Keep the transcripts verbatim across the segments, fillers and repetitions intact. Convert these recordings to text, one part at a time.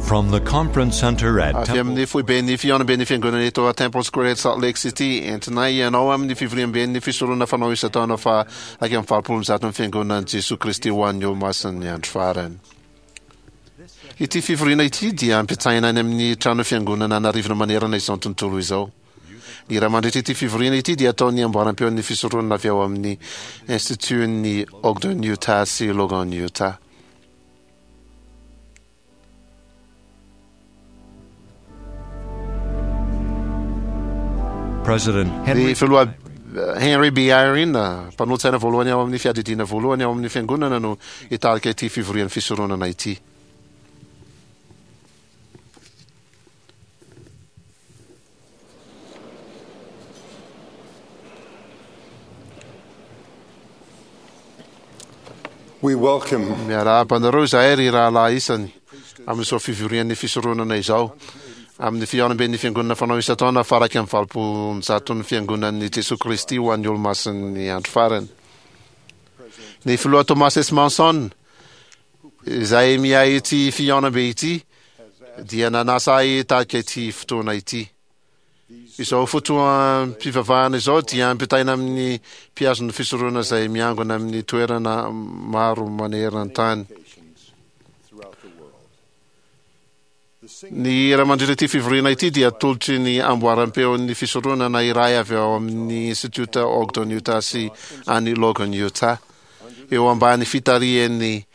From the Conference Center at Avy Temple amin'ny foiben'ny fihaonamben'ny fiangonana eto Temple Square eto Salt Lake City, entinay ianao amin'ny fivoriamben'ny fisoronana fanao isan-taona fa iraika amby valopolo amby zato ny fiangonan'i Jesoa Kristy ho an'ny Olomasin'ny andro farany. Ity fivoriana ity dia ampitaina any amin'ny trano fiangonana an'arivony manerana izao tontolo izao. Ny hira mandritra ity fivoriana ity dia ataon'ny amboaram-peon'ny fisoronana avy ao amin'ny Institut-n'ny Ogden Utah sy Logan Utah. President Ny Henry filoha Henry B. Eyring, mpanolotsaina voalohany ao amin'ny fiadidiana voalohany ao amin'ny fiangonana no hitarika ity fivorian'ny fisoronana ity. We welcome Miarahaba anareo izahay ry rahalahy isany amin'izao fivorian'ny fisoronana izao amin'ny fihaonamben'ny fiangonana fanao isan-taona faha iraika amby valopolo amby zaton'ny fiangonan'i Jesoa Kristy ho an'ny Olomasin'ny andro farany. Ny filoha Thomas S. Monson izay miahy ity fihaonambe ity dia nanasa ahy hitarika ity fotoana ity. Izao fotoam-pivavahana izao dia ampitaina amin'ny mpihazon'ny fisoronana izay miangona amin'ny toerana maro maneran-tany. Ny hira mandritra ity fivoriana ity dia atolotry ny amboaram-peon'ny fisoronana iray avy ao amin'ny Institut Ogden Utah sy any Logan Utah, eo ambany fitarihan'i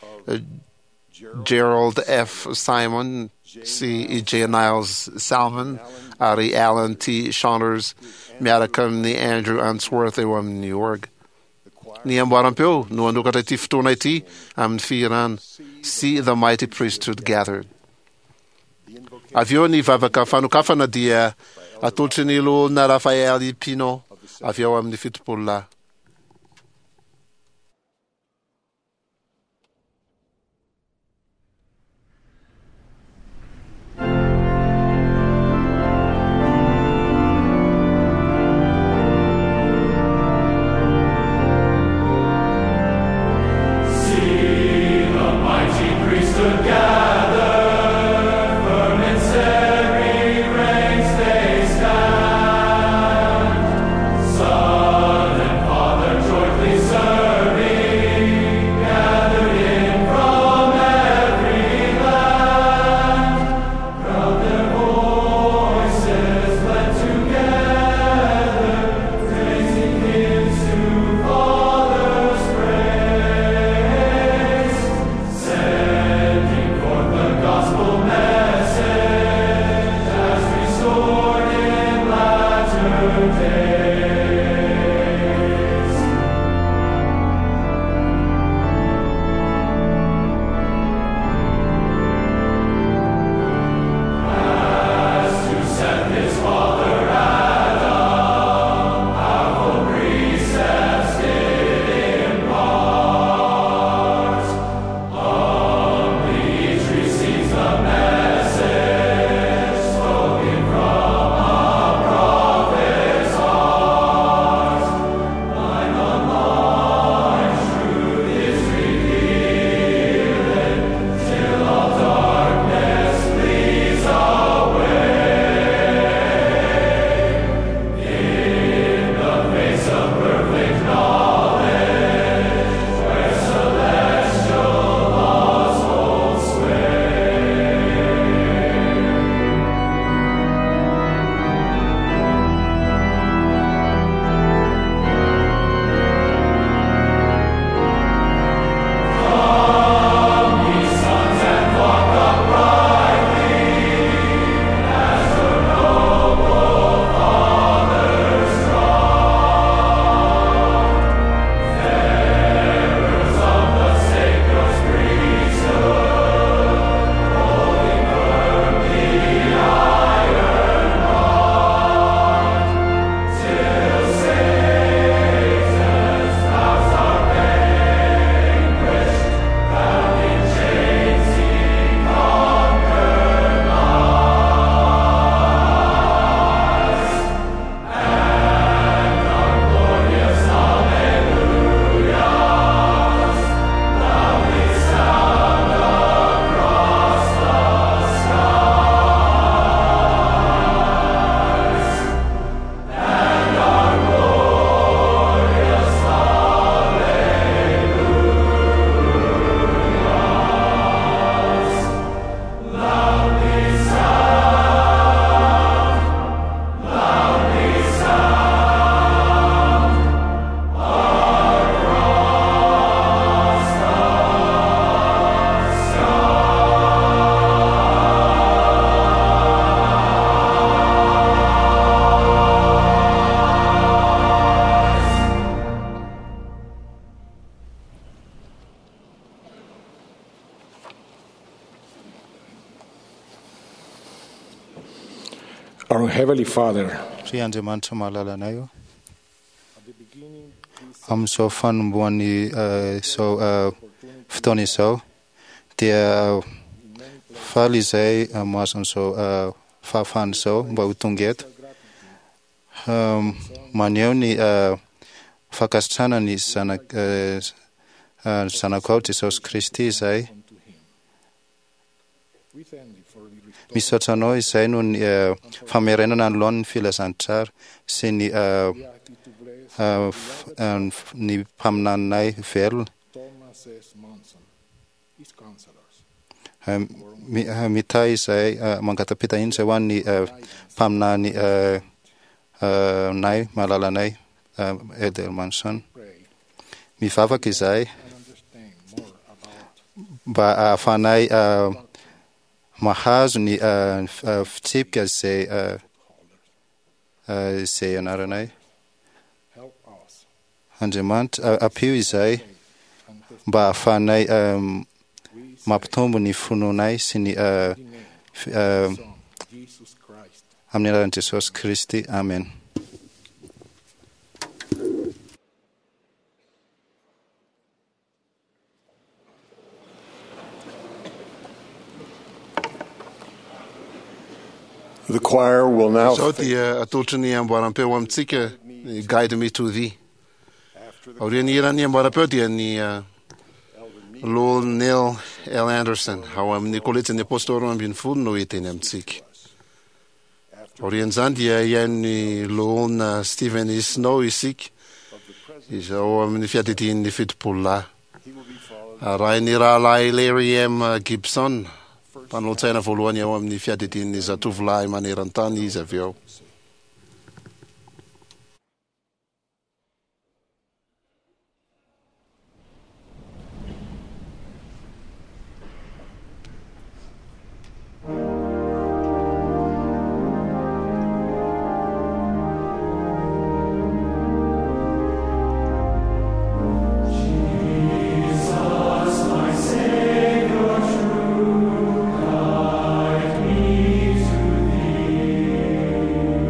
Gerald F. Simon sy i J. Niles Salmon ary Alan T. Saunders miaraka amin'ny Andrew Unsworth eo amin'ny org. Ny amboaram-peo no hanokatra ity fotoana ity amin'ny fihirana See the Mighty Priesthood Gathered. Avy eo ny vavaka fanokafana dia atolotry ny loholona Rafael Pino avy ao amin'ny fitopolo lahy. See the mighty priesthood gather, firm in serried ranks they stand. Son and Our Heavenly Father, Ry Andriamanitra mahalala anay io amin'izao fanombohan'ny eh, izao eh, fotoana izao dia faly izay eh, mahazo an'izao eh, fahafahana izao mba ho tonga eto Um, maneho ny eh, fankasitrahana ny zanak eh, eh, zanakao Jesosy Kristy izay we thank you for the restored misaotra anao izay noho ny eh, famerenana ny laoniny filazantsara sy ny eh, We ask you to bless eh, f- eh, ny f- ny mpaminaninay velona Thomas S. Monson, his counselors, Eh, mi- eh, mitahy izay eh, mangatapita iny izay ho an'ny eh, mpaminany eh, eh, nay malalanay eh, Elder Manson pray mivavaka izahay and understand more about mba ahafahanay eh, mahazo ny eh, ny f- eh, fitsipika izay eh, eh, izay anaranay help us Andriamanitra eh, ampio izahay and test mba ahafahanay eh, we say mampitombo ny finoanay sy ny eh, in the name f- eh, of Son, Jesus Christ. amin'ny anaran'i Jesosy Kristy amen. The choir will now Izao dia atolotry ny amboaram-peo amintsika ny Guide Me to Thee. Aorian'ny hiran'ny amboaram-peo dia ny uh, Lord Neil L. Anderson ao amin'ny kolejin'ny Apôstôly roa ambin'ny folo no hiteny amintsika. Aorian'izany dia hihaino loholona Stephen E. Snow isika izao amin'ny fiadidian'ny fitopolo lahy. Arahin'ny rahalahy Larry M. Gibson mpanolotsaina voalohany ao amin'ny fiadidian'ny zatovolahy maneran-tany izy avy eo. Jesus, my Savior true, guide me to Thee.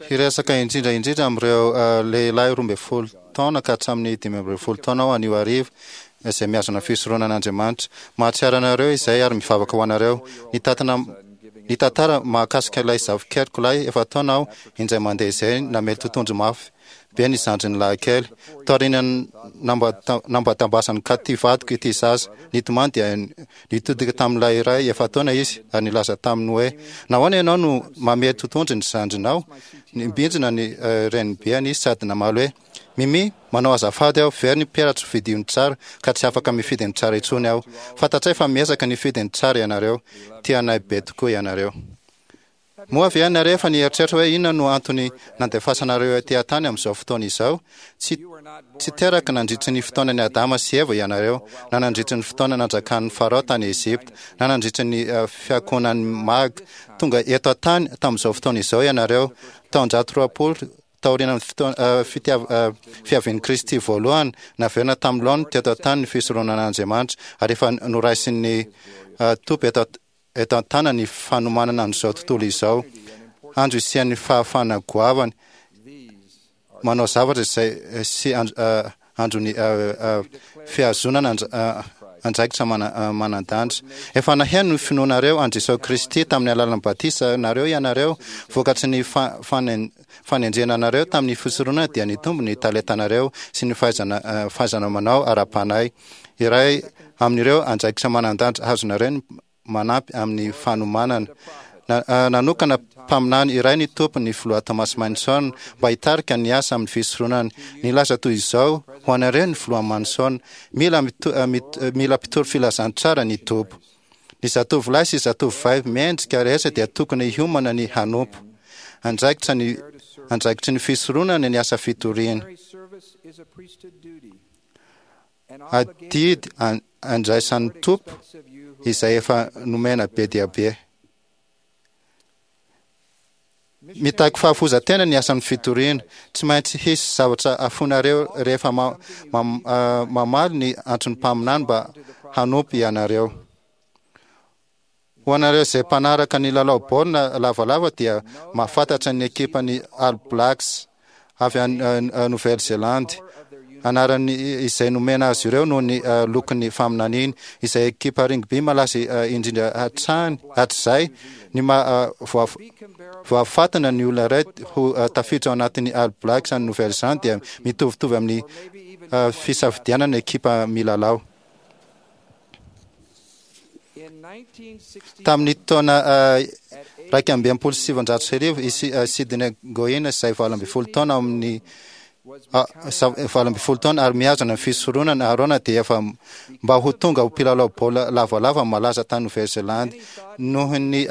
Hiresaka indrindra indrindra amin'ireo lehilahy roa ambin'ny folo taona ka hatramin'ny dimy ambin'ny folo taona aho anio hariva, izay mihazona fisoronan'Andriamanitra. Mahatsiaro anareo izay ary mivavaka ho anareo. Nitatana nitantara mahakasika ilay zafikeliko lahy efa-taona aho indray mandeha izay namely totohondry mafy be ny zandriny lahy kely. Taorian'ny nambatambasan'i Katy vadiko ity zaza nitomany dia nitodika tamin'ilay iray efa-taona izy ary nilaza taminy hoe, "Nahoana ianao no mamely totohondry ny zandrinao?" Nimbinjina ny renibeany izy sady namaly hoe, "Mimi, manao azafady aho, very ny peratro fidio ny tsara ka tsy afaka mifidy ny tsara intsony aho. Fantatray fa miezaka nifidy ny tsara ianareo. Tianay be tokoa ianareo." Moa ve ianareo efa nieritreritra hoe inona no antony nandefasanareo ety an-tany amin'izao fotoana izao? Tsy tsy teraka nandritry ny fotoanan'i Adama sy Eva ianareo, na nandritry ny fotoana nanjakan'ny Farao tany Egypta, na nandritry ny fiankohonan'ny Magy. Tonga eto an-tany tamin'izao fotoana izao ianareo, taonjato roapolo taorian'ny fotoana fitiav- fiavian'i Kristy voalohany, naverina tamin'ny laoniny teto an-tany ny fisoronan'Andriamanitra, ary efa noraisin'ny Tompo eto eto an-tana ny fanomanana an'izao tontolo izao. Andro isian'ny fahafahana goavana manao zavatra izay sy andron'ny fihazonana andraikitra manan-danja. Efa naheno ny finoanareo an'i Jesosy Kristy tamin'ny alalan'ny batisanareo ianareo. Vokatry ny fanendrena anareo tamin'ny fisoronana dia nitombo ny talentanareo sy ny fahaizana fahaizana manao ara-panahy. Iray amin'ireo andraikitra manan-danja azonareo ny manampy amin'ny fanomanana. Nanokana mpaminany iray ny Tompo, ny filoha Thomas Manson, mba hitarika ny asa amin'ny fisoronana. Nilaza toy izao ho anareo ny filoha Manson, Mila mila mpitory filazantsara ny Tompo. Ny zatovolahy sy zatovovavy mendrika rehetra dia tokony hiomana ny hanompo. Andraikitra ny andraikitry ny fisoronana ny asa fitoriana. Adidy andraisan'ny Tompo izay efa nomena be dia be. Mitaky fahafoizan-tena ny asan'ny fitoriana. Tsy maintsy hisy zavatra afoinareo rehefa mamaly ny antson'ny mpaminany mba hanompo ianareo. Ho anareo izay mpanaraka ny lalao baolina lavalava dia mahafantatra ny ekipan'ny All Blacks avy any Nouvelle-Zélande, anarany izay nomena azy ireo noho ny lokon'ny faminaniany, izay ekipa rugby malaza indrindra hatrany hatrizay. Ny maha voafantina ny olona iray ho tafiditra ao anatin'ny All Blacks any Nouvelle-Zélande dia mitovitovy amin'ny fisafidianana ekipa milalao. Tamin'ny taona iraika amby enimpolo sy sivinjato sy arivo, i Sidney Goin izay valo ambin'ny folo taona amin'ny valo ambin'ny folo taona ary mihazona ny fisoronana Arona dia efa mba ho tonga ho mpilalao baolina lavalava malaza tany Nouvelle-Zélande. Noho ny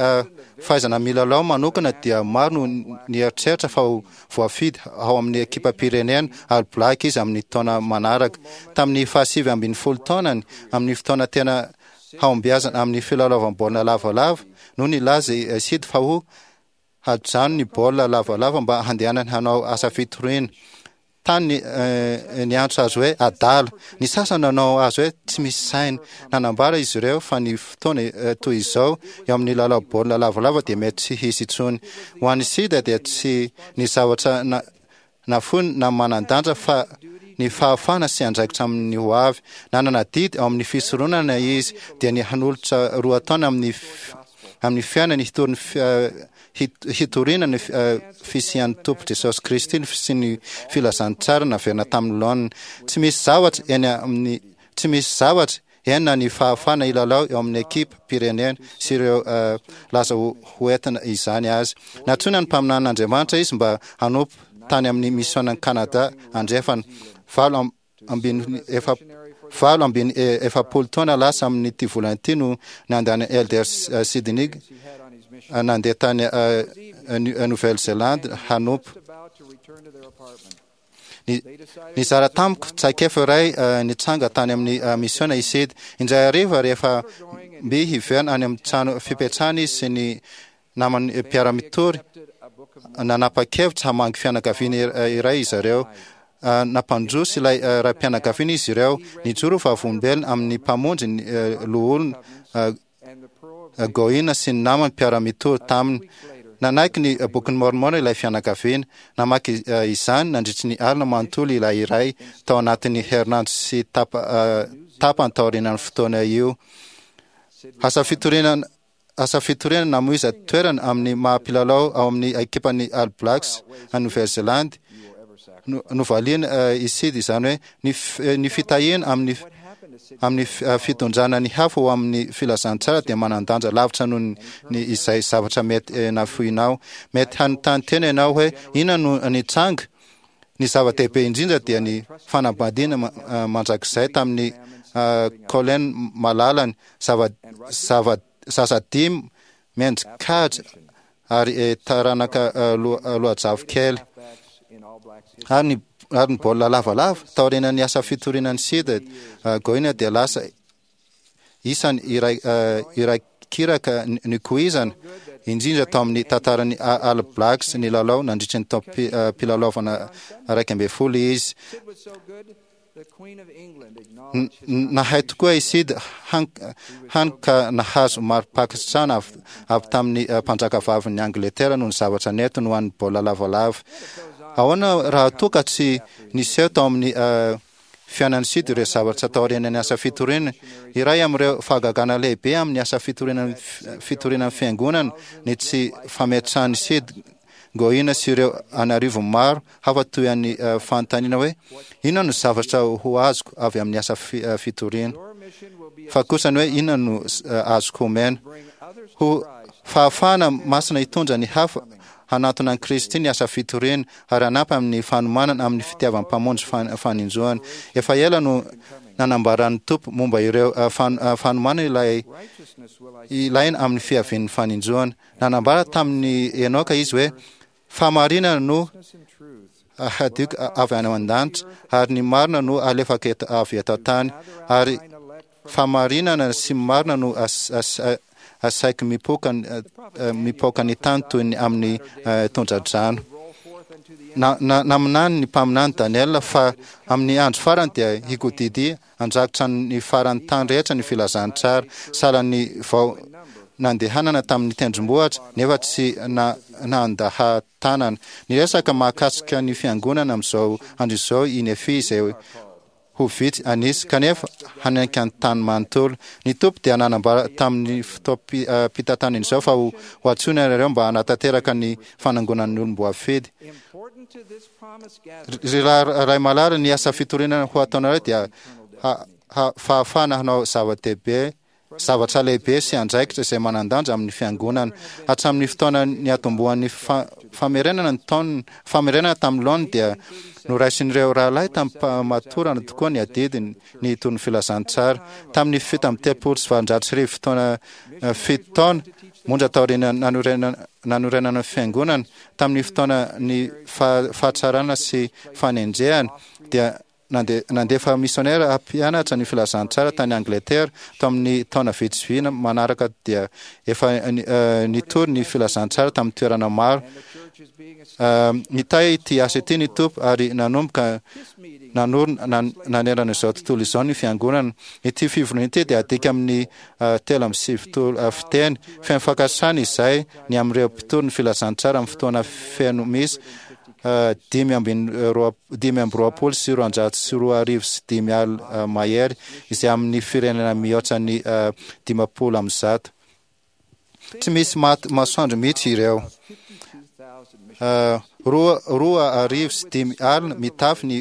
fahaizana milalao manokana dia maro no nieritreritra fa ho voafidy ao amin'ny ekipam-pirenena All Black izy amin'ny taona manaraka. Tamin'ny fahasivy ambin'ny folo taonany, amin'ny fotoana tena hahombiazana amin'ny filalaovam-baolina lavalava, no nilaza i Sid fa ho hajano ny baolina lavalava mba handehanany hanao asa fitoriana. Tany niantso azy hoe adala. Ny sasany nanao azy hoe tsy misy saina. Nanambara izy ireo fa ny fotoana toy izao eo amin'ny lalao baolina lavalava dia mety tsy hisy intsony. Ho an'i Sida dia tsy ny zavatra nafoiny na manan-danja fa ny fahafahana sy andraikitra amin'ny ho avy. Nanana adidy ao amin'ny fisoronana izy dia ny hanolotra roa taona amin'ny amin'ny fiainany hitory ny hitoriana ny fisian'ny Tompo Jesosy Kristy sy ny filazantsara naverina tamin'ny laoniny. Tsy misy zavatra eny amin'ny tsy misy zavatra eny na ny fahafahana hilalao eo amin'ny ekipa pirenena sy ireo laza ho hoentina izany azy. Nantsoina ny mpaminanin'Andriamanitra izy mba hanompo tany amin'ny misionan'i Kanada andrefana. Valo ambin'ny efa valo ambin'ny efapolo taona lasa amin'ity volana ity no nandany Elder Sidney nandeha tany Nouvelle-Zélande hanompo. Nizara tamiko traikefa iray nitranga tany amin'ny misiona i Sid. Indray hariva rehefa mby hiverina any amin'ny trano fipetrahany izy sy ny namany mpiara-mitory, nanapa-kevitra hamangy fianakaviana iray izy ireo. Nampandroso ilay raim-pianakaviana izy ireo. Nijoro ho vavolombelona amin'ny Mpamonjy ny loholona Goina sy ny namany mpiara-mitory taminy. Nanaiky ny Bokin'i Môrmôna ilay fianakaviana. Namaky izany nandritry ny alina manontolo ilay iray tao anatin'ny herinandro sy tapany taorianan'ny fotoana io. Asa fitoriana asa fitoriana namoiza toerana amin'ny maha mpilalao ao amin'ny ekipan'ny All Blacks any Nouvelle-Zélande. Novaliana i Sid izany hoe ny fitahiana amin'ny amin'ny fitondrana ny hafa ho amin'ny filazantsara dia manan-danja lavitra noho ny izay zavatra mety nafoinao. Mety hanontany tena ianao hoe inona no nitranga? Ny zava-dehibe indrindra dia ny fanambadiana mandrakizay tamin'i Colleen malalany, zava zava zaza dimy mendri-kaja ary taranaka loajafy kely. Ary ny ary ny baolina lavalava. Taorian'ny asa fitoriana ny sida, Goina dia lasa isany iray iray kiraka nikoizana indrindra tao amin'ny tantaran'ny All Blacks nilalao nandritry ny taom-pilalaovana iraika ambin'ny folo izy. Nahay tokoa i Sid, hany ka nahazo mari-pankasitrahana avy tamin'ny mpanjakavavin'i Angletera noho ny zavatra nentiny ho an'ny baolina lavalava. Ahoana raha toa ka tsy niseho tao amin'ny fiainan'i Sid ireo zavatra taorian'ny asa fitoriana? Iray amin'ireo fahagagana lehibe amin'ny asa fitoriana fitoriana ny fiangonana ny tsy fametrahan'i Sid Goina sy ireo an'arivony maro hafa toy an'ny fanontaniana hoe, Inona no zavatra ho azoko avy amin'ny asa fitoriana? Fa kosa ny hoe, Inona no azoko omena? Ho fahafahana masina hitondra ny hafa hanantona an'i Kristy ny asa fitoriana ary hanampy amin'ny fanomanana amin'ny fitiavan'ny Mpamonjy faninjoany. Efa ela no nanambaran'ny Tompo momba ireo fanomanana ilay ilaina amin'ny fiavian'ny faninjoany. Nanambara tamin'i Enoka izy hoe, Fahamarinana no hadioko avy any an-danitra, ary ny marina no alefako eto avy eto an-tany, ary fahamarinana sy marina no asaiko mipoka mipoka ny tany toy ny amin'ny tondra-drano. Naminany ny mpaminany Daniela fa amin'ny andro farany dia hikodidia Handrakotra ny faran'ny tany rehetra ny filazantsara. Sahalan'ny vao nandehanana tamin'ny tendrombohitra, nefa tsy nandaha-tanana. Niresaka mahakasika ny fiangonana amin'izao andro izao i Nefia izay ho vitsy an'isa, kanefa hanaiky ny tany manontolo. Ny Tompo dia nanambara tamin'ny fotoam-pitantanany izao fa ho antsoina ianareo mba hanatanteraka ny fanangonan'ny olom-boafidy. Ry Ray malala, ny asa fitoriana ho ataonareo dia fahafahana hanao zava-dehibe, zavatra lehibe sy andraikitra izay manan-danja amin'ny fiangonana. Hatramin'ny fotoana niatombohan'ny famerenana ny taonina, famerenana tamin'ny laoniny dia noraisin'ireo rahalahy tamim-pahamatorana tokoa ny adidiny ny hitory ny filazantsara. Tamin'ny fito amby telopolo sy valonjato sy arivo fotoana fito taona monja taorian'ny nanorenana ny fiangonana, Tamin'ny fotoana ny fahatsarana sy fanenjehana, dia nandefa misionera hampianatra ny filazantsara tany Angletera. Tao amin'ny taona vitsivy manaraka dia efa nitory ny filazantsara tamin'ny toerana maro. Nitahy ity asa ity ny Tompo ary nanomboka nanorina nanerana izao tontolo izao ny fiangonana. Ity fivoriana ity dia adika amin'ny telo amby sivifolo fiteny. Feno fankasitrahana izay ny amin'ireo mpitory ny filazantsara amin'ny fotoana feno misy dimy amby dimy amby roapolo sy roanjato sy roa arivo sy dimy alina mahery izay amin'ny firenena mihoatra ny dimampolo amby zato. Tsy misy maty masoandro mihitsy ireo. Roa roa arivo sy dimy alina mitafy ny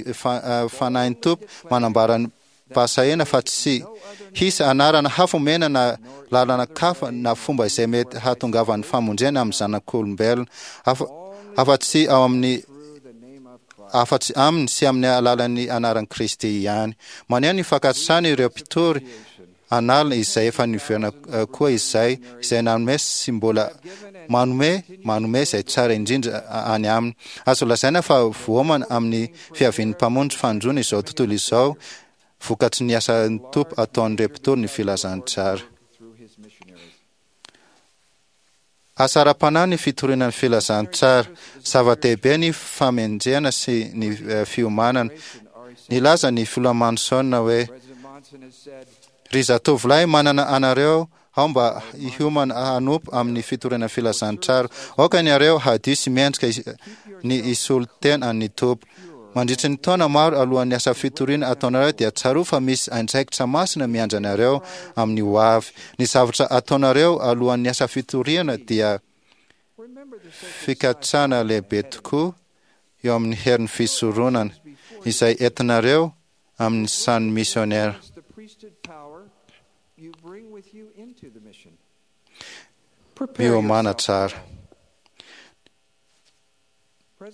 fanahin'ny Tompo manambara ny Bahasahena fa tsy hisy anarana hafa omena na lalana kafa na fomba izay mety hahatongavan'ny famonjena amin'ny zanak'olombelona afa-tsy ao amin'ny afa-tsy aminy sy amin'ny alalan'ny anaran'i Kristy ihany. Maneho ny fankasitrahany ireo mpitory an'alina izay efa niverina koa izay izay nanome sy mbola manome manome izay tsara indrindra any aminy. Azo lazaina fa voaomana amin'ny fiavian'ny Mpamonjy fanindroany izao tontolo izao vokatry ny asan'ny Tompo ataon'ireo mpitory ny filazantsara. Asa ara-panahy ny fitoriana ny filazantsara. Zava-dehibe ny famenjehana sy ny fiomanana. Nilaza ny Filoha Manson hoe, Ry zatovolahy, manana anareo Ao mba hiomana hanompo amin'ny fitoriana filazantsara. Aoka ianareo hadio sy mendrika ny hisolo tena an'ny Tompo. Mandritra ny taona maro alohan'ny asa fitoriana ataonareo dia tsarovy fa misy andraikitra masina miandry anareo amin'ny ho avy. Ny zavatra ataonareo alohan'ny asa fitoriana dia fikatsahana lehibe tokoa eo amin'ny herin'ny fisoronana izay entinareo amin'ny sahan'ny misionera. Miomàna tsara.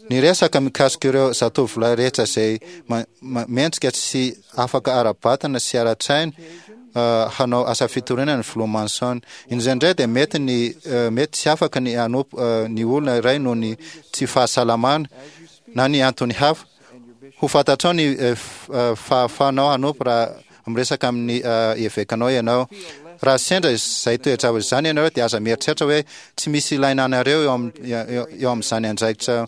Niresaka mikasika ireo zatovolahy rehetra izay mendrika sy afaka ara-batana sy ara-tsaina hanao asa fitoriana ny filoha Manson. Indraindray dia mety ny mety tsy afaka ny hanompo ny olona iray noho ny tsy fahasalamana na ny antony hafa. Ho fantatrao ny fahafahanao hanompo raha miresaka amin'ny evekanao ianao. Raha sendra izay toe-javatra izany ianareo dia aza mieritreritra hoe tsy misy ilaina anareo eo eo amin'izany andraikitra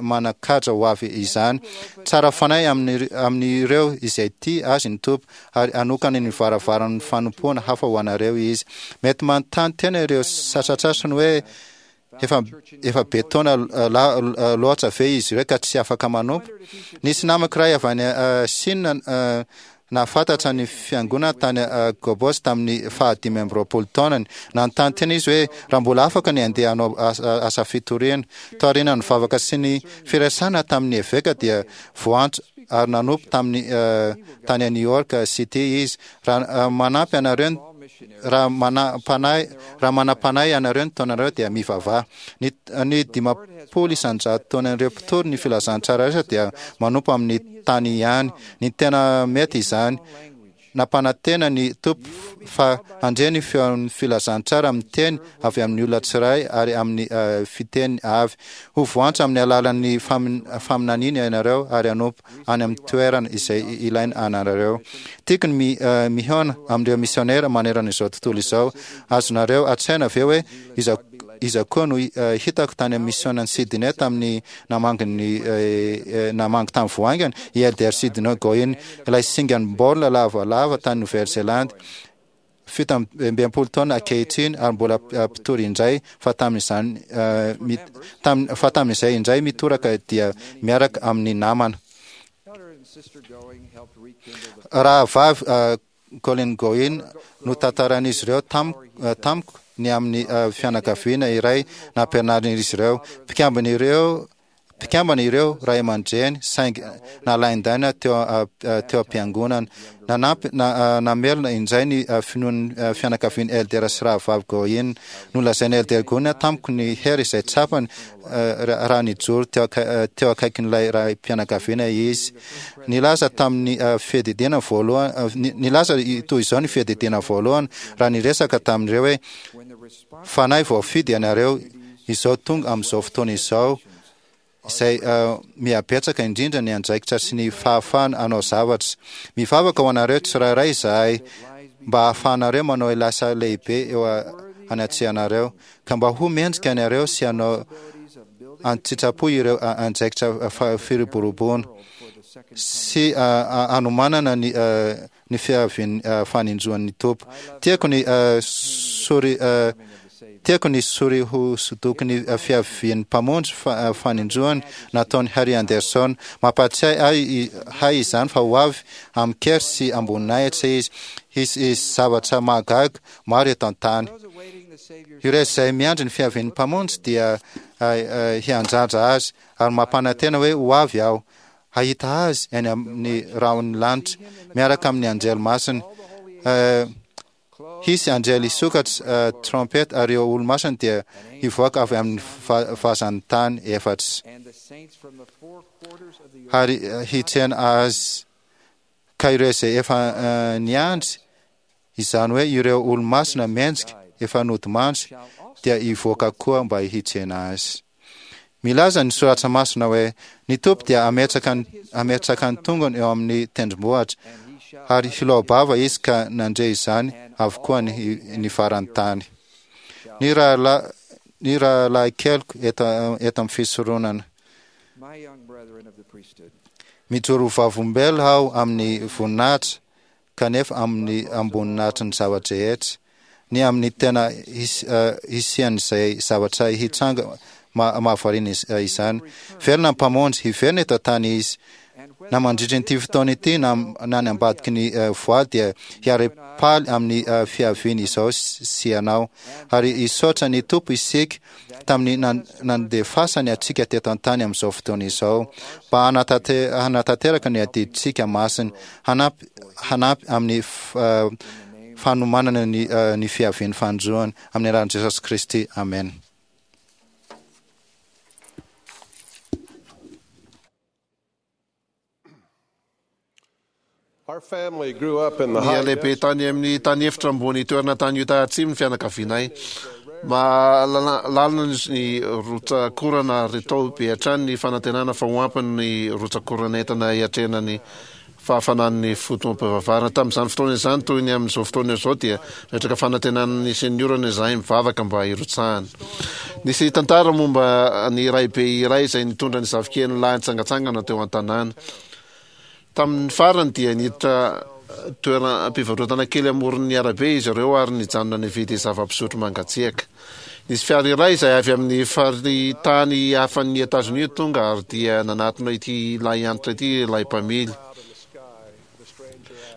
manan-kaja ho avy izany. Tsara fanahy amin'ireo izay tia azy ny Tompo ary hanokana ny varavaran'ny fanompoana hafa ho anareo izy. Mety manontany tena ireo sasantsasany hoe efa efa be taona loatra ve izy ireo ka tsy afaka manompo. Nisy namako iray avy any Chine nahafantatra ny fiangonana tany Gobos tamin'ny fahadimy amby roapolo taonany. Nanontany tena izy hoe raha mbola afaka ny handeha hanao asa fitoriana. Taorian'ny vavaka sy ny firaisana tamin'ny eveka dia voantso ary nanompo tamin'ny tany New York City izy. Raha manampy anareo raha manam-panahy raha manam-panahy anareo ny taonareo dia mivavaha. Ny ny dimampolo isan-jato taonan'ireo mpitory ny filazantsara rehetra dia manompo amin'ny tany ihany. Ny tena mety izany. Nampanantena ny Tompo fa handre ny feon'ny filazantsara amin'ny teny avy amin'ny olona tsiray ary amin'ny fiteny avy. Ho voantso amin'ny alalan'ny faminaniana ianareo ary hanompo any amin'ny toerana izay ilaina anareo. Tiako ny mihaona amin'ireo misionera manerana izao tontolo izao. Azonareo an-tsaina ve hoe iza iza koa no hitako tany amin'ny misionan'i Sydney tamin'ny namangy ny namangy tamin'ny voaingana? I Elder Sidney Goin, ilay singam-baolina lavalava tany Nouvelle-Zélande. Fito amby enimpolo taona ankehitriny ary mbola mpitory indray fa tamin'izany fa tamin'izay indray mitoraka dia miaraka amin'ny namana. Rahavavy Colin Goin no tantarain'izy ireo tamiko ny amin'ny fianakaviana iray nampianarin'izy ireo. Mpikambana ireo Mpikambana ireo ray aman-dreny saingy nalaindaina teo teo am-piangonana. Nanampy namelona indray ny finoan'ny fianakavian'i Elder sy Rahavavy Goin. Nolazain'i Elder Goin tamiko ny hery izay tsapany raha nijoro teo teo akaikin'ilay raim-pianakaviana izy. Nilaza tamin'ny fiadidiana voalohany nilaza toy izao ny fiadidiana voalohany raha niresaka tamin'ireo hoe, Fanahy voafidy ianareo izao tonga amin'izao fotoana izao izay mihabetsaka indrindra ny andraikitra sy ny fahafahana hanao zavatra. Mivavaka ho anareo tsirairay izahay mba hahafahanareo manao ilay asa lehibe eo anatrehanareo, ka mba ho mendrika anareo sy hanao an-tsitrapo ireo andraikitra firoboroboana sy hanomanana ny ny fiavian'ny faninjoan'ny Tompo. Tiako ny sory Tiako ny sory hosodoky ny fiavian'ny Mpamonjy faninjoany nataon'i Harry Anderson. Mampahatsiahy ahy hay izany fa ho avy amin-kery sy am-boninahitra Izy. Hisy zavatra mahagaga maro eto an-tany. Ireo izay miandry ny fiavian'ny Mpamonjy dia hiandrandra Azy ary mampanantena hoe ho avy aho. Hahita Azy any amin'ny rahon'ny lanitra miaraka amin'ny anjely masina. Hisy anjely hisokatra trompeta ary ireo olo-masina dia hivoaka avy amin'ny vazan'ny tany efatra ary hitsena Azy. Ka ireo izay efa niandry, izany hoe ireo olo-masina mendrika efa nodimandry, dia hivoaka koa mba hitsena Azy. Milaza ny Soratra Masina hoe, Ny Tompo dia hametraka ny hametraka ny tongony eo amin'ny tendrombohitra, ary hiloa-bava izy ka nandre izany avokoa ny ny faran'ny tany. Ny rahalahy ny rahalahy keliko eto eto amin'ny fisoronana. Mijoro ho vavolombelona aho amin'ny voninahitra kanefa amin'ny amboninahitry ny zava-drehetra. Ny amin'ny tena hisian'izay zavatra hitranga mahavariana izany. Velona ny Mpamonjy, hiverina eto an-tany Izy. Na mandritra ity fotoana ity na na ny ambadiky ny voaly dia hiara-paly amin'ny fiaviany izao sy ianao. Ary hisaotra ny Tompo isika tamin'ny nandefasany antsika teto an-tany amin'izao fotoana izao mba hanatanteraka ny adidintsika masina, hanampy hanampy amin'ny fanomanana ny ny fiavian'ny fanindroany. Amin'ny anaran'i Jesosy Kristy, amena. Nihalehibe tany amin'ny tany efitra ambony toerana tany Utah Atsimo ny fianakavianay. Mahalalana ny rotsakorana ary tao be hatrany ny fanantenana fa ho ampy ny rotsakorana entina hiatrehana ny fahafanan'ny fotoam-pivavahana. Tamin'izany fotoana izany, toy ny amin'izao fotoana izao, dia nametraka fanantenana ny hisian'ny orana izahay mivavaka mba hirotsahany. Nisy tantara momba ny raibe iray izay nitondra ny zafikeliny lahy nitsangantsangana teo an-tanàna. Tamin'ny farany dia niditra toeram-pivarotana kely amoron'ny arabe izy ireo ary nijanona nividy zava-pisotro mangatsiaka. Nisy fiara iray izay avy amin'ny faritany hafan'i Etazonia tonga ary dia nanatona ity lahiantitra ity ilay mpamily.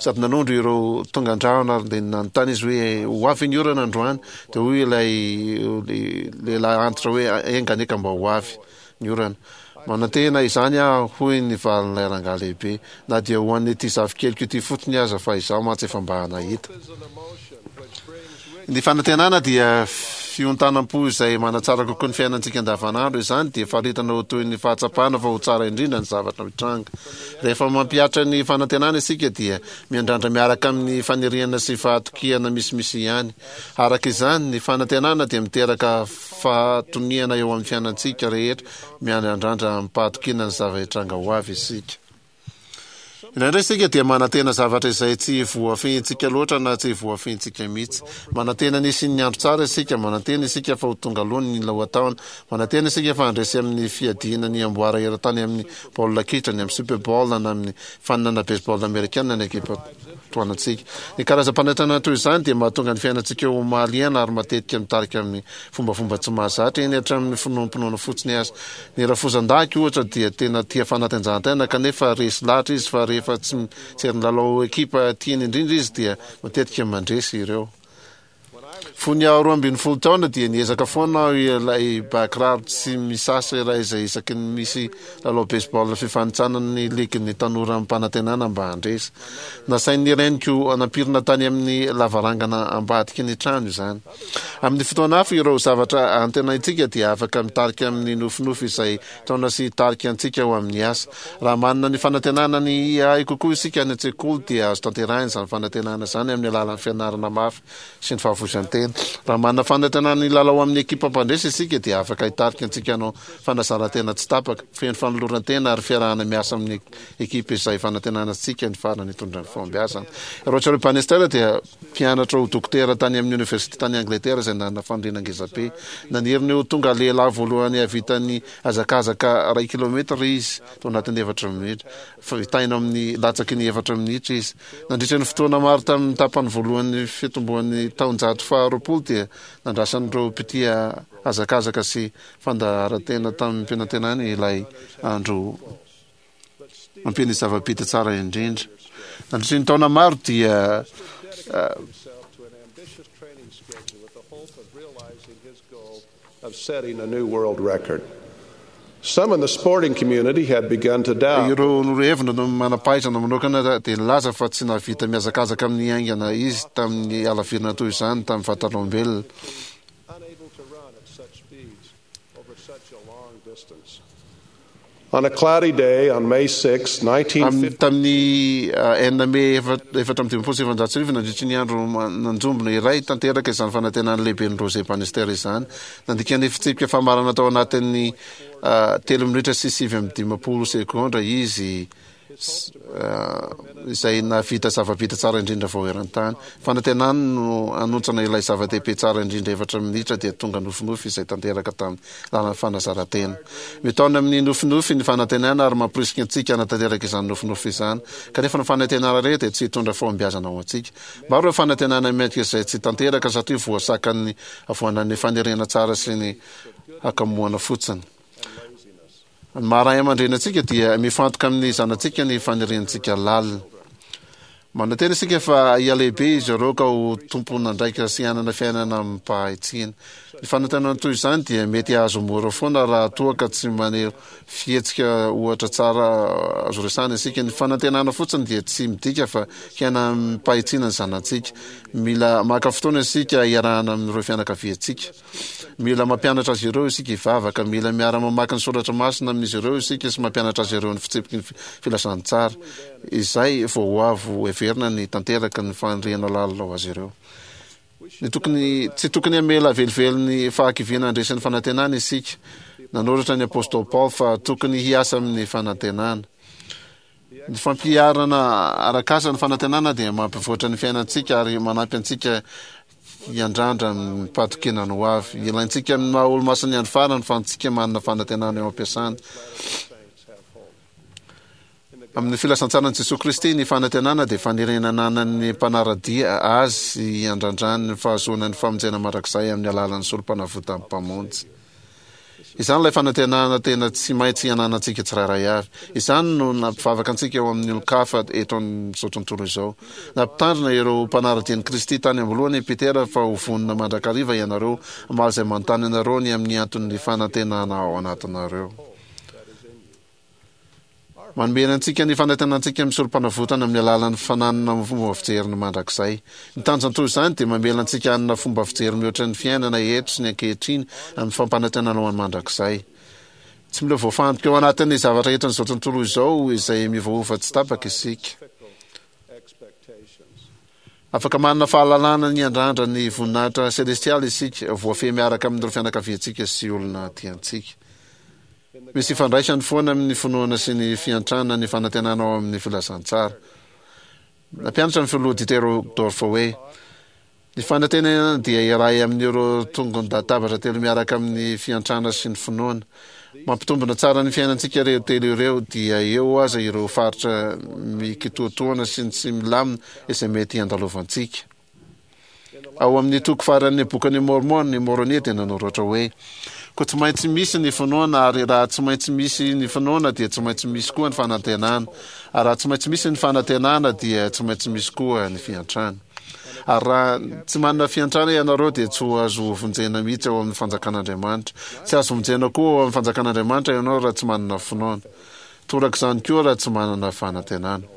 Sady nanondro ireo tonga an-drahona ary dia nanontany izy hoe ho avy ny orana androany. Dia hoy ilay lehilahy antitra hoe enga anie ka mba ho avy ny orana. Manantena izany aho, hoy ny valin'ilay rangahy lehibe, na dia ho an'ity zafikeliko ity fotsiny aza fa izaho mantsy efa mba nahita. Ny fanantenana dia fiontanam-po izay manatsara kokoa ny fiainantsika andavanandro. Izany dia faritana ho toy ny fahatsapana fa ho tsara indrindra ny zavatra mitranga. Rehefa mampihatra ny fanantenana isika dia miandrandra miaraka amin'ny faniriana sy fahatokiana misimisy ihany. Araka izany, ny fanantenana dia miteraka fahatoniana eo amin'ny fiainantsika rehetra, miandrandra amim-pahatokiana ny zava-hitranga ho avy isika. Indraindray isika dia manantena zavatra izay tsy voafehintsika loatra na tsy voafehintsika mihitsy. Manantena ny hisian'ny andro tsara isika, manantena isika fa ho tonga aloha ny lohataona, manantena isika fa handresy amin'ny fiadiana ny amboara eran-tany amin'ny baolina kitra, ny amin'ny Super Bowl na amin'ny faninana baseball amerikana ny ekipa tohanantsika. Ny karazam-panentanana toy izany dia mahatonga ny fiainantsika ho mahaliana ary matetika mitarika amin'ny fombafomba tsy mahazatra, eny hatramin'ny finoanompinoana fotsiny aza. Ny rafozan-dahiko, ohatra, dia tena tia fanatanjahantena, kanefa resy lahatra izy fa rehefa tsy mijery ny lalao ekipa tiany indrindra izy dia matetika mandresy ireo. Fony aho roa ambin'ny folo taona dia niezaka foana aho ilay ba kiraro tsy misasa iray izay isaky ny misy lalao baseball fifanintsanana ny ligin'ny tanora amim-panantenana mba handresy. Nasain'ny reniko nampirina tany amin'ny lavarangana ambadiky ny trano izany. Amin'ny fotoana hafa ireo zavatra antenaintsika dia afaka mitarika amin'ny nofinofy izay taona sy hitarika antsika ho amin'ny asa. Raha manana ny fanantenana ny hahay kokoa isika any an-tsekoly dia azo tanterahina izany fanantenana izany amin'ny alalan'ny fianarana mafy sy ny fahafoizan-tena. Raha manana fanantenana ny hilalao amin'ny ekipa mpandresy isika dia afaka hitarika antsika hanao fanazaran-tena tsy tapaka, feno fanoloran-tena ary fiarahana miasa amin'ny ekipa izay fanantenana antsika ny farany hitondra ny fahombiazana. Roger Bannister dia Mpianatra ho dokotera tany amin'ny oniversite tany Angletera izay nanana faniriana ngezabe. Naniry ny ho tonga lehilahy voalohany hahavita ny hazakazaka iray kilaometatra izy tao anatin'ny efatra minitra. Vitaina amin'ny latsaky ny efatra minitra izy. Nandritra ny fotoana maro tamin'ny tapany voalohan'ny fitomboan'ny taonjato faharoapolo dia nandrasan'ireo mpitia hazakazaka sy fandaharan-tena tamim-panantenana ilay andro Mampiana ny zava-bita tsara indrindra. Nandritry ny taona maro dia Ireo norohevina no manam-pahaizana manokana dia nilaza fa tsy nahavita mihazakazaka amin'ny haingana izy tamin'ny halavirana toy izany tamin'ny vatan'olombelona. On a cloudy day on May six, nineteen fifty. Tamin'ny enina Mey efatra amby dimampolo sy efajato sy arivo, nandritry ny andro nanjombona iray, tanteraka izany fanantenan'ny lehiben'ny Rose Bannister izany. Nandika ny fitsipika famarana tao anatin'ny telo minitra sy sivy amby dimampolo segondra izy. izay nahavita zava-bita tsara indrindra vao eran-tany. Fanantenany no hanontsana ilay zava-dehibe tsara indrindra efatra minitra dia tonga nofinofy izay tanteraka tamin'ny lalan'ny fanazaran-tena. Mitaona amin'ny nofinofy ny fanantenana ary mamporisika antsika hanatanteraka izany nofinofy izany. Kanefa ny fanantenana irery dia tsy hitondra fahombiazana ho antsika. Maro ireo fanantenana mendrika izay tsy tanteraka satria voasakan'ny havoanan'ny faniriana tsara sy ny hakamoana fotsiny. Ny maha ray aman-dreny antsika dia mifantoka amin'ny zanatsika ny faniriantsika lalina. Manantena isika fa hihalehibe izy ireo ka ho tompon'andraikitra sy hanana fiainana amim-pahatsiana. Ny fanantenana toy izany dia mety hahazo mora foana raha toa ka tsy maneho fihetsika ohatra tsara azo resahina isika. Ny fanantenana fotsiny dia tsy midika fa hiaina amim-pahitsiana ny zanatsika. Mila maka fotoana isika hiarahana amin'ireo fianakaviantsika. Mila mampianatra azy ireo isika hivavaka. Mila miara-mamaky ny soratra masina amin'izy ireo isika sy mampianatra azy ireo ny fitsipiky ny filazantsara. Izay vao ho avy ho heverina ny tanteraka ny faniriana lalina ho azy ireo. Ny tokony, tsy tokony hamela velively ny fahakiviana handresy ny fanantenana isika. Nanoratra ny apostoly Paoly fa tokony hiasa amin'ny fanantenana. Ny fampiharana arak'asa ny fanantenana dia mampivoatra ny fiainantsika ary manampy antsika hiandrandra amim-pahatokiana ny ho avy. Ilaintsika amin'ny maha olo-masin'ny andro farany fa antsika manana fanantenana eo am-piasana. Amin'ny filazantsaran'i Jesoa Kristy, ny fanantenana dia faniriana ananan'ny mpanara-dia Azy hiandrandrany ny fahazoana ny famonjena mandrakizay amin'ny alalan'ny Sorompanavotan'ny Mpamonjy. Izany ilay fanantenana tena tsy maintsy ananantsika tsirairay avy. Izany no nampivavaka antsika eo amin'ny olon-kafa eto amin'izao tontolo izao. Nampitandrina ireo mpanara-dia an'i Kristy tany am-boalohany i Petera fa ho vonona mandrakariva ianareo hamaly izay manontany anareo ny amin'ny anton'ny fanantenana ao anatinareo. Manome antsika ny fanantenantsika amin'ny Sorompanavotana amin'ny alalan'ny fananana fomba fijery ny mandrakizay. Ny tanjona toy izany dia mamela antsika hanana fomba fijery mihoatra ny fiainana eto sy ny ankehitriny amin'ny fampanantenana ho an'ny mandrakizay. Tsy mila voafantoka eo anatin'ny zavatra entin'izao tontolo izao izay miovaova tsy tapaka isika. Afaka manana fahalalana ny hiandrandra ny voninahitra selestialy isika, voafehy miaraka amin'ireo fianakaviantsika sy olona tiantsika. Misy ifandraisany foana amin'ny finoana sy ny fiantrana ny fanantenana ao amin'ny filazantsara. Nampianatra ny Filoha Dieter Uchtdorf hoe, Ny fanantenana dia iray amin'ireo tongon-databatra telo miaraka amin'ny fiantrana sy ny finoana. Mampitombina tsara ny fiainantsika ireo telo ireo, dia eo aza ireo faritra mikitoatoana sy ny tsy milamina izay mety handalovantsika. Ao amin'ny toko faran'ny Bokin'i Môrmôna, i Môrônia dia nanoratra hoe, Koa tsy maintsy misy ny finoana, ary raha tsy maintsy misy ny finoana dia tsy maintsy misy koa ny fanantenana, ary raha tsy maintsy misy ny fanantenana dia tsy maintsy misy koa ny fiantrana. Ary raha tsy manana fiantrana ianareo dia tsy ho azo vonjena mihitsy ao amin'ny fanjakan'Andriamanitra. Tsy azo vonjena koa ao amin'ny fanjakan'Andriamanitra ianao raha tsy manana finoana. Torak'izany koa raha tsy manana fanantenana.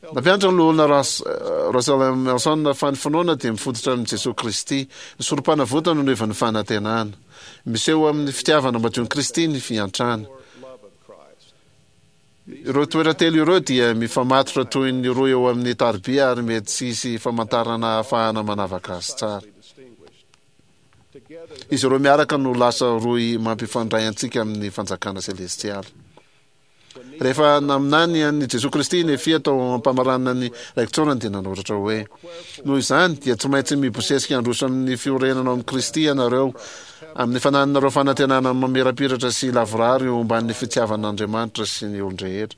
Nampianatra ny Loholona Russell M. Nelson fa ny finoana dia mifototra amin'i Jesoa Kristy. Ny Sorompanavotana no ivon'ny fanantenana. Miseho amin'ny fitiavana madion'i Kristy ny fiantrana. Ireo toetra telo ireo dia mifamatotra toy ny rohy eo amin'ny tariby ary mety tsy hisy famantarana ahafahana manavaka azy tsara. Izy ireo miaraka no lasa rohy mampifandray antsika amin'ny fanjakana selestialy. Rehefa naminany an'i Jesoa Kristy i Nefia tao am-pamaranana ny raiki-tsaorany dia nanoratra hoe, Noho izany, dia tsy maintsy mibosesika handroso amin'ny fiorenana ao amin'i Kristy ianareo, amin'ny fanananareo fanantenana mamirapiratra sy lavorary eo ambanin'ny fitiavan'Andriamanitra sy ny olon-drehetra.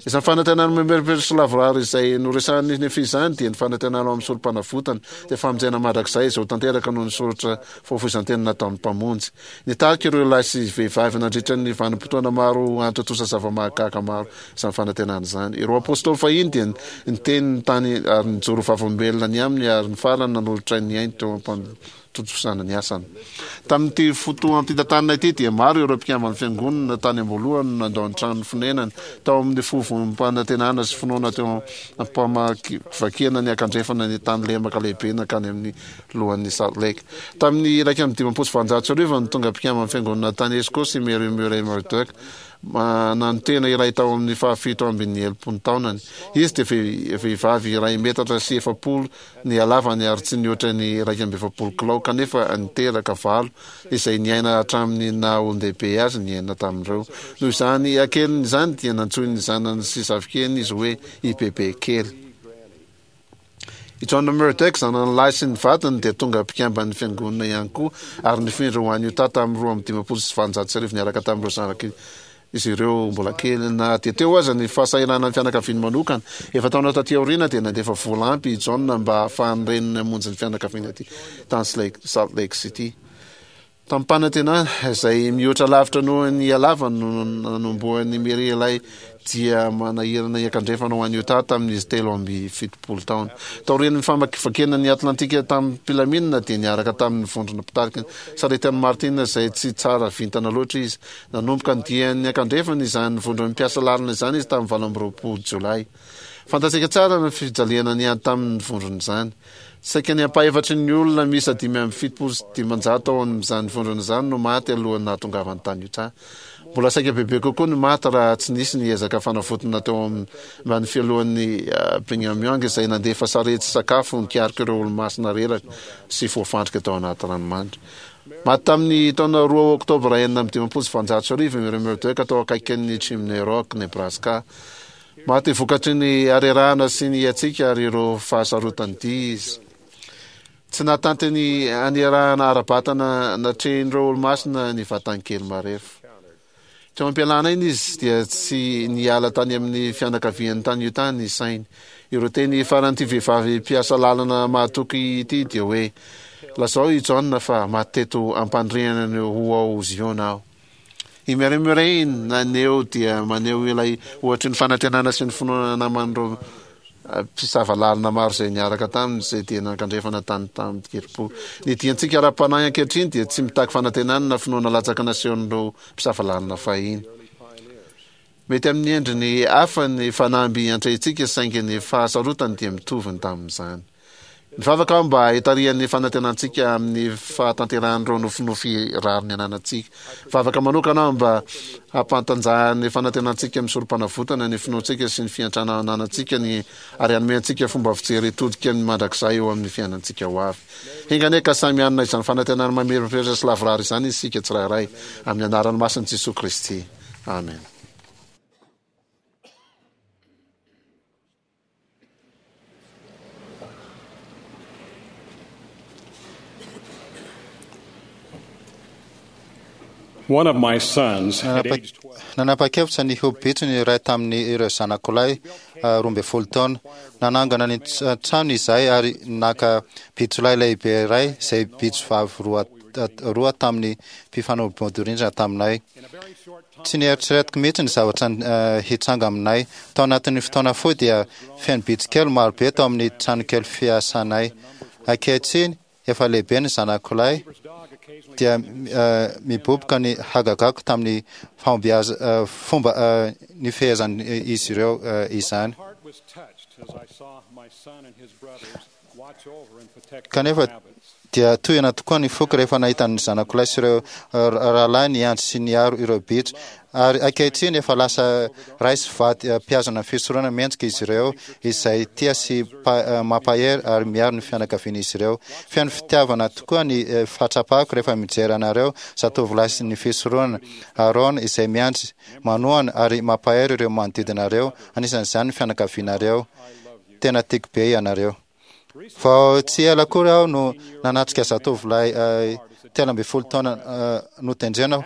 Izany fanantenana mamirapiratra sy lavorary izay noresahin'i Nefia izany dia ny fanantenana ao amin'ny Sorompanavotana, dia famonjena mandrakizay izay ho tanteraka noho ny soratra fahafoizan-tena nataon'ny Mpamonjy. Nitarika ireo lahy sy vehivavy nandritra ny vanim-potoana maro hantontosa zava-mahagaga maro izany fanantenana izany. Ireo apostoly fahiny dia niteny ny tany ary nijoro vavolombelona ny aminy ary ny farany nanolotra ny ainy teo am-pantontosana ny asany. Tamin'ity fotoam-pitantanana ity dia maro ireo mpikamban'ny Fiangonana tany am-boalohany no nandao ny trano fonenany tao amin'ny fovom-panantenana sy finoana teo am-pamakivakiana ny ankandrefana ny tany lemaka lehibe nankany amin'ny lohan'ny Salt Lake. Tamin'ny iraika amby dimampolo sy valonjato sy arivo no tonga mpikamban'ny Fiangonana tany Eskaosy i Mary Murray Murdock Mananotena iray tao amin'ny fahafito ambin'ny enimpolo taonany. Izy dia vehivavy iray metatra sy efapolo ny halavany ary tsy nihoatra ny iraika amby efapolo kilao, kanefa niteraka valo izay niaina hatramin'ny naha olon-dehibe azy ny enina tamin'ireo. Noho izany hakeliny izany dia nantsoin'ny zanany sy zafikeliny izy hoe i Bebe kely. I John Murdock, zanany lahy sy ny vadiny, dia tonga mpikamban'ny fiangonana ihany koa ary nifindra ho any Utah tamin'ny roa amby dimampolo sy valonjato sy arivo niaraka tamin'ireo zanak'izy ireo mbola kely. Na dia teo aza ny fahasahiranan'ny fianakaviany manokana, efa-taona taty aoriana dia nandefa vola ampy i John mba hahafahan'ny reniny hamonjy ny fianakaviany aty tany Salt Lake City. Tamim-panantenana izay mihoatra lavitra noho ny halavany no nanombohan'i Mary ilay dia manahirana hiankandrefana ho any Utah tamin'izy telo amby fitopolo taona. Taorian'ny famakivakiana ny Atlantika tamim-pilaminana dia niaraka tamin'ny vondrona mpitarika sarety an'i Martin izay tsy tsara vintana loatra izy. Nanomboka ny diany niankandrefana izany vondron'ny mpiasa lalana izany izy tamin'ny valo amby roapolo jolay. Fantatsika tsara ny fijaliana niady tamin'ny vondrona izany. Saika ny ampahefatry ny olona miisa dimy amby fitopolo sy dimanjato ao amin'izany vondrona izany no maty alohan'ny nahatongavany tany Utah. Mbola saika bebe kokoa ny maty raha tsy nisy ny ezaka fanavotana teo ambany fialohan'ny Brigham Young izay nandefa sarety sy sakafo nikarika ireo olomasina reraka sy voafandrika tao anaty ranomandry. Maty tamin'ny taona roa oktobra enina amby dimampolo sy valonjato sy arivo i Mary Murdock tao akaikin'ny Chimney Rock, Nebraska. Maty vokatry ny harerahana sy ny hatsiaka ary ireo fahasarotan'ny dia izy. Tsy nahatanty ny hanerahana ara-batana natrehin'ireo olomasina ny vatany kely marefo. Teo am-pialana aina izy dia tsy niala tany amin'ny fianakaviany tany Utah ny sainy. Ireo teny faran'ity vehivavy mpiasa lalana mahatoky ity dia hoe, Lazao i John fa maty teto am-pandrihana ny ho ao Ziona aho. I Mary Murray naneho dia maneho ilay ohatry ny fanantenana sy ny finoana naman'ireo mpisava lalana maro izay niaraka taminy izay dia nankandrefana tany tamin-kerim-po. Ny diantsika ara-panahy ankehitriny dia tsy mitaky fanantenana na finoana latsaka nasehon'ireo mpisava lalana fahiny. Mety amin'ny endriny hafa ny fanamby iantrehintsika saingy ny fahasarotany dia mitovy ny tamin'izany. Mivavaka aho mba hitarihan'ny fanantenantsika amin'ny fahatanterahan'ireo nofinofy rariny ananantsika. Mivavaka manokana aho mba hampantanjahan'ny fanantenantsika amin'ny sorompanavotana ny finoantsika sy ny fiantrana ananantsika ny ary hanome antsika fomba fijery hitodika ny mandrakizay eo amin'ny fiainantsika ho avy. Enga anie ka samy hanana izany fanantenana mamirapiratra sy lavorary izany isika tsirairay, amin'ny anaran'ny masin'i Jesoa Kristy. Amen. One of my sons, at age twelve, Nanapa-kevitra ny ho bitro ny iray tamin'ireo zanako lahy roa ambin'ny folo taona. Nanangana ny trano izahay ary naka bitrolahy lehibe iray izay bitro vavy roa roa tamin'ny mpifanolo-bodirindrina taminay. Tsy nieritreretiko mihitsy ny zavatra hitranga aminay. Tao anatin'ny fotoana fohy dia feno bitro kely marobe tao amin'ny tranokely fiasanay. Ankehitriny, efa lehibe ny zanako lahy, dia miboboka ny hagagako tamin'ny fahombiaza fomba nifehezan'izy ireo izany. Kanefa dia tohina tokoa ny foko rehefa nahita ny zanako lahy sy ireo rahalahy niandry sy niaro ireo bitro. Ary ankehitriny efa lasa ray sy vady mpihazona ny fisoronana mendrika izy ireo, izay tia sy mampahery ary miaro ny fianakavian'izy ireo. Feno fitiavana tokoa ny fahatsapako rehefa mijery anareo zatovolahy sy ny fisoronana Aarona izay miandry, manohana ary mampahery ireo manodidina anareo, anisan'izany ny fianakavianareo. Tena tiako be ianareo. Vao tsy ela akory aho no nanatrika zatovolahy telo ambin'ny folo taona notendrena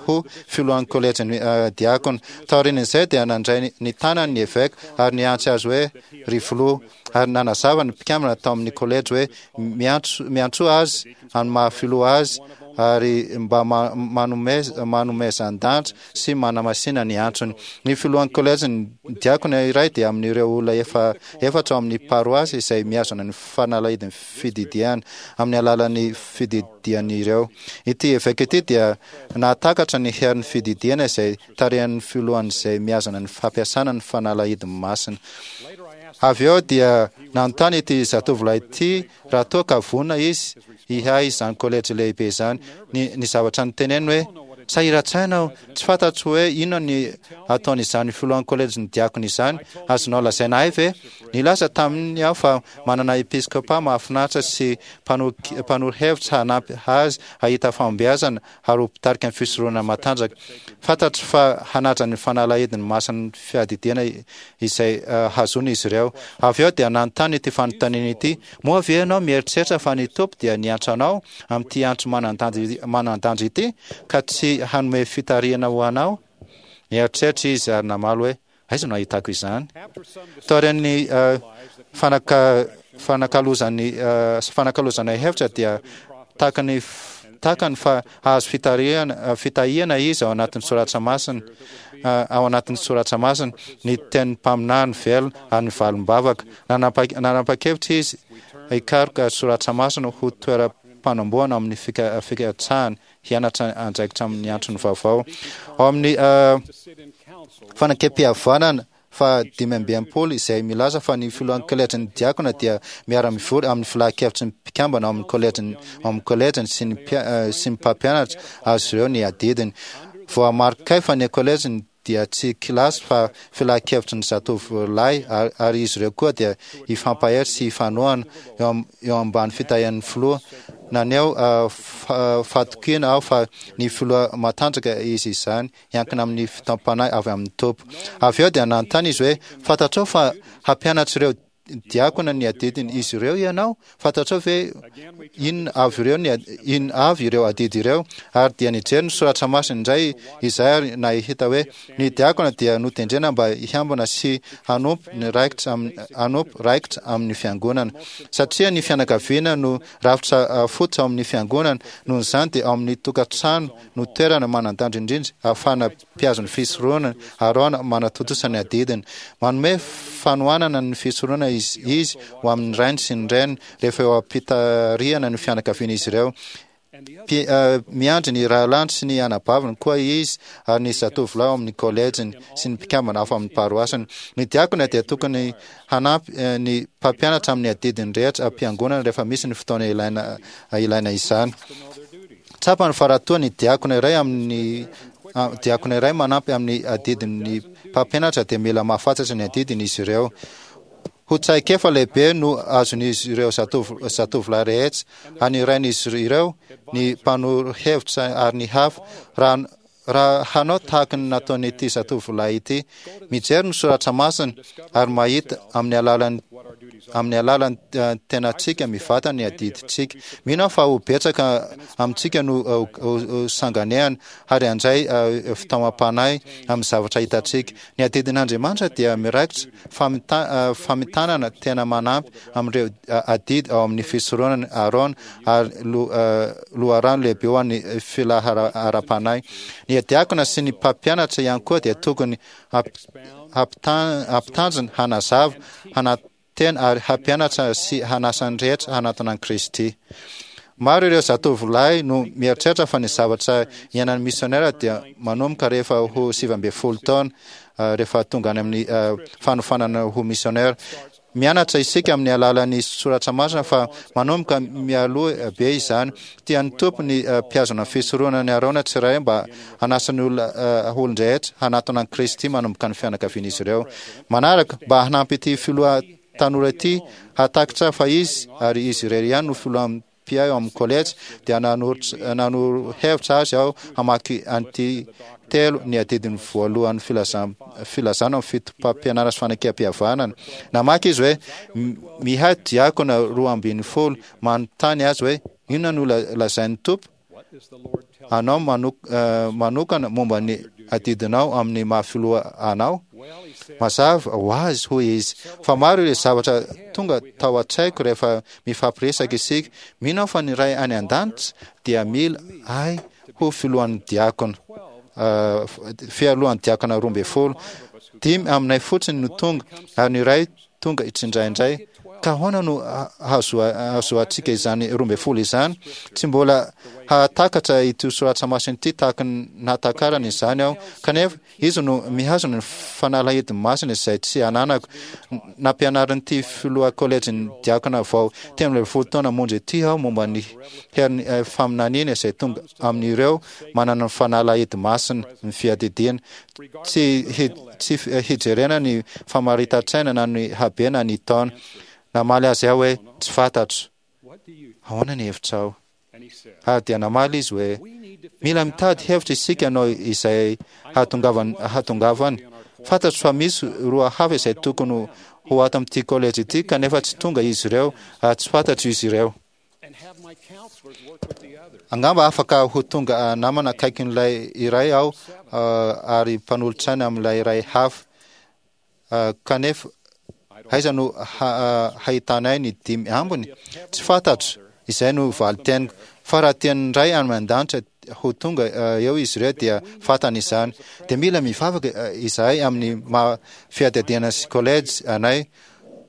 ho filohan'ny kolejin'ny diakona. Taorian'izay dia nandray ny tanany ny eveka ary niantso azy hoe ry filoha, ary nanazava ny mpikambana tao amin'ny kolejy hoe miantso miantsoa azy amin'ny maha filoha azy ary mba manomezan-danitra sy manamasina ny antsony. Ny filohan'ny kolejin'ny diakona iray dia amin'ireo olona efa efatra ao amin'ny paroasy izay mihazona ny fanalahidin'ny fididiana amin'ny alalan'ny fididian'ireo. Ity eveka ity dia nahatakatra ny herin'ny fididiana izay tarihan'ny filohan'izay mihazona ny fampiasana ny fanalahidiny masina. Avy eo dia nanontany ity zatovolahy ity raha toa ka vonona izy hiahy izany kolejy lehibe izany. Ny, ny zavatra noteneniny hoe, Sahiran-tsaina aho, tsy fantatro hoe inona ny ataon'izany filohan'ny kolejin'ny diakona izany. Azonao lazaina ahy ve? Nilaza taminy aho fa manana episkopa mahafinaritra sy mpanoro hevitra hanampy azy hahita fahombiazana ary ho mpitarika ny fisoronana matanjaka. Fantatro fa hanaja ny fanalahidiny masin'ny fiadidiana izay hahazoany izy ireo. Avy eo dia nanontany ity fanontaniana ity, Moa ve ianao mieritreritra fa ny Tompo dia niantso anao amin'ity antso manan-danja ity ka tsy hanome fitarihana ho anao? Nieritreritra izy ary namaly hoe, Aiza no ahitako izany? Taorian'ny fanakalozany fanakalozanay hevitra dia takany takany fa hahazo fitarihana fitahiana izy ao anatin'ny soratra masina ao anatin'ny soratra masina, ny tenin'ny mpaminany velona ary ny valim-bavaka. Nanapa-kevitra izy hikaroka soratra masina ho toeram-panombohana amin'ny fikatsahany hianatra andraikitra amin'ny antsony vaovao. Ao amin'ny Fanekempihavanana faha dimy amby enimpolo izay milaza fa ny filohan'ny kolejin'ny diakona dia miara-mivory amin'ny filan-kevitry ny mpikambana ao amin'ny kolejiny ao amin'ny kolejiny sy ny sy ny mpampianatra azy ireo ny adidiny. Voamarikay fa ny kolejiny dia tsy kilasy fa filan-kevitry ny zatovolahy ary izy ireo koa dia hifampahery sy hifanohana eo eo ambany fitahian'ny filoha. Naneho fahatokiana aho fa ny filoha matanjaka izy izany, hiankina amin'ny fitaom-panahy avy amin'ny Tompo. Avy eo dia nanontany izy hoe, Fantatrao fa hampianatra ireo diakona ny adidin' izy ireo ianao? Fantatrao ve inona avy ireo ny inona avy ireo adidy ireo? Ary dia nijery ny soratra masina indray izahay ary nahita hoe ny diakona dia notendrena mba hiambina sy hanompo ny raikitra amin hanompo raikitra amin'ny fiangonana. Satria ny fianakaviana no rafitra fototra ao amin'ny fiangonana, noho izany dia ao amin'ny tokantrano no toerana manan-danja indrindra ahafahana mpihazo ny fisoronana, Arona manatontosa ny adidiny. Manome fanohanana ny fisoronana izy izy ho amin'ny rainy sy ny reniny rehefa eo am-pitarihana ny fianakavian'izy ireo. Mpi, miandry ny rahalahiny sy ny anabaviny koa izy ary ny zatovolahy ao amin'ny kôlejiny sy ny mpikambana hafa amin'ny paroasiny. Ny diakona dia tokony hanampy ny mpampianatra amin'ny adidiny rehetra am-piangonana rehefa misy ny fotoana ilaina ilaina izany. Tsapany fa raha toa ny diakona iray amin'ny diakona iray manampy amin'ny adidin'ny mpampianatra dia mila mahafatratra ny adidiny izy ireo. Ho traikefa lehibe no azon'izy ireo zatovo zatovolahy rehetra, any rain'izy ireo, ny mpanoro hevitra ary ny hafa, raha raha hanao tahaka ny nataon'ity zatovolahy ity, mijery ny soratra masina ary mahita amin'ny alalan'ny amin'ny alalan'ny tenantsika mivantana ny adidintsika. Mino aho fa ho betsaka amintsika no ho sanganehana ary handray fitaomam-panahy amin'ny zavatra hitantsika. Ny adidin'Andriamanitra dia miraikitra famitanana tena manampy amin'ireo adidy ao amin'ny fisoronana Arona ary loharano lehibe ho an'ny filaharam-panahy. Ny diakona sy ny mpampianatra ihany koa dia tokony hampitanjona, hanazava, hanantena ary hampianatra sy hanasa ny rehetra hanatona an'i Kristy. Maro ireo zatovolahy no mieritreritra fa ny zavatra iainan'ny misionera dia manomboka rehefa ho sivy ambin'ny folo taona, rehefa tonga any amin'ny fanofanana ho misionera. Mianatra isika amin'ny alalan'ny soratra masina fa manomboka mialoha be izany. Tian'ny Tompo ny mpihazona fisoronana ny Arona tsirairay mba hanasa ny olona olon-drehetra hanatona an'i Kristy manomboka ny fianakavian'izy ireo. Manaraka, mba hanampy ity filoha tanora ity hahatakatra fa izy ary izy irery ihany no filoha mpiahy ao amin'ny kolejy, dia nanoro hevitra azy aho hamaky an'ity telo ny adidiny voalohan'ny filazana amin'ny fitopampianarana sy fanekempihavanana. Namaky izy hoe, Mihahy diakona roa ambin'ny folo manontany azy hoe, Inona no lazain'ny Tompo anao manokana momba ny adidinao amin'ny maha filoha anao? Mazava ho azy, hoy izy, fa maro ireo zavatra tonga tao an-tsaiko rehefa mifampiresaka isika. Mino aho fa ny Ray any An-danitra dia mila ahy ho filohan'ny diakona, fialohan'ny diakona roa ambin'ny folo. Dimy aminay fotsiny no tonga, ary ny iray tonga tsindraindray, Ka ahoana no hahazoantsika izany roa ambin'ny folo izany? Tsy mbola hahatakatra ity soratra masina ity tahaka ny nahatakarany izany aho, kanefa izy no mihazona ny fanalahidy masina izay tsy ananako. Nampianarin'ity filoha kolejin'ny diakona vao telo ambin'ny folo taona monja ity aho momba ny herin'ny faminaniana izay tonga amin'ireo manana ny fanalahidy masina ny fiadidiana, tsy tsy hijerena ny famaritan-tsaina na ny habe na ny taona. Namaly azy aho hoe, Tsy fantatro. Ahoana ny hevitrao? Ary dia namaly izy hoe, Mila mitady hevitra isika hanao izay hahatongavany hahatongavany. Fantatro fa misy roa hafa izay tokony ho ato amin'ity kolejy ity kanefa tsy tonga izy ireo ary tsy fantatro izy ireo. Angamba afaka ho tonga namana akaikin'ilay iray aho ary mpanolotsaina amin'ilay iray hafa. Kanefa aiza no hahitanay ny dimy ambiny? Tsy fantatro. Izay no valin-teniko. Fa raha tian'ny Ray any an-danitra ho tonga eo izy ireo dia fantany izany. Dia mila mivavaka izahay amin'ny maha fiadiadiana sy college anay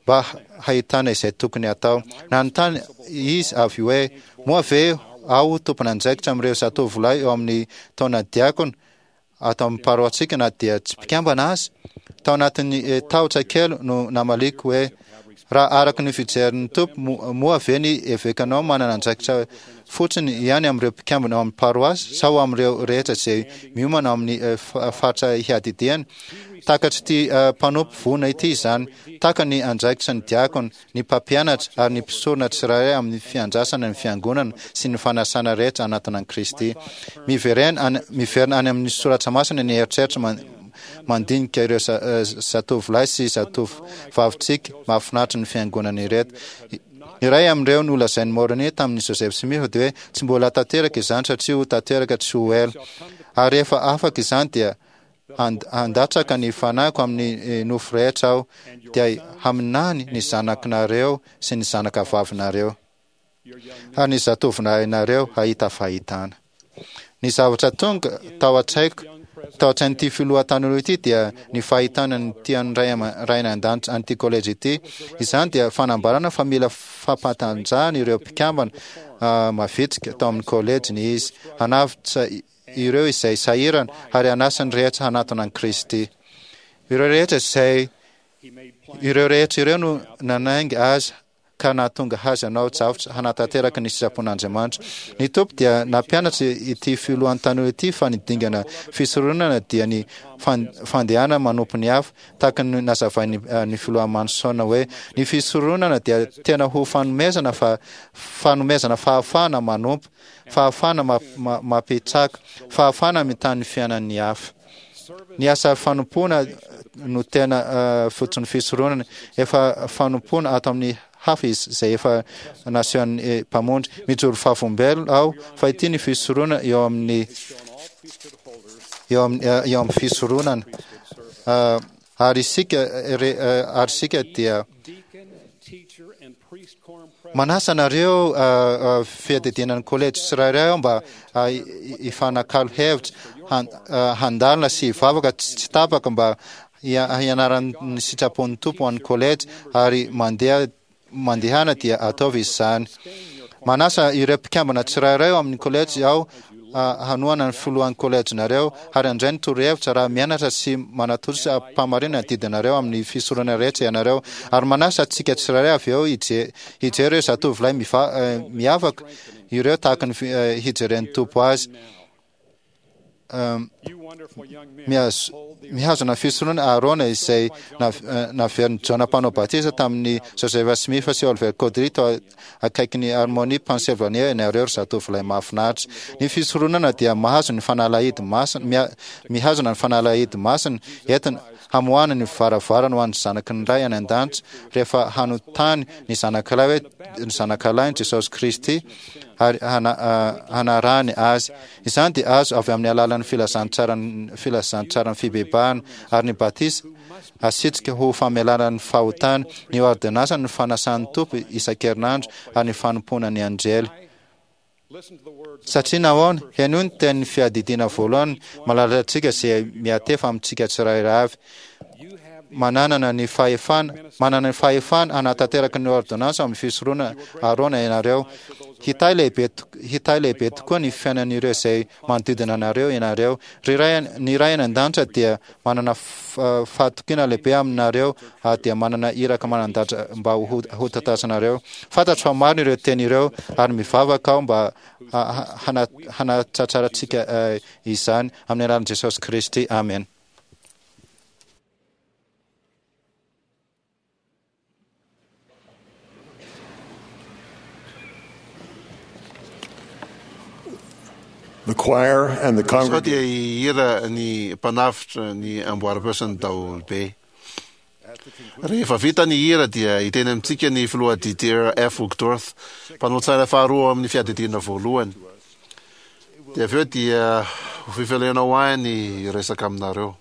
mba hahitana izay tokony hatao. Nanontany izy avy hoe, Moa ve aho tompon'andraikitra amin'ireo zatovolahy eo amin'ny taona diakona ato amin'ny paroasintsika na dia tsy mpikambana aza? Tao anatin'ny tahotra kely no namaliako hoe, Raha araka ny fijerin'ny Tompo, moa ve ny evekanao manana andraikitra fotsiny ihany amin'ireo mpikambana ao amin'ny paroasy sa ho amin'ireo rehetra izay miomana ao amin'ny faritra hiadidiany? Takatr'ity mpanompo vonona ity izany. Taka ny andraikitra ny diakona, ny mpampianatra ary ny mpisorona tsirairay amin'ny fiandrasana ny fiangonana sy ny fanasana rehetra hanatona an'i Kristy. Miverena any, miverina any amin'ny soratra masina ny eritreritra mandinika ireo zatovolahy sy zatovovavintsika mahafinaritra ny fiangonana ireto. Iray amin'ireo nolazain'i Moroni tamin'i Joseph Smith dia hoe tsy mbola tanteraka izany satria ho tanteraka tsy ho ela. Ary rehefa afaka izany dia handatsaka ny fanahiko amin'ny nofo rehetra aho, dia haminany ny zanakinareo sy ny zanakavavinareo, ary ny zatovonareo hahita fahitana. Ny zavatra tonga tao an-tsaiko, tao an-tsain'ity filoha tanora ity dia ny fahitana ny tian'ny Ray Rainay an-danitra an'ity kolejy ity. Izany dia fanambarana fa mila fampatanjahana ireo mpikambana mavitrika tao amin'ny kolejiny izy, hanavotra ireo izay sahirana ary hanasa ny rehetra hanatona an'i Kristy. Ireo rehetra izay ireo rehetra ireo no nanainga azy ka nahatonga azy hanao javatra hanatanteraka ny sitrapon'Andriamanitra. Ny Tompo dia nampianatra ity filohan'ny tanora ity fa ny dingana fisoronana dia ny fandehana manompo ny hafa, tahaka ny nazavain'ny ny filoha Manson hoe ny fisoronana dia tena ho fanomezana fa fanomezana fahafahana manompo, fahafahana mampitsaka, fahafahana mitaha ny fiainan'ny hafa. Ny asa fanompoana no tena fototry ny fisoronana. Efa fanompoana ato amin'ny hafa izy izay efa nasehon'ny Mpamonjy. Mijoro vavolombelona aho fa ity ny fisoronana eo amin'ny eo amin'ny eo amin'ny fisoronana. Ary isika ary isika dia Manasa anareo fiadidiana ny kolejy tsirairay aho mba hifanakalo hevitra, handalina sy hivavaka tsy tapaka mba hianaran'ny sitrapon'ny Tompo ho an'ny kolejy ary mandeha mandehana dia ataovy izany. Manasa ireo mpikambana tsirairay ao amin'ny kolejy aho hanohana ny filohan'ny kolejinareo ary handray ny torohevitra raha mianatra sy manatontosa am-pahamarinana ny didinareo amin'ny fisoronana rehetra ianareo. Ary manasa antsika tsirairay avy eo hijery ireo zatovolahy miavaka ireo tahaka ny hijeren'ny Tompo azy. Mihazona fisoronana Aharôna izay naverin'i Jaona Mpanao Batisa tamin'i Joseph Smith sy Oliver Cowdery tao akaikin'i Harmony, Pennsylvania ianareo ry zatovolahy mahafinaritra. Ny fisoronana dia mahazo ny fanalahidy masina, mihazona ny fanalahidy masina entina hamoahana ny varavarana ho an'ny zanaky ny Ray any An-danitra rehefa hanontany ny zanakalahy hoe ny zanakalahiny Jesosy Kristy ary hanarahany azy. Izany dia azo avy amin'ny alalan'ny filazantsaran'ny filazantsaran'ny fibebahana ary ny batisa asitrika ho famelana ny fahotana, ny ôrdônansa ny fanasan'ny Tompo isan-kerinandro ary ny fanompoana ny anjely. Satria nahoana? Henoy ny tenin'ny Fiadidiana Voalohany malalantsika izay miantefa amintsika tsirairay avy. Manana ny fahefana manana ny fahefana hanatanteraka ny ôrdônansy amin'ny fisoronana Aharôna ianareo. Hitahy lehibe hitahy lehibe tokoa ny fiainan'ireo izay manodidina anareo ianareo. Ry Ray ny Ray any an-danitra dia manana fahatokiana lehibe aminareo ary dia manana iraka manan-danja mba ho hotantazanareo. Fantatro fa marina ireo teny ireo ary mivavaka aho mba hanatratrarantsika izany amin'ny anaran'i Jesosy Kristy. Amen. The choir and the Sao dia congregation hihira ny mpanavotra ny amboaram-peo sy ny daholobe. Rehefa vita ny hira dia hiteny amintsika ny filoha Dieter F. Uchtdorf, mpanolo-tsaina faharoa ao amin'ny fiadidiana voalohany. Dia avy eo dia ho fifaliana ho ahy ny hiresaka aminareo.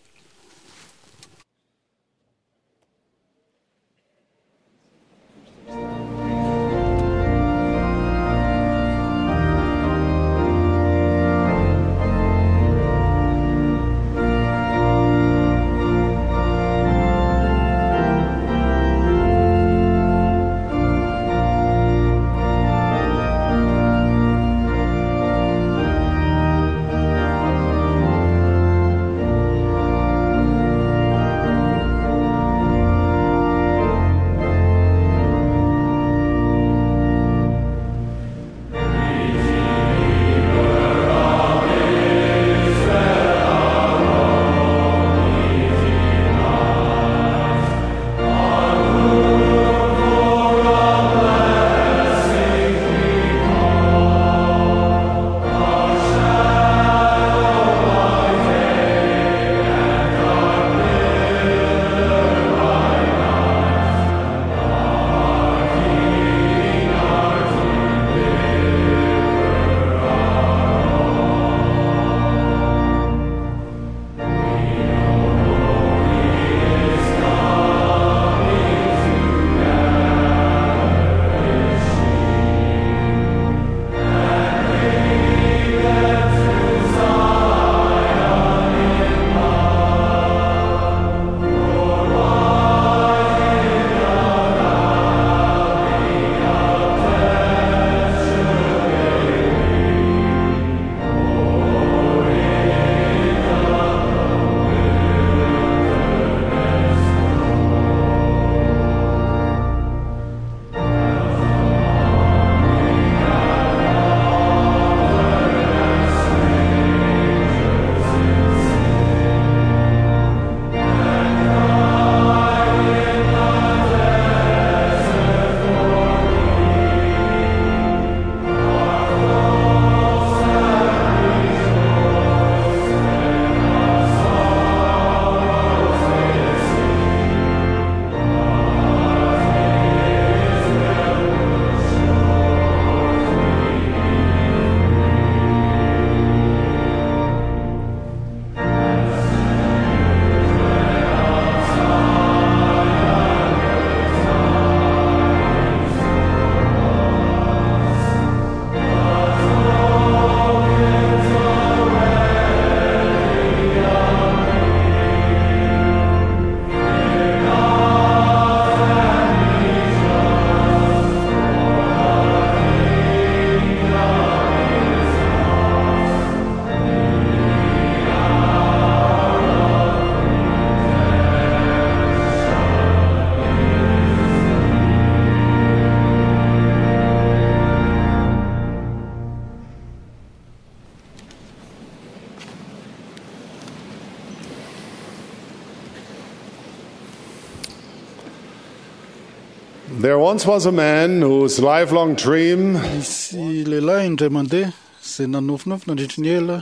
There once was a man whose lifelong dream Nisy lehilahy indray mandeha izay nanofinofy nandritry ny ela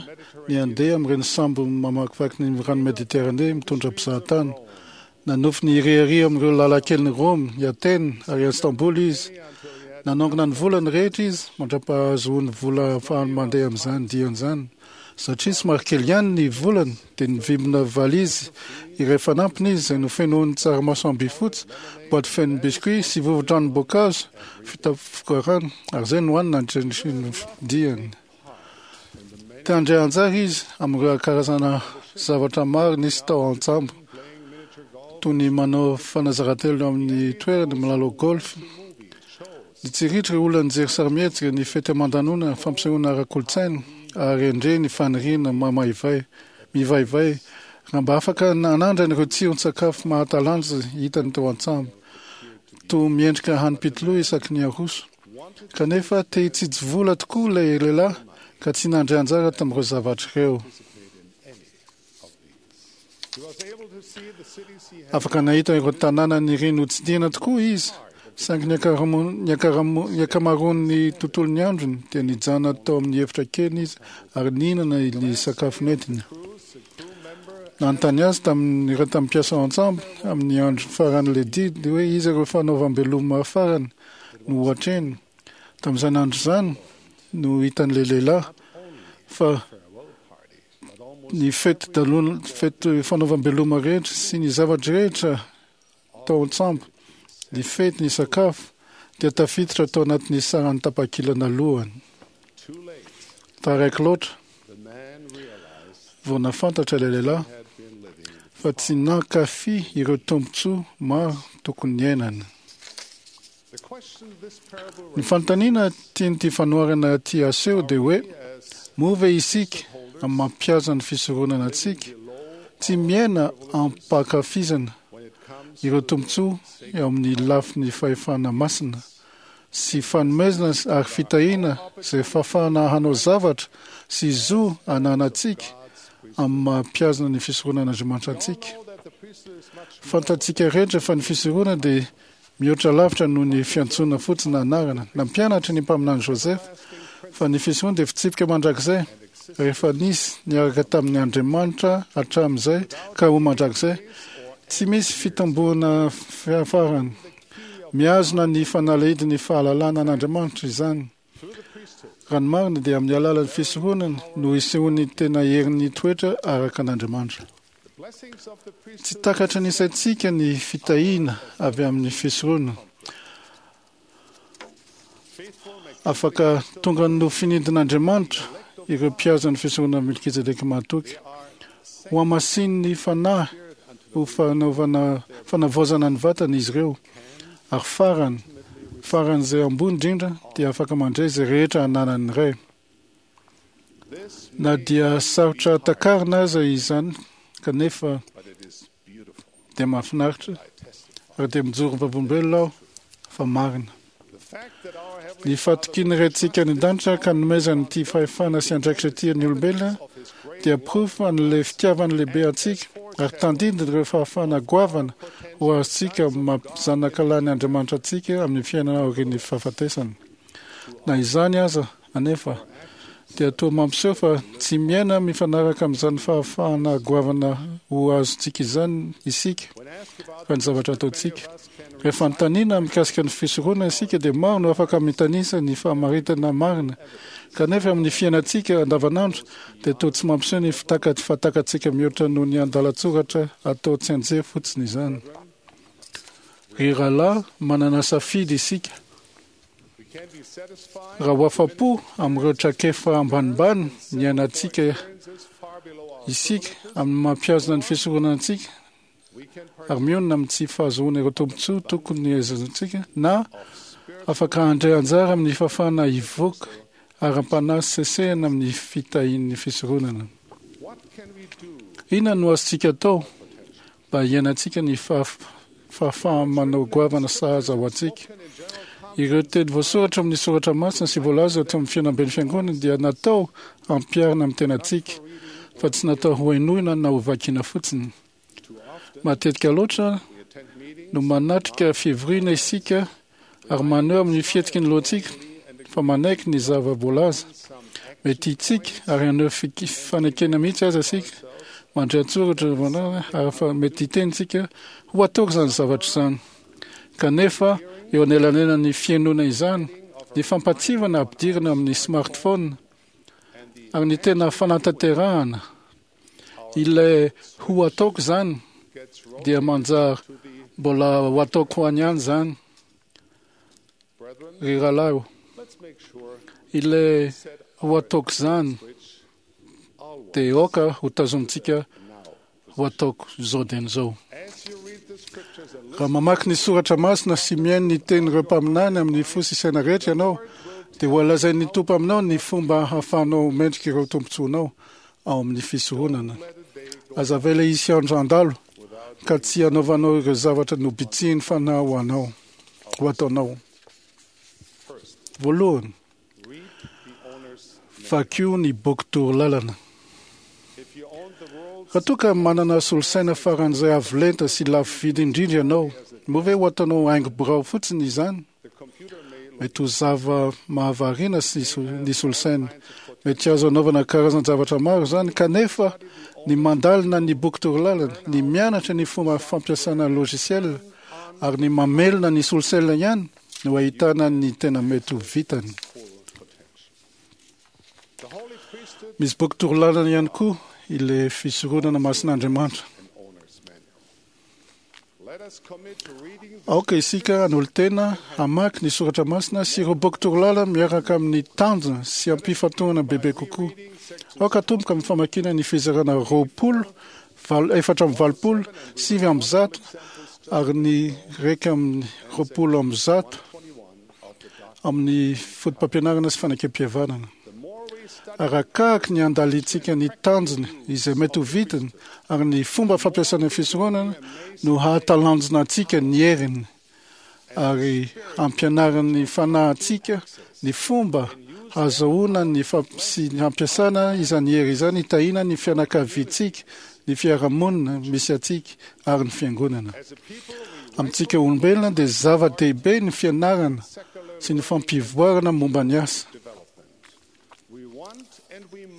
ny handeha amin'ireny sambo mamakivaky ny rano Mediterane mitondra mpizahatany. Nanofy ny hirehareha amin'ireo lalan-kelin'i Roma, i Atena ary Istanbul izy. Nanangona ny volany rehetra izy mandra-pahazoany vola ahafahany mandeha amin'izany diany izany. Satria somary kely ihany ny volany dia nivimbina valizy iray fanampiny izy izay nofenoiny tsaramaso ambifotsy, boaty feno biscuit sy vovo-tranom-boankazo vita rano ary izay nohaniny nandritra ny diany. Te handray anjara izy amin'ireo karazana zavatra maro nisy tao an-tsambo, Toy ny manao fanazaran-telo amin'ny toerana milalao golf. Nitsiritra ireo olona nijery sarimihetsika, ny fety aman-danonana, fampisehoana ara-kolontsaina, ary endrey ny faniriana mamaivay, mivaivay, raha mba afaka nanandrana ireo tsiron-tsakafo mahatalanjona hitany tao an-tsambo, toa miendrika hanim-pitoloha isaky ny aroso. Kanefa te hitsitsy vola tokoa ilay lehilahy ka tsy nandray anjara tamin'ireo zavatra ireo. Afaka nahita ireo tanàna niriny hotsidihina tokoa izy, saingy ny ny ankamaroan'ny tontolon'ny androny dia nijanona tao amin'ny efitra kely izy ary nihinana ny sakafo nentiny. Nanontany azy tamin'ireo tamin'ny mpiasa ao an-tsambo amin'ny andro faran'ilay didy hoe iza ireo fanaovam-beloma farany no ho atrehiny. Tamin'izany andro izany no hitan'ilay lehilahy fa ny fety dalona, fety fanaovam-beloma rehetra sy ny zavatra rehetra tao an-tsambo, ny fety, ny sakafo, dia tafiditra tao anatin'ny saran'ny tapakila nalohany. Taraiky loatra vao nahafantatra ilay lehilahy fa tsy nankafy ireo tombontsoa maro tokony niainany. Ny fanontaniana tian'ity fanoharana ity aseho dia hoe, moa ve isika amin'ny mampihaza ny fisoronana antsika tsy miaina am-pankafizana ireo tombontsoa eo amin'ny lafiny fahefana masina sy fanomezana ary fitahiana izay fahafahana hanao zavatra sy zo ananantsika amin'ny maha-mpihazona ny fisoronan'Andriamanitra antsika? Fantatsika rehetra fa ny fisoronana dia mihoatra lavitra noho ny fiantsoana fotsiny anarana. Nampianatra ny mpaminany Joseph fa ny fisoronana dia fitsipika mandrakizay rehefa nisy niaraka tamin'ny Andriamanitra hatramin'izay ka ho mandrakizay. Tsy misy fitomboana fiafarany. Mihazona ny fanalahidin'ny fahalalana an'Andriamanitra izany. Raha ny marina dia amin'ny alalan'ny fisoronana no isehoan'ny tena herin'ny toetra araka an'Andriamanitra. Tsy takatry ny saintsika ny fitahiana avy amin'ny fisoronana. Afaka tonga nofinidin'Andriamanitra ireo mpihaza ny fisoronana Melkizedeka mahatoky. Ho hamasinin'ny fanahy ho fanaovana fanavaozana ny vatana izy ireo, ary farany, faran'izay ambony indrindra dia afaka mandray izay rehetra ananan'ny Ray. Na dia sarotra takarina aza izany, kanefa dia mahafinaritra ary dia mijoro vavolombelona aho fa marina. Ny fahatokian'ny Raintsika any an-danitra ka nomezany ity fahefana sy andraikitra ity ny olombelona dia porofo an'ilay fitiavany lehibe antsika ary tandindon'ireo fahafahana goavana ho azontsika maha zanakalahin' Andriamanitra antsika amin'ny fiainana aorian'ny fahafatesana. Na izany aza anefa dia toa mampiseho fa tsy miaina mifanaraka amin'izany fahafahana goavana ho azontsika izany isika raha ny zavatra ataontsika. Rehefa anontaniana mikasika ny fisoronana isika dia maro no afaka mitanisa ny fahamaritana marina, kanefa amin'ny fiainantsika andavanandro dia toa tsy mampiseho ny fitaka- fahatakatsika mihoatra noho ny andalan-tsoratra atao tsianjery fotsiny izany. Ry rahalahy, manana safidy isika. Raha ho afa-po amin'ireo traikefa ambanimbany niainantsika isika amin'ny mampihazona ny fisoronana antsika ary mionona amin'ny tsy fahazoana ireo tombontsoa tokony haizantsika, na afaka handray anjara amin'ny fahafahana hivoaka ara-panahy sesehana amin'ny fitahian'ny fisoronana. Inona no azontsika atao mba hiainantsika ny fahafaha-manao goavana sahaza ho antsika? Ireo teny voasoratra amin'ny soratra masina sy voalaza ato amin'ny fihaonamben'ny fiangonana dia natao hampiharina amin'ny tenantsika, fa tsy natao ho henoina na ho vakiana fotsiny. Matetika loatra no manatrika fivoriana isika ary maneho amin'ny fihetsiky ny lohantsika fa manaiky ny zava-boalaza. Mety hitsiky ary haneho fanekena mihitsy aza isika, mandray an-tsoratra ary fa mety hiteny isika ho ataoko izany zavatra izany. Kanefa eo anelanelan'ny fihainoana izany, ny fampatsivana ampidirina amin'ny smartphone ary ny tena fanatanterahana ilay ho ataoko izany dia manjary mbola ho ataoko any ihany izany. Ry rahalahy, ilay ho ataoko izany dia aoka ho tazomintsika ho ataoko izao dia izao. Raha mamaky ny soratra masina sy mihaino ny tenin'ireo mpaminany amin'ny fo sy saina rehetra ianao, dia ho alazain'ny Tompo aminao ny fomba hahafahanao mendrika ireo tombontsoanao ao amin'ny fisoronana. Aza avela hisy andro handalo ka tsy hanaovanao ireo zavatra nobitsihin'ny Fanahy ho anao, ho ataonao. Voalohany, vakio ny boky torolalana. Raha toa ka manana solosaina faran'izay avo lenta sy lafo vidy indrindra ianao, moa ve ho ataonao haingo birao fotsiny izany? Mety ho zava-mahavariana sy ny solosaina. Mety azo anaovana karazan-javatra maro izany, kanefa ny mandalina ny boky torolalana, ny mianatra ny fomba fampiasana logiciel ary ny mamelona ny solosaina ihany no ahitana ny tena mety ho vitany. Misy boky torolalana ihany koa ilay fisoronana masin'Andriamanitra. Aoka isika hanolo-tena hamaky ny soratra masina sy ireo boky torolalana miaraka amin'ny tanjona sy ampifantohana bebe kokoa. Aoka hatomboka amin'ny famakiana ny fizarana roapolo, valo, efatra amby valopolo, sivy amby zato ary ny iraika amby roapolo amby zato amin'ny fotopampianarana sy fanekempihavanana. Arakaraky ny andalintsika ny tanjona izay mety ho vitany ary ny fomba fampiasana ny fisoronana no hahatalanjona antsika ny heriny ary hampianarin'ny Fanahy antsika ny fomba hahazoana ny sy hampiasana izany hery izany hitahiana ny fianakaviantsika, ny fiarahamonina misy antsika ary ny fiangonana. Amintsika olombelona dia zava-dehibe ny fianarana sy ny fampivoarana momba ny asa.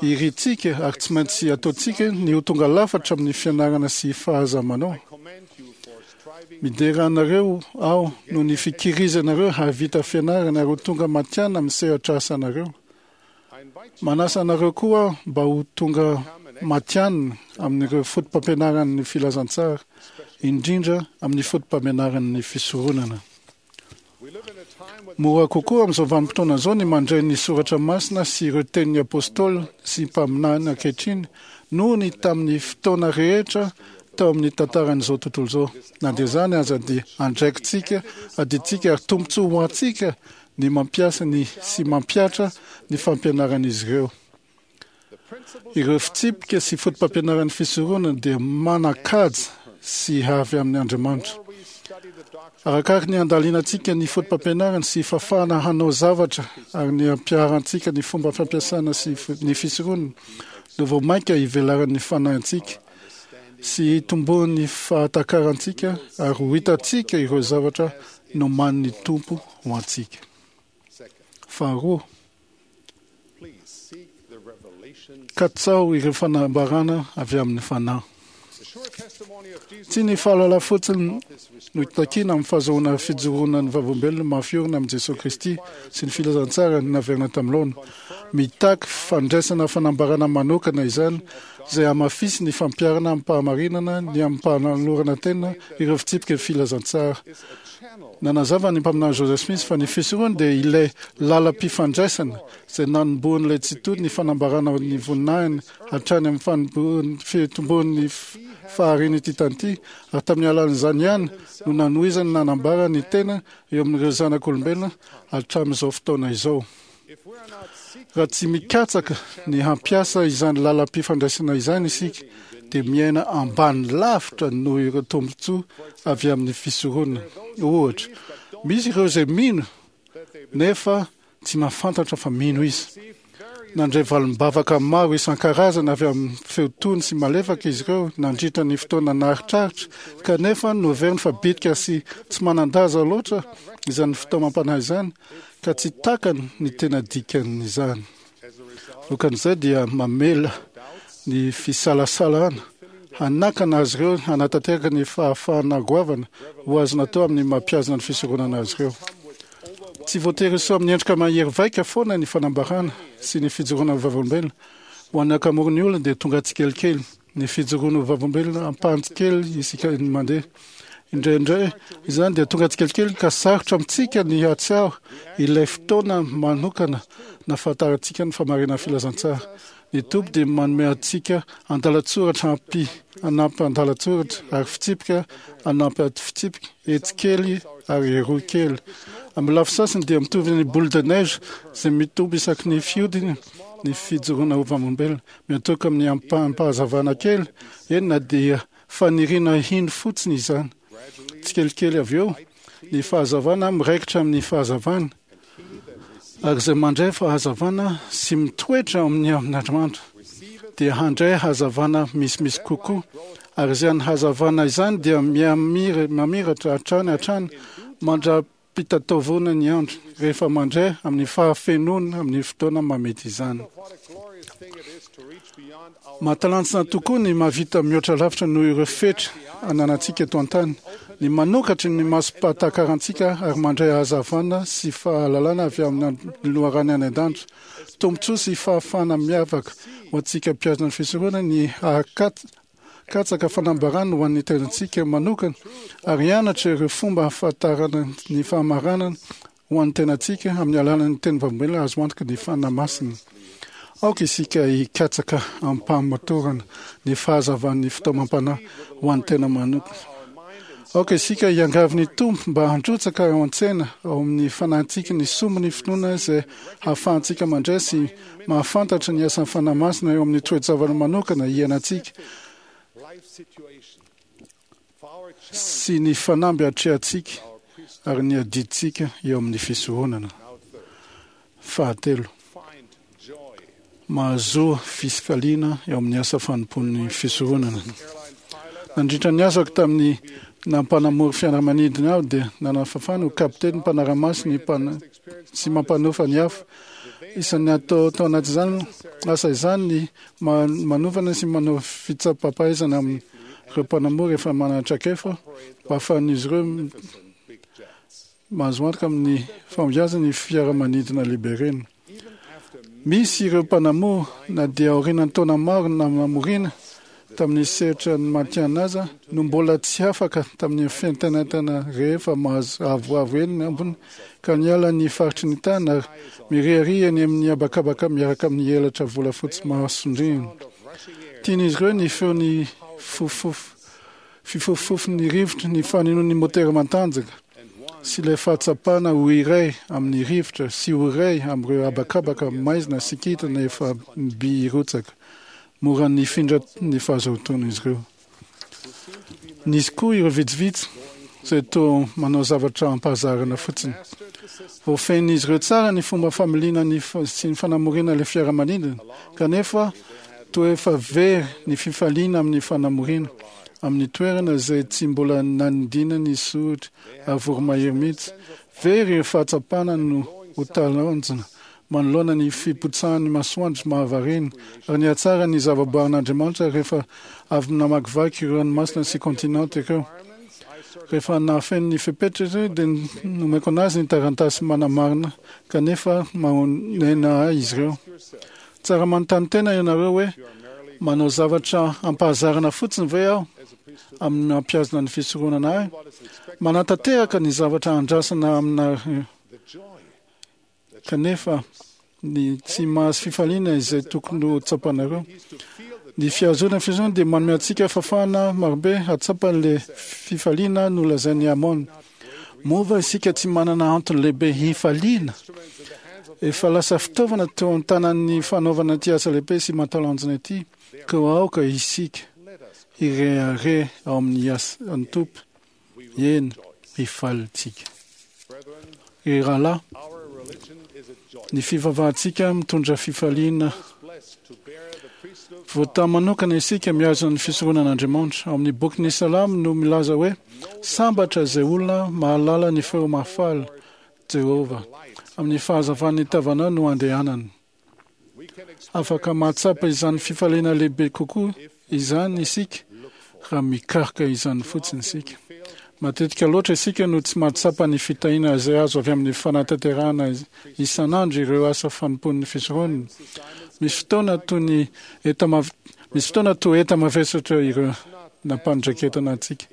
Irintsika ary tsy maintsy ataontsika ny ho tonga lafatra amin'ny fianarana sy fahazamanao. Midera anareo aho noho ny fikirizanareo hahavita fianarana ary ho tonga matihanina amin'ny sehatra asanareo. Manasa anareo koa aho mba ho tonga matihanina amin'ireo fotopampianaran'ny filazantsara, indrindra amin'ny fotopampianaran'ny fisoronana. Mora kokoa amin'izao vanim-potoana izao ny mandray ny soratra masina sy ireo tenin'ny apôstôly sy mpaminany ankehitriny noho ny tamin'ny fotoana rehetra tao amin'ny tantaran'izao tontolo izao. Na dia izany aza dia andraikitsika, adidintsika ary tombontsoa ho antsika ny mampiasa ny sy mampihatra ny fampianaran'izy ireo. Ireo fitsipika sy fotopampianaran'ny fisoronana dia manan-kaja sy avy amin'ny Andriamanitra. Arakaraky ny andalinantsika ny fotopampianarany sy fahafahana hanao zavatra ary ny ampiharantsika ny fomba fampiasana sy ny fisoronana no vao mainka ivelaran'ny fanahintsika sy hitomboan'ny fahatakarantsika ary ho hitantsika ireo zavatra nomanin'ny Tompo ho antsika. Faharoa, katsaho ireo fanambarana avy amin'ny Fanahy. Tsy ny fahalala fotsiny no takiana amin'ny fahazoana fijoroana ny vavolombelona mafy orina amin'i Jesoa Kristy sy ny filazantsara naverina tamin'ny laona. Mitaky fandraisana fanambarana manokana izany izay hamafisy ny fampiharana amim-pahamarinana ny amim-panolorana tena ireo fitsipika filazantsara. Nanazava ny mpaminany Joseph Smith fa ny fisoronana dia ilay lalam-pifandraisana izay nanombohan'ilay Tsitoha ny fanambarana ny voninahiny hatrany amin'ny fitomboan'ny faharian'ity tany ity, ary tamin'ny alalan'izany ihany no nanohizany nanambara ny tena eo amin'ireo zanak'olombelona hatramin'izao fotoana izao. Raha tsy mikatsaka ny hampiasa izany lalam-pifandraisana izany isika, dia miaina ambany lavitra noho ireo tombontsoa avy amin'ny fisoronana. Ohatra, misy ireo izay mino nefa tsy mahafantatra fa mino izy. Nandray valim-bavaka maro isan-karazany avy amin'ny feo tony sy malefaka izy ireo nandritra ny fotoana naharitraritra, kanefa noheveriny fa bitika sy tsy manan-daza loatra izany fitaomam-panahy izany, ka tsy takany ny tena dikan'izany. Vokan'izay dia mamela ny fisalasalana hanakana azy ireo hanatanteraka ny fahafahana goavana ho azo natao amin'ny mampihazona ny fisoronana azy ireo. Tsy voatery hiseho amin'ny endrika mahery vaika foana ny fanambarana sy ny fijoroana ho vavolombelona. Ho an'ny ankamoron'ny olona dia tonga tsikelikely ny fijoroana ho vavolombelona ampahany kely isika ny mandeha. Indraindray izany dia tonga tsikelikely ka sarotra amintsika ny hahatsiaro ilay fotoana manokana nahafantarantsika ny fahamarinan'ny filazantsara. Ny Tompo dia manome antsika andalan-tsoratra ampy anampy andalan-tsoratra ary fitsipika anampy fitsipika, etsy kely ary eroa kely. Amin'ny lafy sasany dia mitovy ny boule de neige izay mitombo isaky ny fihodiny ny fijoroana ho vavolombelona. Miantoka amin'ny ampaham-pahazavana kely, eny na dia faniriana hino fotsiny izany. Tsikelikely avy eo, ny fahazavana miraikitra amin'ny fahazavana, ary izay mandray fahazavana sy mitoetra amin'ny amin'Andriamanitra dia handray hazavana misimisy kokoa, ary izany hazavana izany dia mihamiratra hatrany hatrany mandra-pitataovona ny andro, rehefa mandray amin'ny fahafenoana amin'ny fotoana mamety izany. Mahatalanjona tokoa ny mahavita mihoatra lavitra noho ireo fetra ananantsika eto an-tany, ny manokatra ny masom-pahatakarantsika ary mandray hazavana sy fahalalana avy amin'ny loharano any an-danitra. Tombontsoa sy fahafahana miavaka ho antsika mpihazona ny fisoronana ny hahakatsaka fanambarana ho an'ny tenantsika manokana ary hianatra ireo fomba ahafantarana ny fahamarinana ho an'ny tenantsika amin'ny alalan'ny teny vavolombelona azo antoka ny Fanahy Masina. Aoka isika hikatsaka amim-pahamatorana ny fahazavan'ny fitaomam-panahy ho an'ny tena manokana. Aoka isika hiangavy ny Tompo mba handrotsaka ao an-tsena ao amin'ny fanahintsika ny sombin'ny finoana izay hahafahantsika mandray sy mahafantatra ny asan'ny Fanahy Masina eo amin'ny toe-javatra manokana iainantsika sy ny fanamby atrehantsika ary ny adidintsika eo amin'ny fisoronana. Fahatelo, mahazoa fifaliana eo amin'ny asa fanompoan'ny fisoronana. Nandritra ny asako tamin'ny nampanamory fiaramanidina aho dia nanafafana ho kapiteny mpanara-maso ny sy mampanofa ny hafa. Isan'ny atao tao anatin'izany asa izany ny manofana sy manao fitsapam-pahaizana amin'ireo mpanamory efa manana traikefa mba hahafahan'izy ireo mahazo antoka amin'ny fahombiazany ny fiaramanidina lehibe ireny. Misy ireo mpanamory na dia aorian'ny taona maro namoriana tamin'ny sehatra ny matihanina aza no mbola tsy afaka tamin'ny fientanentana rehefa mahazo avoavo eny ambony ka niala ny faritry ny tany ary miriaria eny amin'ny habakabaka miaraka amin'ny elatra volafotsy mahasondriana. Tian'izy ireo ny feon'ny fofofo fifofofon'ny rivotra, ny fanenon'ny motera matanjaka sy ilay fahatsapana ho iray amin'ny rivotra sy ho iray amin'ireo habakabaka maizina sy kintana efa mby hirotsaka. Mora nifindra ny fahazotoan'izy ireo. Nisy koa ireo vitsivitsy izay toa manao zavatra ampahazarana fotsiny. Voafehin'izy ireo tsara ny fomba familiana ny sy ny fanamoriana ilay fiaramanidina, kanefa toa efa very ny fifaliana amin'ny fanamoriana amin'ny toerana izay tsy mbola nanidina ny soritra ary voromahery mihitsy. Very ireo fahatsapana no ho talanjona manoloana ny fipotsahan'ny masoandro mahavariana ary ny hatsara ny zavaboarin'Andriamanitra rehefa avy namakivaky ireo ranomasina sy kontinanta ireo. Rehefa nahafeno ny fepetra izy dia nomeko anazy ny taratasy manamarina, kanefa mahonena ahy izy ireo. Tsara manontany tena ianareo hoe, manao zavatra ampahazarana fotsiny ve aho amin'ny mampihazona ny fisoronana ahy? Manatanteraka ny zavatra andrasana aminareo, kanefa ny tsy mahazo fifaliana izay tokony ho tsapanareo. Ny fihazonana fisoronana dia manome antsika fahafahana marobe hahatsapa ilay fifaliana nolazain'i Amon. Moa va isika tsy manana antony lehibe hifaliana? Efa lasa fitaovana teo an-tanan'ny fanaovana ity asa lehibe sy mahatalanjona ity, koa aoka isika hirehareha ao amin'ny asan'ny Tompo. Eny, hifaly isika. Ry rahalahy, ny fivavahantsika mitondra fifaliana. Voatahy manokana isika mihazona ny fisoronan'Andriamanitra. Ao amin'ny bokin'ny Salamo no milaza hoe, sambatra izay olona mahalala ny feo mahafaly Jehovah. Amin'ny fahazavan'ny tavanao no andehanany. Afaka mahatsapa izany fifaliana lehibe kokoa izany isika raha mikaroka izany fotsiny isika. Matetika loatra isika no tsy mahatsapa ny fitahiana izay azo avy amin'ny fanatanterahana isan'andro ireo asa fanompoan'ny fisoronana. Misy fotoana toy ny enta misy fotoana toa enta mavesatra ireo nampandraiketana antsika.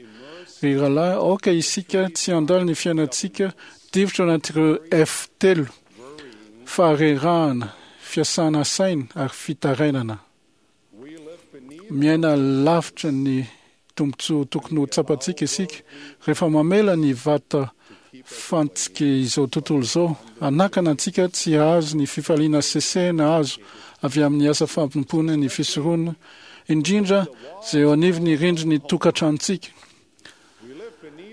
Ry rahalahy, aoka isika tsy handalo ny fiainantsika difotra anatin'ireo F telo: faharerahana, fiasana saina ary fitarainana. Miaina lavitra ny tombontsoa tokony ho tsapantsika isika rehefa mamela ny vata fantsika izao tontolo izao hanakana antsika tsy hahazo ny fifaliana sesehina azo avy amin'ny asa fanompoana ny fisoronana, indrindra izay eo anivon'ny rindrin'ny tokantranontsika.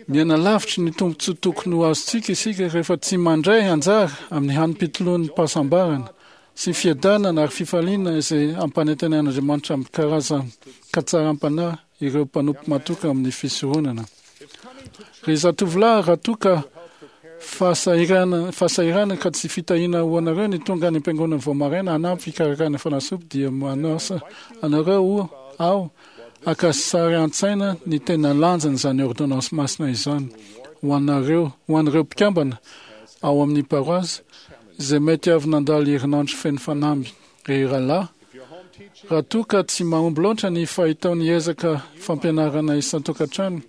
Miaina lavitry ny tombontsoa tokony ho azontsika isika rehefa tsy mandray anjara amin'ny hanim-pitoloan'ny fahasambarana sy fiadanana ary fifaliana izay ampanantenain'Andriamanitra amin'ny karazan-katsaram-panahy ireo mpanompo matoky amin'ny fisoronana. Ry zatovolahy, raha toa ka fahasahirana fahasahirana ka tsy fitahiana ho anareo ny tonga any am-piangonana vao maraina hanampy fikarakarana fanasopy, dia manasa anareo aho haka sary an-tsaina ny tena lanjan'izany ordonnance masina izany ho anareo, ho an'ireo mpikambana ao amin'ny paroasy izay mety avy nandalo herinandro feno fanamby. Ry rahalahy, raha toa ka tsy mahomby loatra ny fahitao ny ezaka fampianarana isan-tokantrano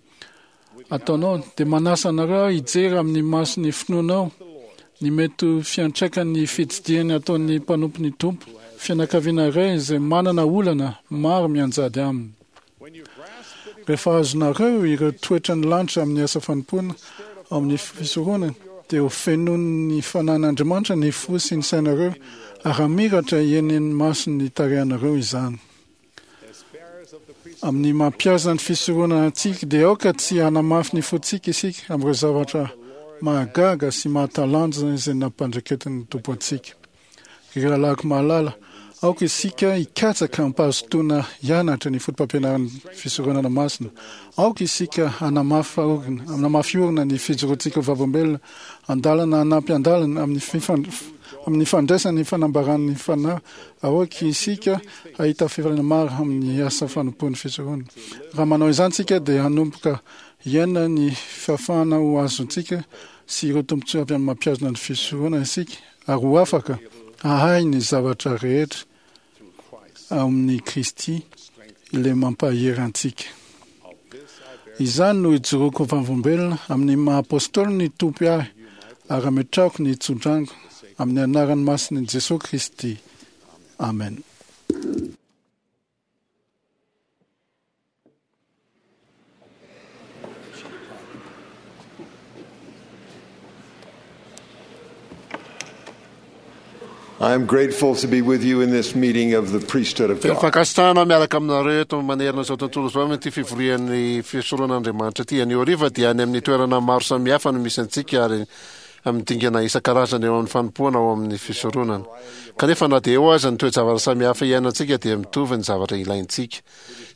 ataonao, dia manasa anareo aho hijery amin'ny mason'ny finoanao ny mety ho fiantraikan'ny fitsidihana ataon'ny mpanompon'ny Tompo, fianakaviana iray izay manana olana maro mianjady aminy. Rehefa azonareo ireo toetran'ny lanitra amin'ny asa fanompoana ao amin'ny fisoronana, dia ho fenoin'ny Fanahin'Andriamanitra ny fo sy ny sainareo ary hamiratra eny ny mason'ny tarehinareo izany. Amin'ny mampiasa ny fisoronana antsika, dia aoka tsy hanamafy ny fontsika isika amin'ireo zavatra mahagaga sy mahatalanjona izay nampandraiketin'ny Tompo antsika. Ry rahalahiko mahalala, aoka isika hikatsaka am-pahazotoana hianatra ny fotopampianaran'ny fisoronana masina. Aoka isika hanamafy orina, hanamafy orina ny fijoroantsika ho vavolombelona andalana hanampy andalana amin'ny fifan- amin'ny fandraisana ny fanambaran'ny Fanahy. Aoka isika hahita fifaliana maro amin'ny asa fanompoan'ny fisoronana. Raha manao izany isika dia hanomboka hiaina ny fahafahana ho azontsika sy ireo tombontsoa avy amin'ny mampihazona ny fisoronana isika, ary ho afaka hahay ny zavatra rehetra ao amin'i Kristy ilay mampahery antsika. Izany no ijoroako vavolombelona amin'ny maha apôstôly ny Tompo ahy, ary ametrahako ny tsodranoko amin'ny anaran'ny masin'i Jesoa Kristy. Amen. I am grateful to be with you in this meeting of the priesthood of Feno God. fankasitrahana miaraka aminareo eto manerana izao tontolo izao amin'ity fivorian'ny fisoronan'Andriamanitra ity. Anio hariva dia any amin'ny toerana maro samihafa no misy antsika ary amin'ny dingana isan-karazany eo amin'ny fanompoana ao amin'ny fisoronana. Kanefa na dia eo aza ny toe-javatra samihafa iainantsika dia mitovy ny zavatra ilaintsika.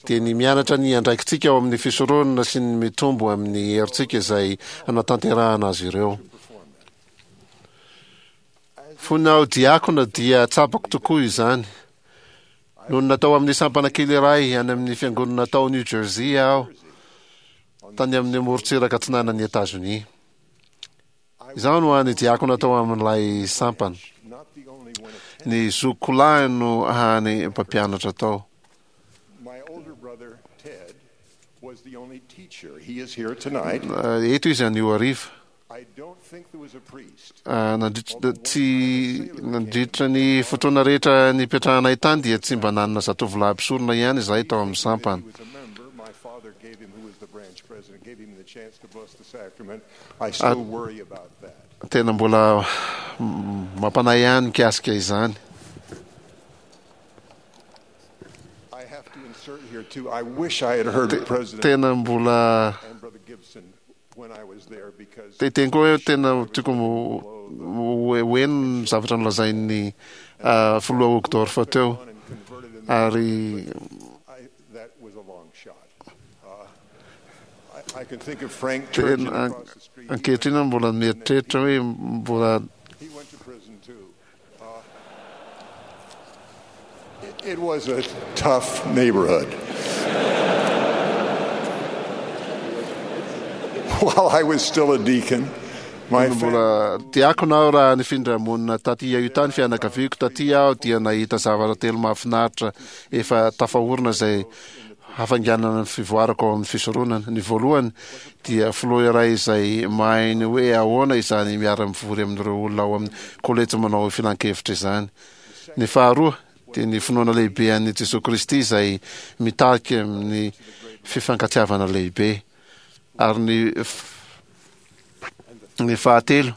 Dia ny mianatra ny andraikitsika ao amin'ny fisoronana sy ny mitombo amin'ny herintsika izay hanatanterahana azy ireo. Fony aho diakona dia tsapako tokoa izany. Nony natao amin'ny sampana kely iray any amin'ny fiangonana tao New Jersey aho, tany amin'ny morontsiraka atsinanan'i Etazonia. Izaho no hany diakona tao amin'ilay sampana. Ny zokiko lahy no hany mpampianatra tao. My older brother, Ted, was the only teacher. He is here tonight. Eh, Eto izy anio hariva. I don't think there was a priest. Ah, nandritra tsy nandritra ny fotoana rehetra nipetrahanay tany dia tsy mba nanana zatovolahy mpisorona ihany izahay tao amin'ny sampana. He was a member. My father gave him, who was the branch president, gave him the chance to bless the sacrament. I still worry about that. Tena mbola mm, mampanahy ihany mikasika izany. I have to insert here, too, I wish I had heard President Tena mbola and Brother Gibson when I was there because te teny koa hoe tena tiako mo- ho ho heno ny zavatra nolazain'ny ah, filoha Uchtdorf teo on and converted in the ary I, that was a long shot. Uh, I, I can think of Frank Turgeon tena across the street. He ankehitriny aho mbola mieritreritra hoe mbola He went to prison too. Uh, it, it was a tough neighborhood. While I was still a deacon, my family mbola diakona aho raha nifindra monina taty Utah ny fianakaviako taty aho dia nahita zavatra telo mahafinaritra efa tafaorina izay hafainganana ny fivoarako ao amin'ny fisoronana. Ny voalohany dia filoha iray izay mahay ny hoe ahoana izany miara-mivory amin'ireo olona ao amin'ny kolejy manao filan-kevitra izany. Ny faharoa dia ny finoana lehibe an'i Jesoa Kristy izay mitarika amin'ny fifankatiavana lehibe. Ary ny ny fahatelo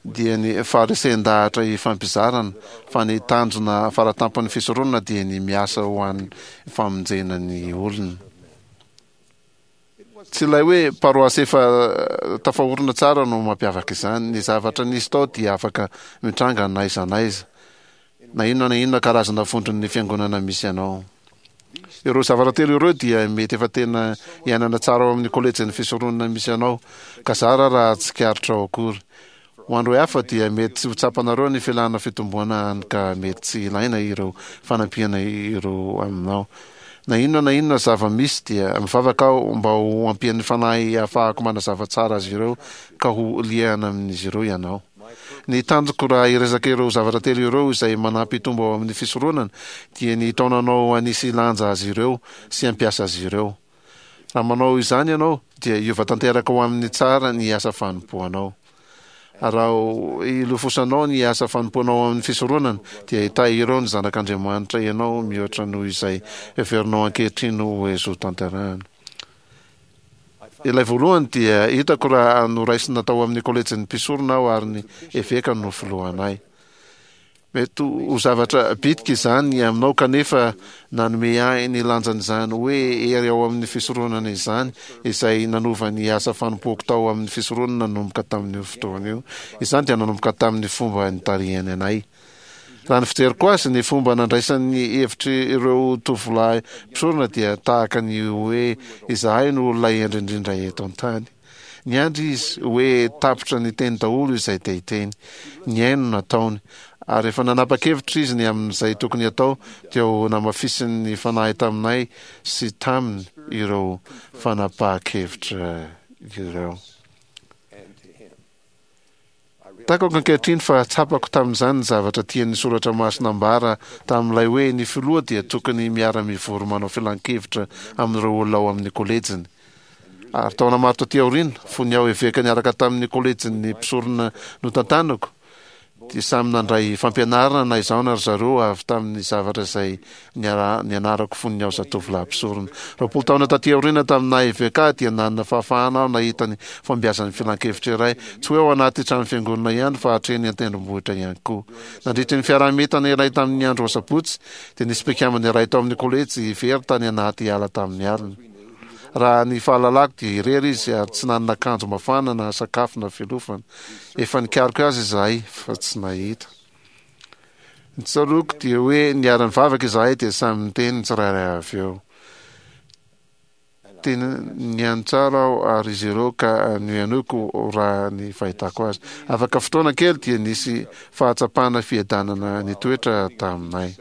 dia ny faharesen-dahatra ifampizarana fa ny tanjona faratampon'ny fisoronana dia ny miasa ho an'ny famonjena ny olona. Tsy ilay hoe paroasy efa tafaorina tsara no mampiavaka izany. Ny zavatra nisy tao dia afaka mitranga n'aiza n'aiza, na inona na inona karazana vondron'ny fiangonana misy anao. Ireo zavatra telo ireo dia mety efa tena iainana tsara ao amin'ny kolejin'ny fisoronana misy anao, ka zara raha tsikaritrao akory. Ho an'ireo hafa dia mety tsy ho tsapanareo ny filàna fitomboana hany ka mety tsy ilaina ireo fanampiana ireo aminao. Na inona na inona zava-misy dia mivavaka aho mba ho ampian'ny Fanahy hahafahako manazava tsara azy ireo ka ho liana amin'izy ireo ianao. Ny tanjoko raha hiresaka ireo zavatra telo ireo izay manampy hitombo ao amin'ny fisoronana dia ny hitaona anao hanisy lanja azy ireo sy hampiasa azy ireo. Raha manao izany ianao dia hiova tanteraka ho amin'ny tsara ny asa fanompoanao. Raha ilofosanao ny asa fanompoanao ao amin'ny fisoronana dia hitahy ireo ny zanak'Andriamanitra ianao mihoatra noho izay heverinao ankehitriny ho azo tanterahana. Ilay voalohany dia hitako raha noraisina tao amin'ny kolejin'ny mpisorona aho ary ny eveka no filohanay. Mety ho zavatra bitika izany aminao kanefa nanome ahy ny lanjan'izany hoe hery ao amin'ny fisoronana izany izay nanova ny asa fanompoako tao amin'ny fisoronana nanomboka tamin'io fotoana io. Izany dia nanomboka tamin'ny fomba nitarihany anay. Raha ny fijeriko azy, ny fomba nandraisan'ny hevitr'ireo tovolahy mpisorona dia tahaka ny hoe izahay no olona hendry indrindra eto an-tany. Niandry izy hoe tapitra niteny daholo izay te hiteny. Nihaino no nataony. Ary rehefa nanapa-kevitra izy ny amin'izay tokony hatao, dia ho namafisin'ny Fanahy taminay sy taminy ireo fanapahan-kevitra ireo. Takako ankehitriny fa tsapako tamin'izany ny zavatra tian'ny Soratra Masina ambara tamin'ilay hoe ny filoha dia tokony miara-mivory manao filan-kevitra amin'ireo olona ao amin'ny kolejiny. Ary taona maro taty aoriana, fony aho eveka niaraka tamin'ny kolejin'ny mpisorona notantanako, dia samy nandray fampianarana na izaho na ry zareo avy tamin'ny zavatra izay nianarako fony aho zatovolahy mpisorona. Roapolo taona taty aoriana tamin'ny naha eveka ahy dia nanana fahafahana aho nahita ny fahombiazan'ny filankevitra iray, tsy hoe ao anaty trano fiangonana ihany fa hatreny an-tendrombohitra ihany koa. Nandritry ny fiaraha-mientana iray tamin'ny andro asabotsy dia nisy mpikambana iray tao amin'ny kolejy very tany anaty ala tamin'ny alina. Raha ny fahalalako dia irery izy ary tsy nanana akanjo mafana na sakafo na fialofana. Efa nikaroka azy izahay fa tsy nahita. Ny tsaroako dia hoe niara-nivavaka izahay dia samy niteny ny tsirairay avy eo. Tena nihaino tsara aho ary izy ireo ka nohenoiko raha ny fahitako azy. Afaka fotoana kely dia nisy fahatsapana fiadanana nitoetra taminay.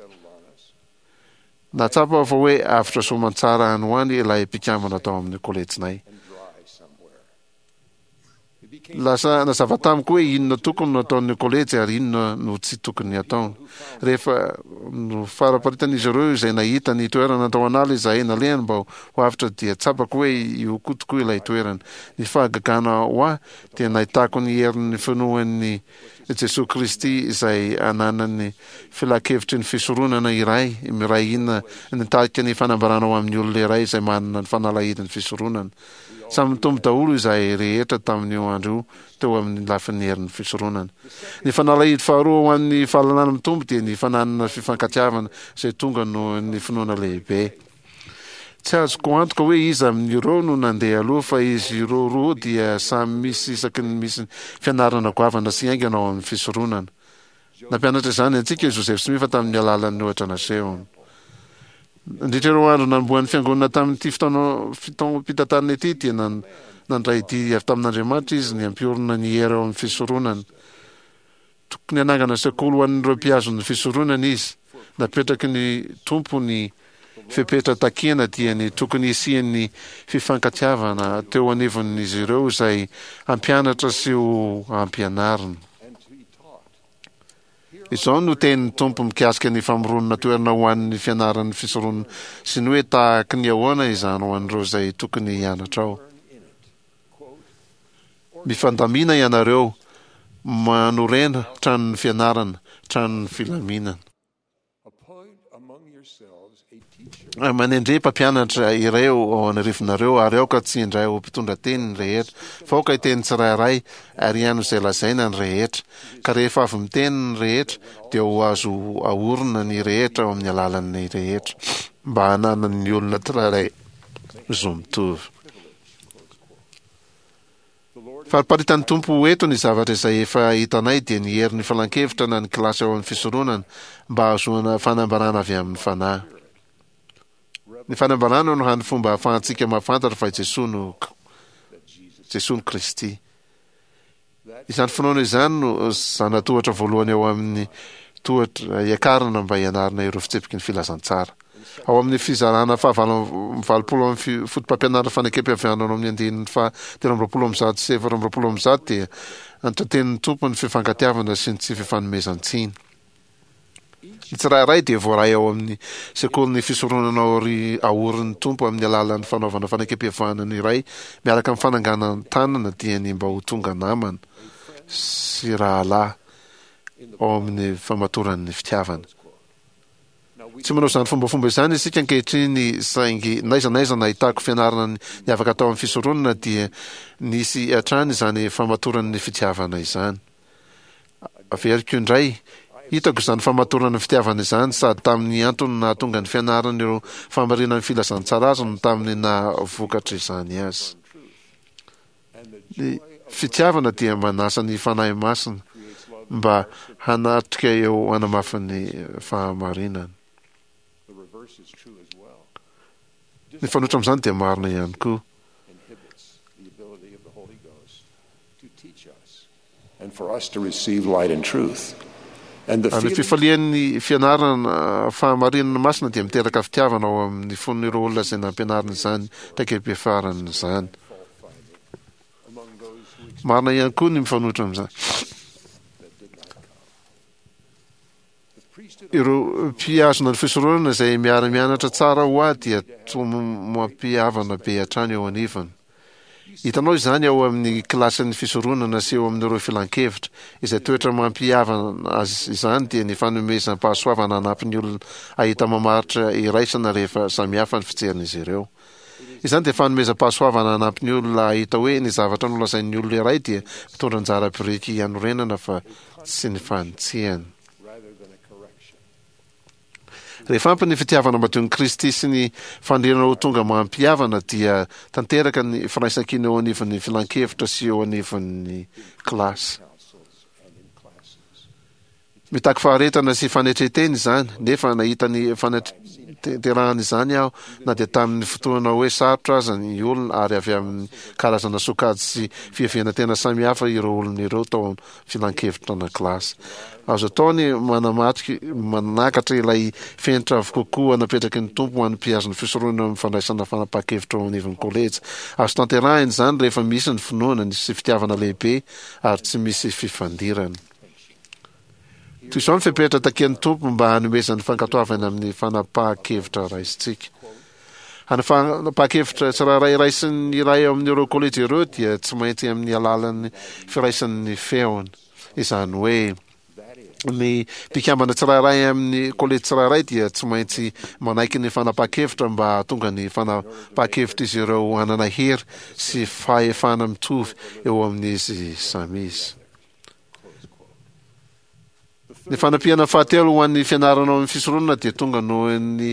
Nahatsapa aho fa hoe avotra soamantsara any ho any ilay mpikambana tao amin'ny kolejinay. Lasa nazava tamiko hoe inona tokony no ataon'ny kolejy ary inona no tsy tokony hataony. Rehefa nofaraparitan'izy ireo izay nahita ny toerana tao an'ala izahay nalehany mba ho avotra dia tsapako hoe io koa tokoa ilay toerana. Ny fahagagana ho ahy dia nahitako ny herin'ny finoan'ny Jesoa Kristy izay ananan'ny filankevitry ny fisoronana iray miray hina nitarika ny fanambarana ho amin'ny olona iray izay manana ny fanalahidin'ny fisoronana. Samy nitombo daholo izahay rehetra tamin'io andro io teo amin'ny lafin'ny herin'ny fisoronana. Ny fanalahidy faharoa ho an'ny fahalalana mitombo dia ny fananana fifankatiavana izay tonga noho ny finoana lehibe. Tsy azoko antoka hoe iza amin'ireo no nandeha aloha fa izy ireo roa dia samy misy isaky ny misy fianarana goavana sy haingana ao amin'ny fisoronana. Nampianatra izany antsika i Joseph Smith tamin'ny alalan'ny ohatra nasehony. Nandritra ireo andro nanombohan'ny Fiangonana tamin'ity fotoana fitaom-pitantanana ity dia nandray didy avy tamin'Andriamanitra izy ny hampiorina ny hery ao amin'ny fisoronana. Tokony hanangana sekoly ho an'ireo mpihazona ny fisoronana izy. Napetraky ny Tompo ny fepetra takiana dia ny tokony hisian'ny fifankatiavana teo anivon'izy ireo izay hampianatra sy ho ampianarina. Izao no tenin'ny Tompo mikasika ny famoronana toerana ho an'ny fianaran'ny fisoronana sy ny hoe tahaky ny ahoana izany ho an'ireo izay tokony hianatra ao. Mifandamina ianareo, manorena tranon'ny fianarana, tranon'ny filaminana. Manendre mpampianatra iray ao anarivonareo, ary aoka tsy indray ho mpitondra teny ny rehetra, fa aoka hiteny tsirairay ary hihaino izay lazaina ny rehetra. Ka rehefa avy miteny ny rehetra, dia ho azo aorina ny rehetra ao amin'ny alalan'ny rehetra, mba hananan'ny olona tsirairay zo mitovy. Fariparitan'ny Tompo eto ny zavatra izay efa hitanay, dia ny herin'ny filankevitra na ny kilasy ao amin'ny fisoronana mba hahazoana fanambarana avy amin'ny Fanahy. Ny fanambarana no hany fomba ahafahantsika mahafantatra fa i Jesoa no Jesoa no Kristy. Izany finoana izany no zana-tohatra voalohany ao amin'ny tohatra hiakarana mba hianarana ireo fitsipiky ny filazantsara. Ao amin'ny fizarana fahavalo amby valopolo amin'ny fotopampianarana fanekempihavanana ao amin'ny andininy faha telo amby roapolo amby zato sy efatra amby roapolo amby zato dia antotenin'ny Tompo ny fifankatiavana sy ny tsy fifanomezan-tsiny. Ny tsirairay dia voaray ao amin'ny sekolin'ny fisoronana aorin'ny Tompo amin'ny alalan'ny fanaovana fanekempihavanana iray miaraka amin'ny fananganan-tanana dia ny mba ho tonga namana sy rahalahy ao amin'ny famatoran'ny fitiavana. Tsy manao izany fombafomba izany isika ankehitriny, saingy n'aiza n'aiza nahitako fianarana niavaka tao amin'ny fisoronana dia nisy hatrany izany famatoran'ny fitiavana izany. Averiko indray, hitako izany famatorana ny fitiavana izany sady tamin'ny antony nahatonga ny fianarana ireo fahamarinan'ny filazantsara azy no tamin'ny naha vokatra izany azy. Ny fitiavana dia manasa ny Fanahy Masina mba hanatrika eo hanamafy ny fahamarinana. Ny fanoitra amin'izany dia marina ihany koa. Ary ny fifalian'ny fianarana fahamarinana masina dia miteraka fitiavana ao amin'ny fon'ireo olona izay nampianarina izany traikeim-piafarana izany. Marina ihany koa ny mifanohitra amin'izany. Ireo mpihazona ny fisoronana izay miara-mianatra tsara ho ahy dia toa mampihavana be hatrany eo anivony. Hitanao izany ao amin'ny kilasin'ny fisoronana sy eo amin'ireo filankevitra. Izay toetra mampihavana azy izany dia ny fanomezam-pahasoavana hanampy ny olona hahita mamaritra iraisana rehefa samihafa ny fijerin'izy ireo. Izany dia fanomezam-pahasoavana hanampy ny olona hahita hoe ny zavatra nolazain'ny olona iray dia mitondra anjara biriky hanorenana fa tsy ny fanitsiana. Rehefa ampy ny fitiavana madion'i Kristy sy ny faniriana ho tonga mampihavana dia tanteraka ny firaisankina eo anivon'ny filankevitra sy eo anivon'ny kilasy. Mitaky faharetana sy fanetren-tena izany, nefa nahita ny fanatanterahana izany aho na dia tamin'ny fotoana hoe sarotra aza ny olona ary avy amin'ny karazana sokajy sy fiheverana tena samihafa ireo olona ireo tao filankevitra na kilasy. Azo atao ny manamatriky manakatra ilay fenitra avo kokoa napetraky ny Tompo ho an'ny mpihazo ny fisoronana amin'ny fandraisana fanapahan-kevitra ao anivon'ny kolejy. Azo tanterahina izany rehefa misy ny finoana ny sy fitiavana lehibe ary tsy misy fifandirana. Toy izao ny fepetra takian'ny Tompo mba hanomezany fankatoavana amin'ny fanapahan-kevitra raisintsika. Ny fanapahan-kevitra tsirairay raisin'ny iray amin'ireo kolejy ireo dia tsy maintsy amin'ny alalan'ny firaisan'ny feony. Izany hoe, ny mpikambana tsirairay amin'ny kolejy tsirairay dia tsy maintsy manaiky ny fanapahan-kevitra mba hahatonga ny fanapahan-kevitr'izy ireo hanana hery sy fahefana mitovy eo amin'izy samy izy. Ny fanampiana fahatelo ho an'ny fianarana ao amin'ny fisoronana dia tonga noho ny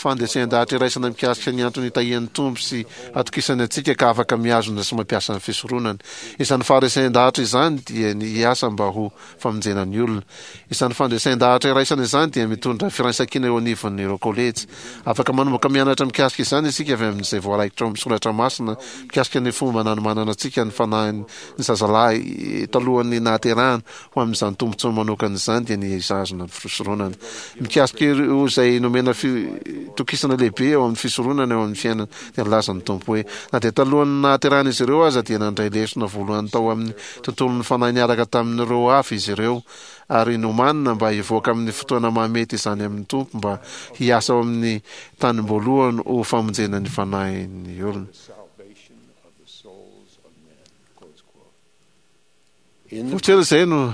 fandresen-dahatra iraisana mikasika ny antony itahian'ny Tompo sy atokisany antsika ka afaka mihazona sy mampiasa ny fisoronana. Izany faharesen-dahatra izany dia ny hiasa mba ho famonjena ny olona. Izany fandresen-dahatra iraisana izany dia mitondra firaisankina eo anivon'ireo kolejy. Afaka manomboka mianatra mikasika izany isika avy amin'izay voaraikitra ao amin'ny soratra masina mikasika ny fomba nanomanana antsika ny fanahin'ny zazalahy talohan'ny nahaterahana Ho amin'izany tombontsoa manokana izany dia ny hizahazana ny fisoronana. Mikasika ireo izay nomena fitokisana lehibe eo amin'ny fisoronana eo amin'ny fiainana dia nilaza ny Tompo hoe, Na dia talohan'ny nahaterahan'izy ireo aza dia nandray lesona voalohany tao amin'ny tontolon'ny fanahy niaraka tamin'ireo hafa izy ireo ary nomanina mba hivoaka amin'ny fotoana mahamety izany amin'ny Tompo mba hiasa ao amin'ny tanim-boalohany ho famonjena ny fanahin'ny olona. Vao tsy ela izay no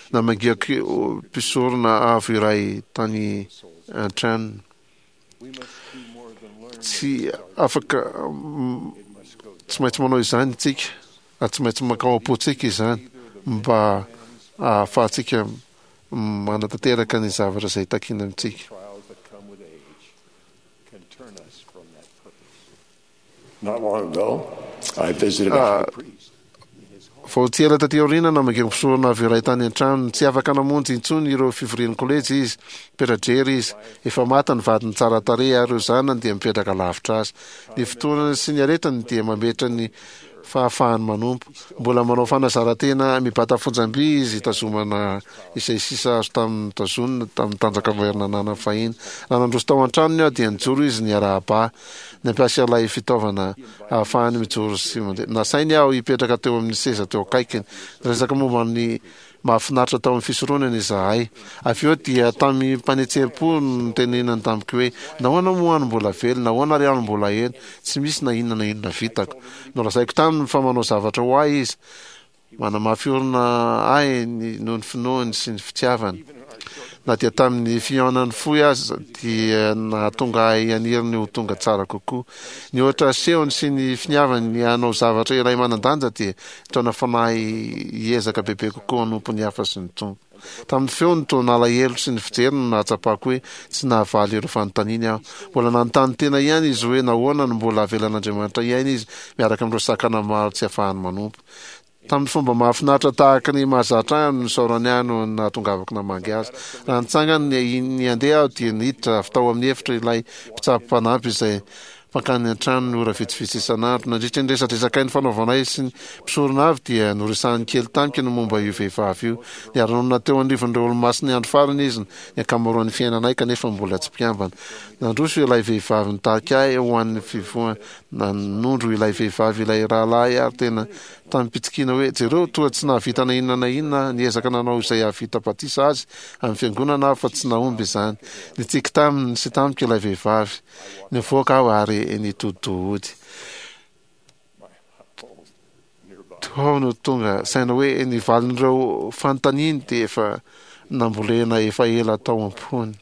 namangiako mpisorona avo iray tany an-tranony. Tsy afaka, tsy maintsy manao izany isika, ary tsy maintsy mankao am-pontsika izany mba ahafahantsika manatanteraka ny zavatra izay takiana amintsika. Vao tsy ela taty aoriana, namaky mpisorona avy iray tany an-tranony. Tsy afaka namonjy intsony ireo fivorian'ny kolejy izy. Mipetra-drery izy. Efa maty ny vadiny tsara tarehy ary ireo zanany dia mipetraka lavitra azy. Ny fotoanany sy ny aretiny dia mametra ny fahafahany manompo. Mbola manao fanazaran-tena mibata fonjam-by izy hitazomana izay sisa azo tamin'ny notazonina tamin'ny tanjaka mahery nananany fahiny. Raha nandroso tao an-tranony aho dia nijoro izy niarahaba ahy. Nampiasa ilay fitaovana ahafahany mijoro sy mandeha. Nasainy aho hipetraka teo amin'ny seza teo akaikiny. Niresaka momba ny mahafinaritra tao amin'ny fisoronana izahay. Avy eo dia tamim-panetseham-po no nitenenany tamiko hoe, Nahoana moa aho no mbola velona? Nahoana ary aho no mbola eto? Tsy misy na inona na inona vitako. Nolazaiko taminy fa manao zavatra ho ahy izy. Manamafy orina ahy ny noho ny finoany sy ny fitiavany. Na dia tamin'ny fihaonany fohy aza dia nahatonga ahy haniry ny ho tonga tsara kokoa. Ny ohatra asehony sy ny finiavany ny hanao zavatra iray manan-danja dia nitaona fanahy hiezaka bebe kokoa hanompo ny hafa sy ny Tompo. Tamin'ny feony toa nalahelo sy ny fijeriny no nahatsapako hoe tsy nahavaly ireo fanontaniany aho. Mbola nanontany tena ihany izy hoe nahoana no mbola avelan'Andriamanitra hiaina izy miaraka amin'ireo sakana maro tsy afahany manompo. Tamin'ny fomba mahafinaritra tahaka ny mahazatra ahy no nisaorany ahy noho ny nahatongavako namangy azy. Raha nitsangana ny handeha aho dia niditra avy tao amin'ny efitra ilay mpitsabo mpanampy izay mpankany an-tranony ora vitsivitsy isan'andro. Nandritra ny resadresakay nifanaovanay sy ny mpisorona avy dia noresahiny kely tamiko ny momba io vehivavy io. Niara-nonina teo anivon'ireo Olomasin'ny Andro Farany izy ny ankamaroan'ny fiainanay kanefa mbola tsy mpikambana. Nandroso ilay vehivavy nitarika ahy ho an'ny fivohana. Nanondro ilay vehivavy ilay rahalahy ary tena tamim-pitsikiana hoe, Jereo, toa tsy nahavita na inona na inona aho. Niezaka nanao izay hahavita batisa azy amin'ny fiangonana aho fa tsy nahomby izany. Nitsiky taminy sy tamiko ilay vehivavy. Nivoaka aho ary nitodi-doha hody. Tao no tonga saina hoe ny valin'ireo fanontaniany dia efa nambolena efa ela tao am-pony.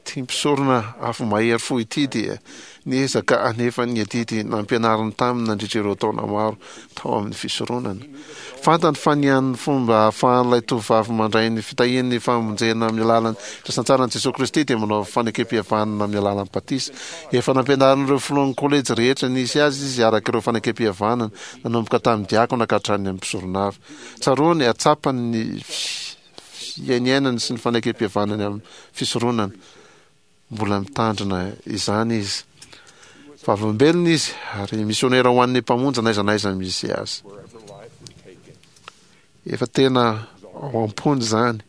Ity mpisorona avo mahery fo ity dia niezaka hanefa ny adidy nampianariny taminy nandritra ireo taona maro tao amin'ny fisoronana. Fantany fa ny hany fomba ahafahan'ilay tovovavy mandray ny fitahian'ny famonjena amin'ny alalan'ny filazantsaran'i Jesoa Kristy dia manao fanekempihavanana amin'ny alalan'ny batisa. Efa nampianarin'ireo filohan'ny kolejy rehetra nisy azy izy araka ireo fanekempihavanana, nanomboka tamin'ny diakona ka hatrany amin'ny mpisorona avy. Tsaroany ary tsapany ny fiainiainany sy ny fanekempihavanany amin'ny fisoronana. Mbola mitandrina izany izy. Vavolombelona izy ary misionera ho an'ny Mpamonjy n'aiza n'aiza misy azy. Efa tena ao am-pony izany.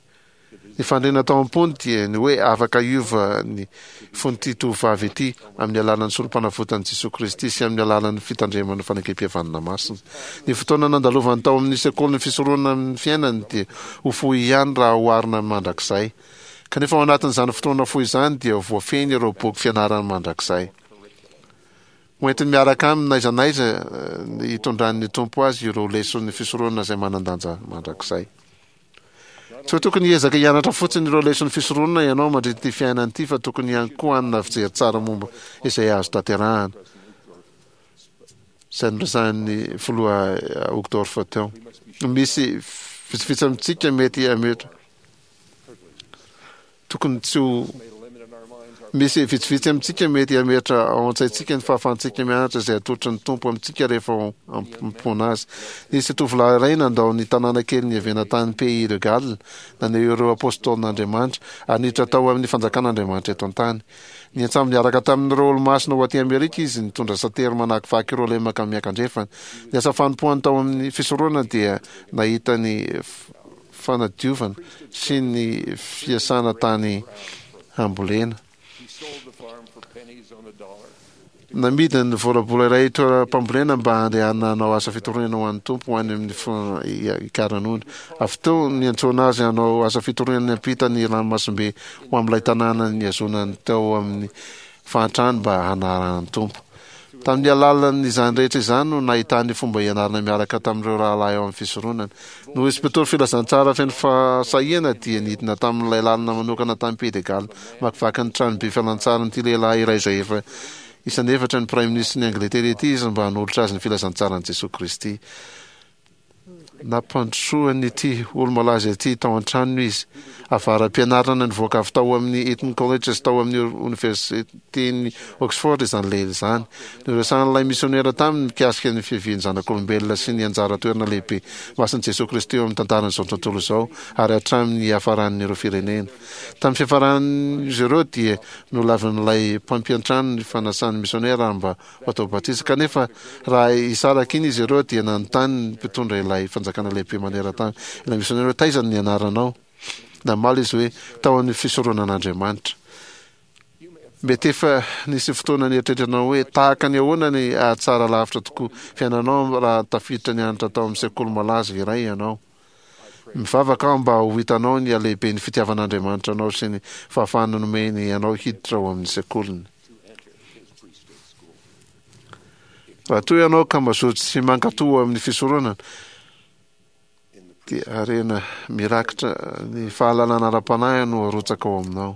Ny fandriana tao am-pony dia ny hoe afaka hiova ny fon'ity tovovavy ity amin'ny alalan'ny Sorompanavotan'i Jesoa Kristy sy amin'ny alalan'ny fitandremana fanekempihavanana masina. Ny fotoana nandalovany tao amin'ny sekolin'ny fisoronana amin'ny fiainany dia ho fohy ihany raha oharina amin'ny mandrakizay. Kanefa ao anatin'izany fotoana fohy izany dia voafehiny ireo boky fianarany mandrakizay. Ho entiny miaraka aminy n'aiza n'aiza hitondran'ny Tompo azy ireo leson'ny fisoronana izay manan-danja mandrakizay. Tsy hoe tokony hiezaka hianatra fotsiny ireo leson'ny fisoronana ianao mandritra ity fiainana ity fa tokony ihany koa hanana fijery tsara momba izay azo tanterahana. Izay noresahin'ny filoha Uchtdorf teo. Misy vitsivitsy amintsika mety hametra Tokony tsy ho Misy vitsivitsy amintsika mety hametra ao an-tsaintsika ny fahafahantsika mianatra izay atolotry ny Tompo amintsika rehefa ao am-pona Azy. Nisy tovolahy iray nandao ny tanàna kely niaviana tany Pays de Galles, naneho ireo apôstôlin'Andriamanitra, ary niditra tao amin'ny fanjakan'Andriamanitra eto an-tany. Niantsambo niaraka tamin'ireo Olomasina ho aty Amerika izy, nitondra satery manakivaky ireo lemaka miankandrefana. Ny asa fanompoany tao amin'ny fisoronana dia nahita ny fanadiovana sy ny fiasana tany hambolena. Namidiny ny volabola iray toeram-pambolena mba handehanana hanao asa fitoriana ho an'ny Tompo ho any amin'ny Ikaranony. Avy teo niantsoana azy hanao asa fitoriana niampita ny ranomasimbe ho amin'ilay tanàna nihazonany tao amin'ny fahantrany mba hanarahany ny Tompo. Tamin'ny alalan'izany rehetra izany no nahitany fomba hianarana miaraka tamin'ireo rahalahy ao amin'ny fisoronana. Noho izy mpitory filazantsara feno fahasahiana dia nidina tamin'ilay lalana manokana tamin'ny Pays de Galles namakivaky ny tranobe fialantsarin'ity lehilahy iray izay efa isan'ny efatra ny praiminisitry ny Angletera ity izy mba hanolotra azy ny filazantsaran'i Jesoa Kristy. Nampandrosoan'ity olo-malaza ity tao an-tranony izy. Avara-pianarana nivoaka avy tao amin'ny Eton College sy tao amin'ny Oniversiten'i Oxford izany lehilahy izany. Noresahan'ilay misionera taminy mikasika ny fiavian'ny zanak'olombelona sy ny anjara toerana lehibe masin'i Jesoa Kristy eo amin'ny tantaran'izao tontolo izao ary hatramin'ny hiafaran'ireo firenena. Tamin'ny fiafaran'izy ireo dia nolavin'ilay mpampiantrano ny fanasan'ny misionera mba ho atao batisa. Kanefa raha hisaraka iny izy ireo dia nanontany ny mpitondra ilay fanjakana lehibe maneran-tany ilay misionera hoe taiza ny anaranao? Namaly izy hoe tao amin'ny fisoronan'Andriamanitra. Mety efa nisy fotoana nieritreretanao hoe tahaka ny ahoana ny hahatsara lavitra tokoa fiainanao raha tafiditra nianatra tao amin'ny sekoly malaza iray ianao. Mivavaka aho mba ho hitanao ny halehiben'ny fitiavan'Andriamanitra anao sy ny fahafahana nomeny anao hiditra ao amin'ny sekoliny. Raha toa ianao ka mazoto sy mankatò amin'ny fisoronana, dia harena mirakitra ny fahalalana ara-panahy no arotsaka ao aminao.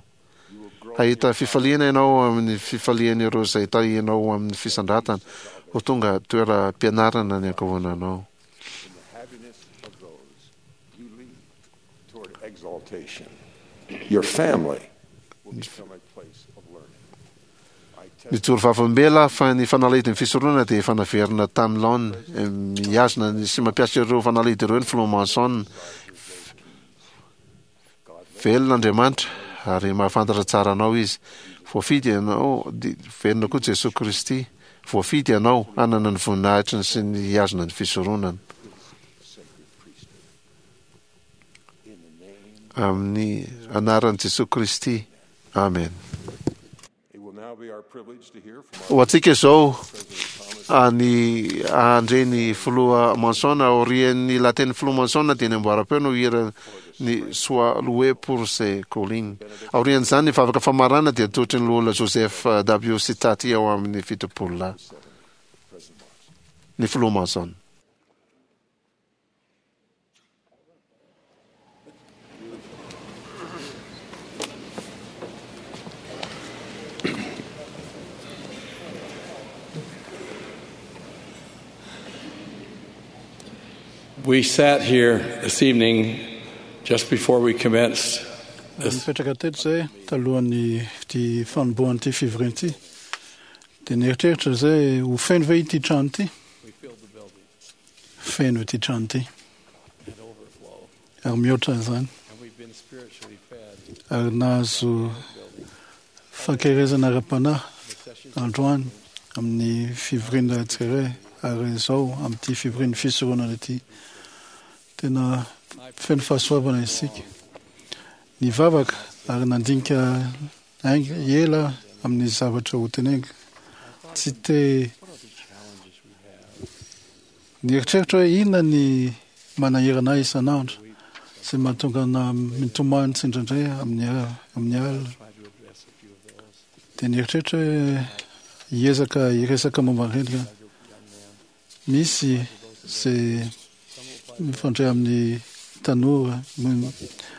Hahita fifaliana ianao amin'ny fifalian'ireo izay tarihinao ho amin'ny fisandratana, ho tonga toeram-pianarana ny ankohonanao. Your family will become a place of learning. Nijoro vavolombelona aho fa ny fanalahidin'ny fisoronana dia efa naverina tamin'ny laoniny. Mihazona sy mampiasa ireo fanalahidy ireo ny filoha Monson. Velona Andriamanitra ary mahafantatra tsara anao Izy. Voafidy ianao, velona koa Jesoa Kristy. Voafidy ianao hanana ny voninahitry sy ny hihazona ny fisoronana. Amin'ny anaran'i Jesoa Kristy. Amen. Ho antsika izao ny handre ny filoha Monson. Aorian'ny lahatenin'ny filoha Monson dia ny amboaram-peo no hira ny Sois loué pour ses collines. Aorian'izany ny vavaka famarana dia atolotry ny loholona Joseph W. Sitati ao amin'ny fitopolo lahy. Ny filoha Monson. We sat here this evening just before we commenced this. Nipetraka teto zay talohan'ny ty fanombohan'ity fivoriana ity. Dia nieritreritra zay ho feno ve ity trano ity? Feno ity trano ity. Ary mihoatra izany. Ary nahazo fankerezana ara-panahy androany amin'ny fivoriana tsirairay ary izao amin'ity fivorian'ny fisoronana ity. Tena feno fahasoavana isika. Nivavaka ary nandinika ainga ela amin'ny zavatra ho teneniko. Tsy te nieritreritra hoe inona ny manahirana ahy isan'andro izay mahatonga ana mitomany tsindraindray amin'ny amin'ny alina. Dia nieritreritra hoe hiezaka hiresaka momba an'ireny. Misy izay mifandray amin'ny tanora,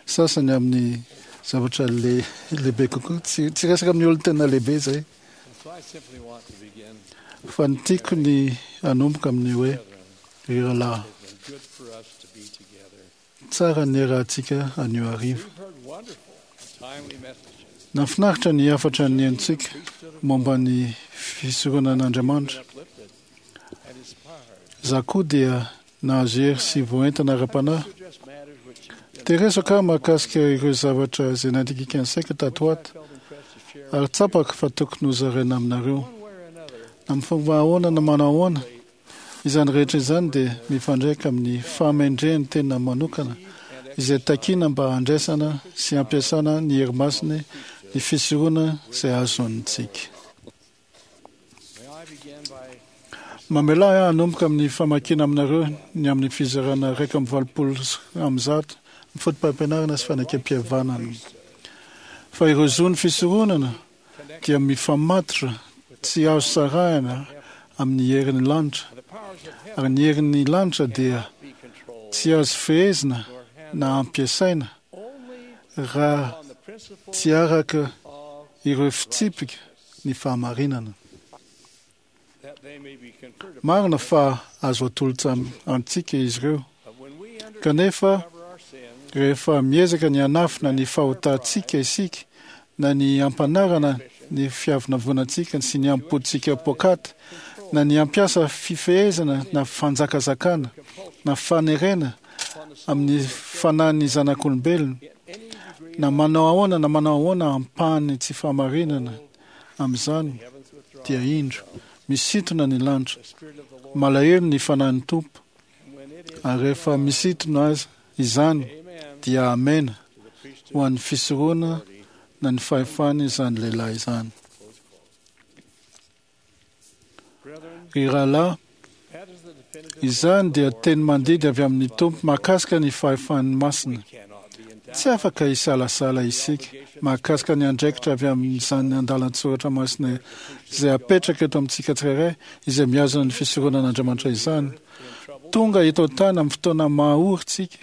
sasany amin'ny zavatra le lehibe kokoa. Tsy tsy resaka amin'ny olona tena lehibe izay. Fa ny tiako ny hanomboka amin'ny hoe ry rahalahy, tsara ny niarahantsika anio hariva. Nahafinaritra ny hafatra nihainontsika momba ny fisoronan'Andriamanitra. Za koa dia nahazo hery sy voaentana ara-panahy. Te hiresaka aho mahakasika ireo zavatra izay nandikika ny saiko tato ho ato, ary tsapako fa tokony hozaraina aminareo. Na amin'ny fomba ahoana na manao ahoana, izany rehetra izany dia mifandraika amin'ny fahamendrehan'ny tena manokana izay takiana mba handraisana sy hampiasana ny hery masiny ny fisorona izay azontsika. Mamelà ahy hanomboka amin'ny famakiana aminareo ny amin'ny fizarana iraika amby valopolo amby zato ny fotopampianarana sy fanekempihavanana. Fa ireo zon'ny fisoronana dia mifamatotra tsy azo sarahina amin'ny herin'ny lanitra. Ary ny herin'ny lanitra dia tsy azo fehezina na ampiasaina raha tsy araka ireo fitsipika ny fahamarinana. Marina fa azo atolotra antsika izy ireo. Kanefa rehefa miezaka ny hanafina ny fahotantsika isika na ny ampanarana ny fiavonavonantsika sy ny ampotsika pokaty na ny ampiasa fifehezana na fanjakazakana na fanerena amin'ny fanahin'ny zanak'olombelona na manao ahoana na manao ahoana ampahany tsy fahamarinana amin'izany dia indro misintona ny lanitra, malahelo ny fanahin'ny Tompo, ary rehefa misintona azy izany dia amena ho an'ny fisorona na ny fahefany izany lehilahy izany. Ry rahalahy, izany dia teny mandidy avy amin'ny Tompo mahakasika ny fahefan'ny masina. Tsy afaka hisalasala isika mahakasika ny andraikitra avy amin'izany andalan-tsoratra masina izay apetraka eto amintsika tsirairay izay mihazona ny fisoronan'Andriamanitra izany. Tonga eto an-tany amin'ny fotoana mahory tsika.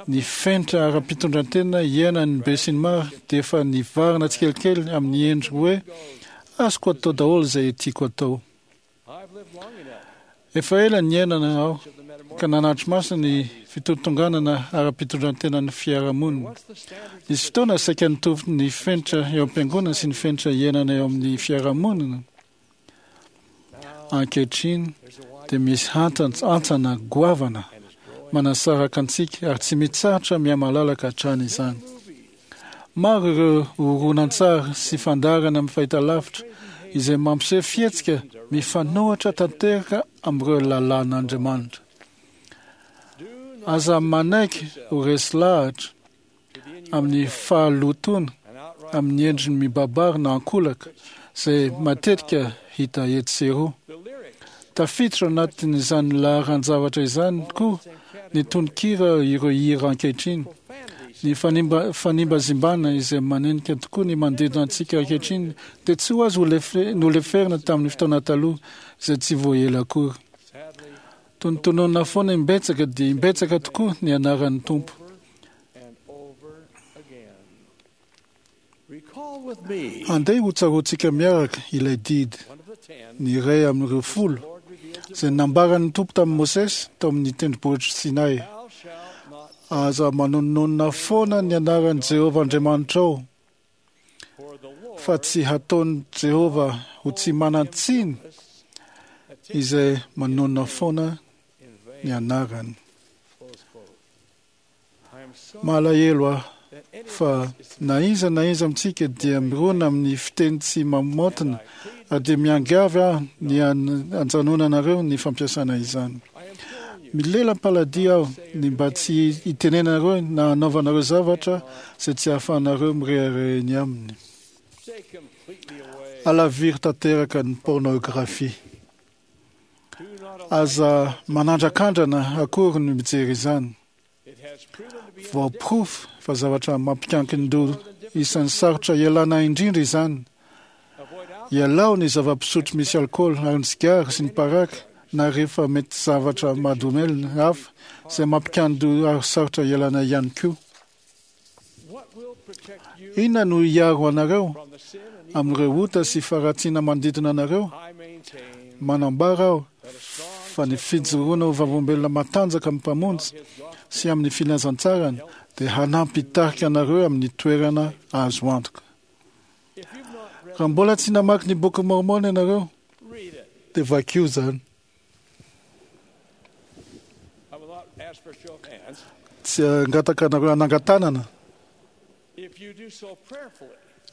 Ny fenitra ara-pitondran-tena iainan'ny besinimaro dia efa nivarina tsikelikely amin'ny endriny hoe azoko atao daholo izay tiako atao. Efa ela niainana aho ka nanatri-maso ny fitontonganana ara-pitondran-tenan'ny fiarahamonina. Nisy fotoana saika nitovy ny fenitra eo am-piangonana sy ny fenitra iainana eo amin'ny fiarahamonina. Ankehitriny dia misy hantsana goavana manasaraka antsika ary tsy mitsahatra mihamalalaka hatrany izany. Maro ireo horonantsary sy fandaharana amin'ny fahitalavitra izay mampiseho fihetsika mifanohitra tanteraka amin'ireo lalàn'Andriamanitra. Aza manaiky ho resy lahatra amin'ny fahalotoana amin'ny endriny mibabary na ankolaka izay matetika hita etsy sy eroa. Tafiditra ao anatin'izany laharan-javatra izany koa ny tononkira ireo hira ankehitriny. Ny fanimba, fanimbazimbana izay manenika tokoa ny manodidina antsika ankehitriny dia tsy ho azo noleferina tamin'ny fotoana taloha izay tsy vao ela akory. Tonontononina foana imbetsaka dia imbetsaka tokoa ny anaran'ny Tompo. Andeha hotsaroantsika miaraka ilay didy, ny iray amin'ireo folo, izay nambaran'ny Tompo tamin'i Mosesy tao amin'ny tendrombohitr'i Sinay. Aza manononona foana ny anaran'i Jehovah Andriamanitrao, fa tsy hataon'i Jehovah ho tsy manan-tsiny izay manonona foana ny anarany. Malahelo aho fa na iza na iza amintsika dia mirona amin'ny fiteny tsy mamotina ary dia miangavy aho ny hanjanonanareo ny fampiasana izany. Milelam-paladia aho ny mba tsy hitenenanareo na hanaovanareo zavatra izay tsy ahafahanareo mirehareha eny aminy. Alaviro tanteraka ny pornografia. Aza manandrakandrana akory ny mijery izany. Voaporofo fa zavatra mampikankin-doha isan'ny sarotra ialana indrindra izany. Ialao ny zava-pisotro misy alkaola ary ny sigara sy ny paraky na rehefa mety zavatra mahadomelina hafa izay mampikan-doha ary sarotra ialana ihany koa. Inona no hiaro anareo amin'ireo ota sy faharatsiana manodidina anareo? Manambara aho fa ny fijoroana ho vavolombelona matanjaka amin'ny Mpamonjy sy amin'ny filazantsarany dia hanampy hitarika anareo amin'ny toerana azo antoka. Raha mbola tsy namaky ny Boky Mormon ianareo, dia vakio izany. Tsy hangataka anareo hanangan-tanana.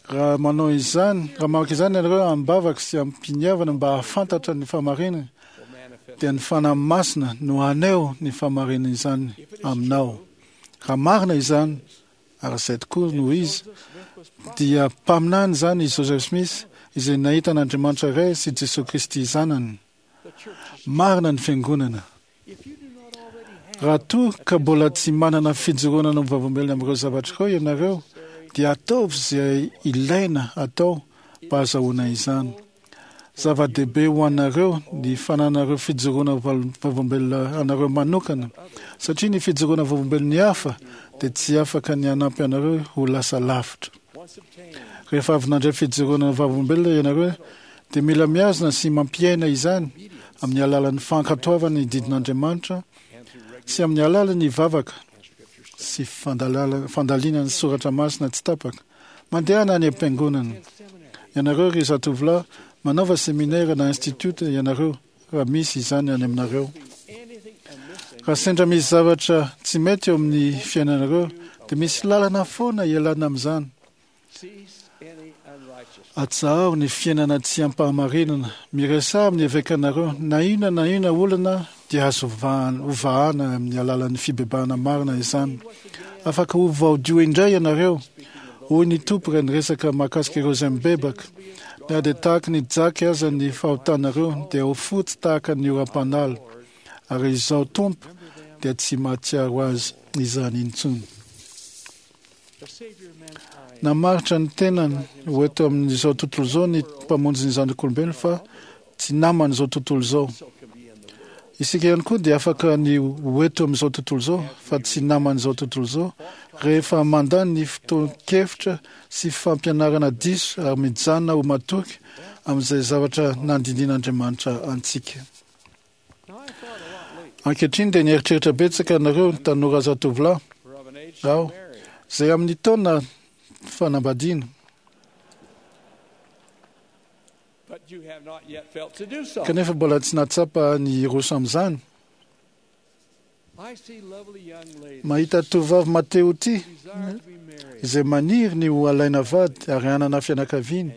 Raha manao izany, raha mamaky izany ianareo amim-bavaka sy amim-piniavana mba hahafantatra ny fahamarinana, dia ny Fanahy Masina no haneho ny fahamarinan'izany aminao. Raha marina izany, ary izay tokoa no izy, dia mpaminany izany i Joseph Smith, izay nahita an'Andriamanitra Ray sy Jesoa Kristy Zanany. Marina ny Fiangonana. Raha toa ka mbola tsy manana fijoroana ho vavolombelona amin'ireo zavatra ireo ianareo, dia ataovy izay ilaina atao mba hahazahoana izany. Zava-dehibe ho anareo ny fananareo fijoroana vavolombelona anareo manokana, satria ny fijoroana vavolombelon'ny hafa dia tsy afaka ny hanampy anareo ho lasa lavitra. Rehefa avy nandray fijoroana vavolombelona ianareo dia mila mihazona sy mampiaina izany amin'ny alalan'ny fankatoavana ny didin'Andriamanitra sy amin'ny alalan'ny vavaka sy fandalinana ny soratra masina tsy tapaka. Mandehana any am-piangonana ianareo ry zatovolahy, manaova seminera na institut ianareo raha misy izany any aminareo. Raha sendra misy zavatra tsy mety eo amin'ny fiainanareo dia misy lalana foana ialana amin'izany. Atsaharo ny fiainana tsy ampahamarinana, miresaha amin'ny evekanareo, na inona na inona olana dia azo hovahana amin'ny alalan'ny fibebahana marina izany. Afaka ho voadio indray ianareo, hoy ny Tompo raha niresaka mahakasika ireo izay mibebaka. Na dia tahaka ny jaky aza ny fahotanareo dia ho fotsy tahaka ny oram-panala, ary izao Tompo dia tsy mahatsiaro azy izany intsony. Namaritra ny tenany ho eto amin'izao tontolo izao ny mpamonjy ny zanak'olombelona fa tsy naman'izao tontolo izao. Isika ihany koa dia afaka ny ho eto amin'izao tontolo izao fa tsy naman'izao tontolo izao rehefa mandà ny fotoan-kevitra sy fampianarana diso ary mijanona ho matoky amin'izay zavatra nandinian'Andriamanitra antsika. Ankehitriny dia nieritreritra betsaka anareo tanora zatovolahy aho izay amin'ny taona fanambadiana, kanefa mbola tsy nahatsapa ny hiroso amin'izany. Mahita tovovavy Mateo ity izay maniry ny ho alaina vady ary hanana fianakaviana,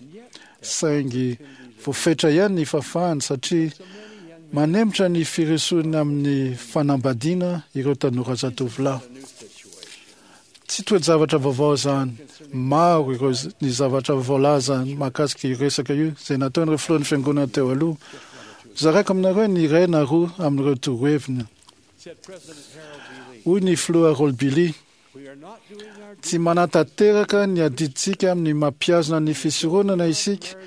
saingy voafetra ihany ny fahafahany satria manemitra ny firosoana amin'ny fanambadiana ireo tanora zatovolahy. Tsy toe-javatra vaovao izany. Maro ireo ny zavatra voalaza mahakasika io resaka io izay nataon'ireo filohan'ny fiangonana teo aloha. Zaraiko aminareo ny iray na roa amin'ireo toroheviny. Hoy ny filoha Harold B. Lee: tsy manatanteraka ny adidintsika amin'ny mampihazona ny fisoronana isika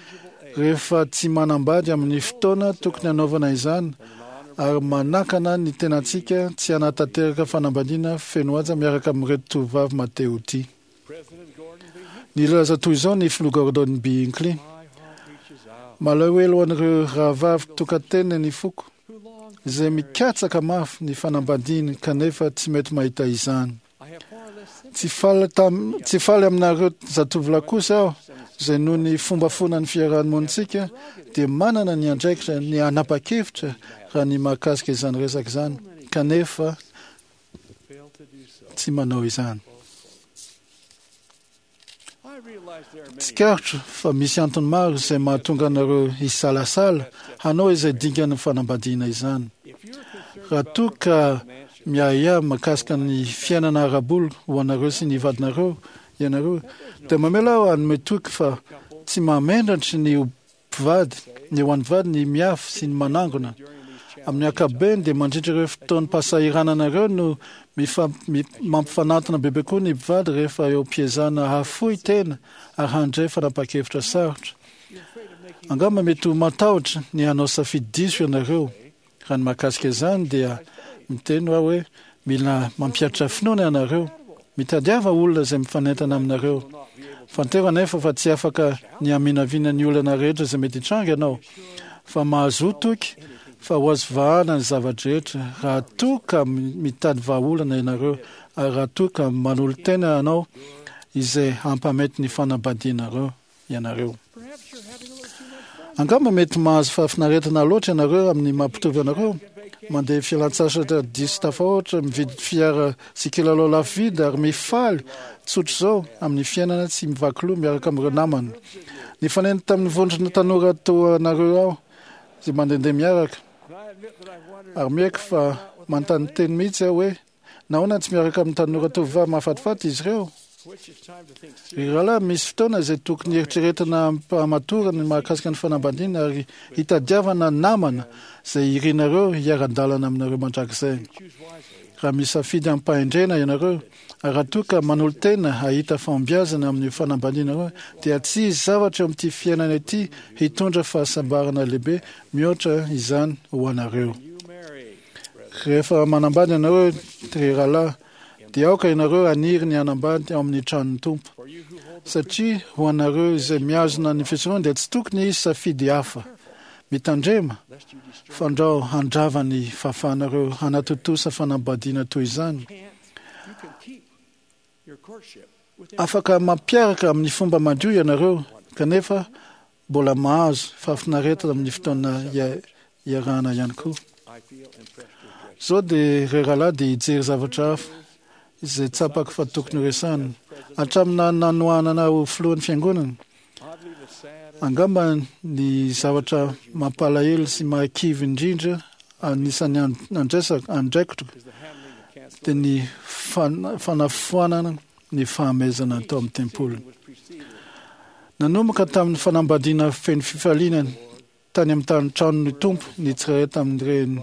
rehefa tsy manambady amin'ny fotoana tokony hanaovana izany, ary manakana ny tenantsika tsy hanatanteraka fanambadiana feno haja miaraka amin'ireto tovovavy Mateo ity. Nilaza toy izao ny filoha Gordon B. Hinckley: malahelo an'ireo rahavavy tokantena ny foko izay mikatsaka mafy ny fanambadiana kanefa tsy mety mahita izany. Tsy faly tam, tsy faly aminareo zatovolahy kosa aho izay noho ny fombafonan'ny fiarahamonintsika dia manana ny andraikitra ny hanapa-kevitra raha ny mahakasika izany resaka izany, kanefa tsy manao izany. Tsikaritro fa misy antony maro izay mahatonga anareo hisalasala hanao izay dingan'ny fanambadiana izany. Raha toa ka miahiahy mahakasika ny fiainana ara-bola ho anareo sy ny vadinareo ianareo, dia mamela aho hanome toky fa tsy mahamenatra ny ho mpivady, ny ho an'ny vady ny miafy sy ny manangona. Amin'ny ankapobeny dia mandritra ireo fotoam-pahasahirananareo no mampifanantona bebe koa ny mpivady rehefa eo am-piezahana hahafoy tena ary handray fanapahan-kevitra sarotra. Angamba mety ho matahotra ny hanao safidy diso ianareo. Raha ny mahakasika izany dia miteny aho hoe mila mampihatra finoana ianareo. Mitadiava olona izay mifanentana aminareo. Fantero anefa fa tsy afaka ny haminavina ny olana rehetra izay mety hitranga ianao, fa mahazoa toky fa ho azo vahana ny zava-drehetra raha toa ka mitady vahaolana ianareo ary raha toa ka manolo-tena anao izay hampamety ny fanambadianareo ianareo. Angamba mety mahazo fahafinaretana loatra ianareo amin'ny mampitovy anareo, mandeha fialan-tsasatra diso tafahoatra, mividy fiara sy kilalao lafo vidy ary mifaly tsotra izao amin'ny fiainana tsy mivaky loha miaraka amin'ireo namana. Nifanena tamin'ny vondrona tanora toa anareo aho izay mandehandeha miaraka, ary miaiky fa manontany teny mihitsy aho hoe nahoana tsy miaraka amin'ny tanora tovovavy mahafatifaty izy ireo. Ry rahalahy, misy fotoana izay tokony eritreretina am-pahamatorana ny mahakasika ny fanambadiana ary hitadiavana namana izay irinareo hiara-dalana aminareo mandrakizay. Raha misafidy am-pahendrena ianareo, raha toa ka manolo-tena hahita fahombiazana amin'ny fanambadianareo, dia tsy hisy zavatra eo amin'ity fiainana ity hitondra fahasambarana lehibe mihoatra izany ho anareo. Rehefa manambady ianareo, ry rahalahy, dia aoka ianareo haniry ny hanambady ao amin'ny tranon'ny Tompo. Satria ho anareo izay mihazona ny fisoronana dia tsy tokony hisy safidy hafa. Mitandrema fandrao handrava ny fahafahanareo hanatontosa fanambadiana toy izany. Afaka mampiaraka amin'ny fomba madio ianareo, kanefa mbola mahazo fahafinaretana amin'ny fotoana iarahana ihany koa. Zao dia ry rahalahy dia hijery zavatra hafa izay tsapako fa tokony horesahana. Hatramin'ny nanohanana ho filohan'ny fiangonana, angamba ny zavatra mampalahelo sy mahakivy indrindra anisan'ny andraisako andraikitro dia ny fanafoanana ny fahamezana tao amin'ny tempoly. Nanomboka tamin'ny fanambadiana feno fifaliana tany amin'ny tany tranon'ny Tompo ny tsirairay tamin'ireny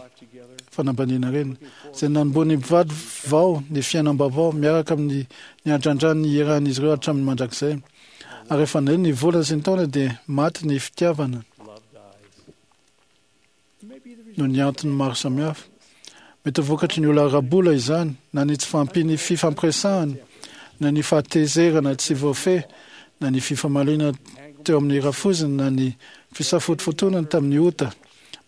fanambadiana ireny, izay nanombohan'ny mpivady vao ny fiainam-baovao miaraka amin'ny ny andrandran'ny iarahan'izy ireo hatramin'ny mandrakizay. Ary rehefa nandeha ny volana sy ny taona dia maty ny fitiavana noho ny antony maro samihafa. Mety ho vokatry ny olana ara-bola izany, na ny tsy fahampian'ny fifampiresahana, na ny fahatezerana tsy voafehy, na ny fifamaliana teo amin'ny rafozana, na ny fisafotofotoana tamin'ny ota.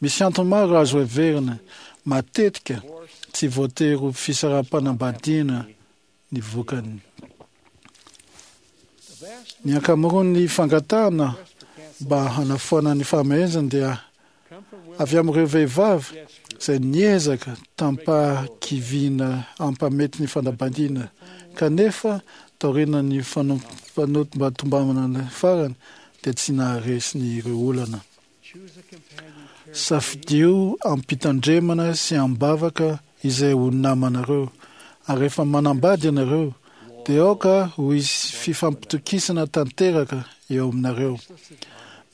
Misy antony maro azo heverina. Matetika tsy voatery ho fisaraham-panambadiana ny vokany. Ny ankamaroan'ny fangatahana mba hanafoana ny fahamehezana dia avy amin'ireo vehivavy izay niezaka tampahakiviana hampamety ny fanambadiana, kanefa taorian'ny fanombatombanana farany dia tsy naharesy ny ireo olana. Safidio am-pitandremana sy am-bavaka izay ho namanareo, ary rehefa manambady ianareo dia aoka ho hisy fifampitokisana tanteraka eo aminareo.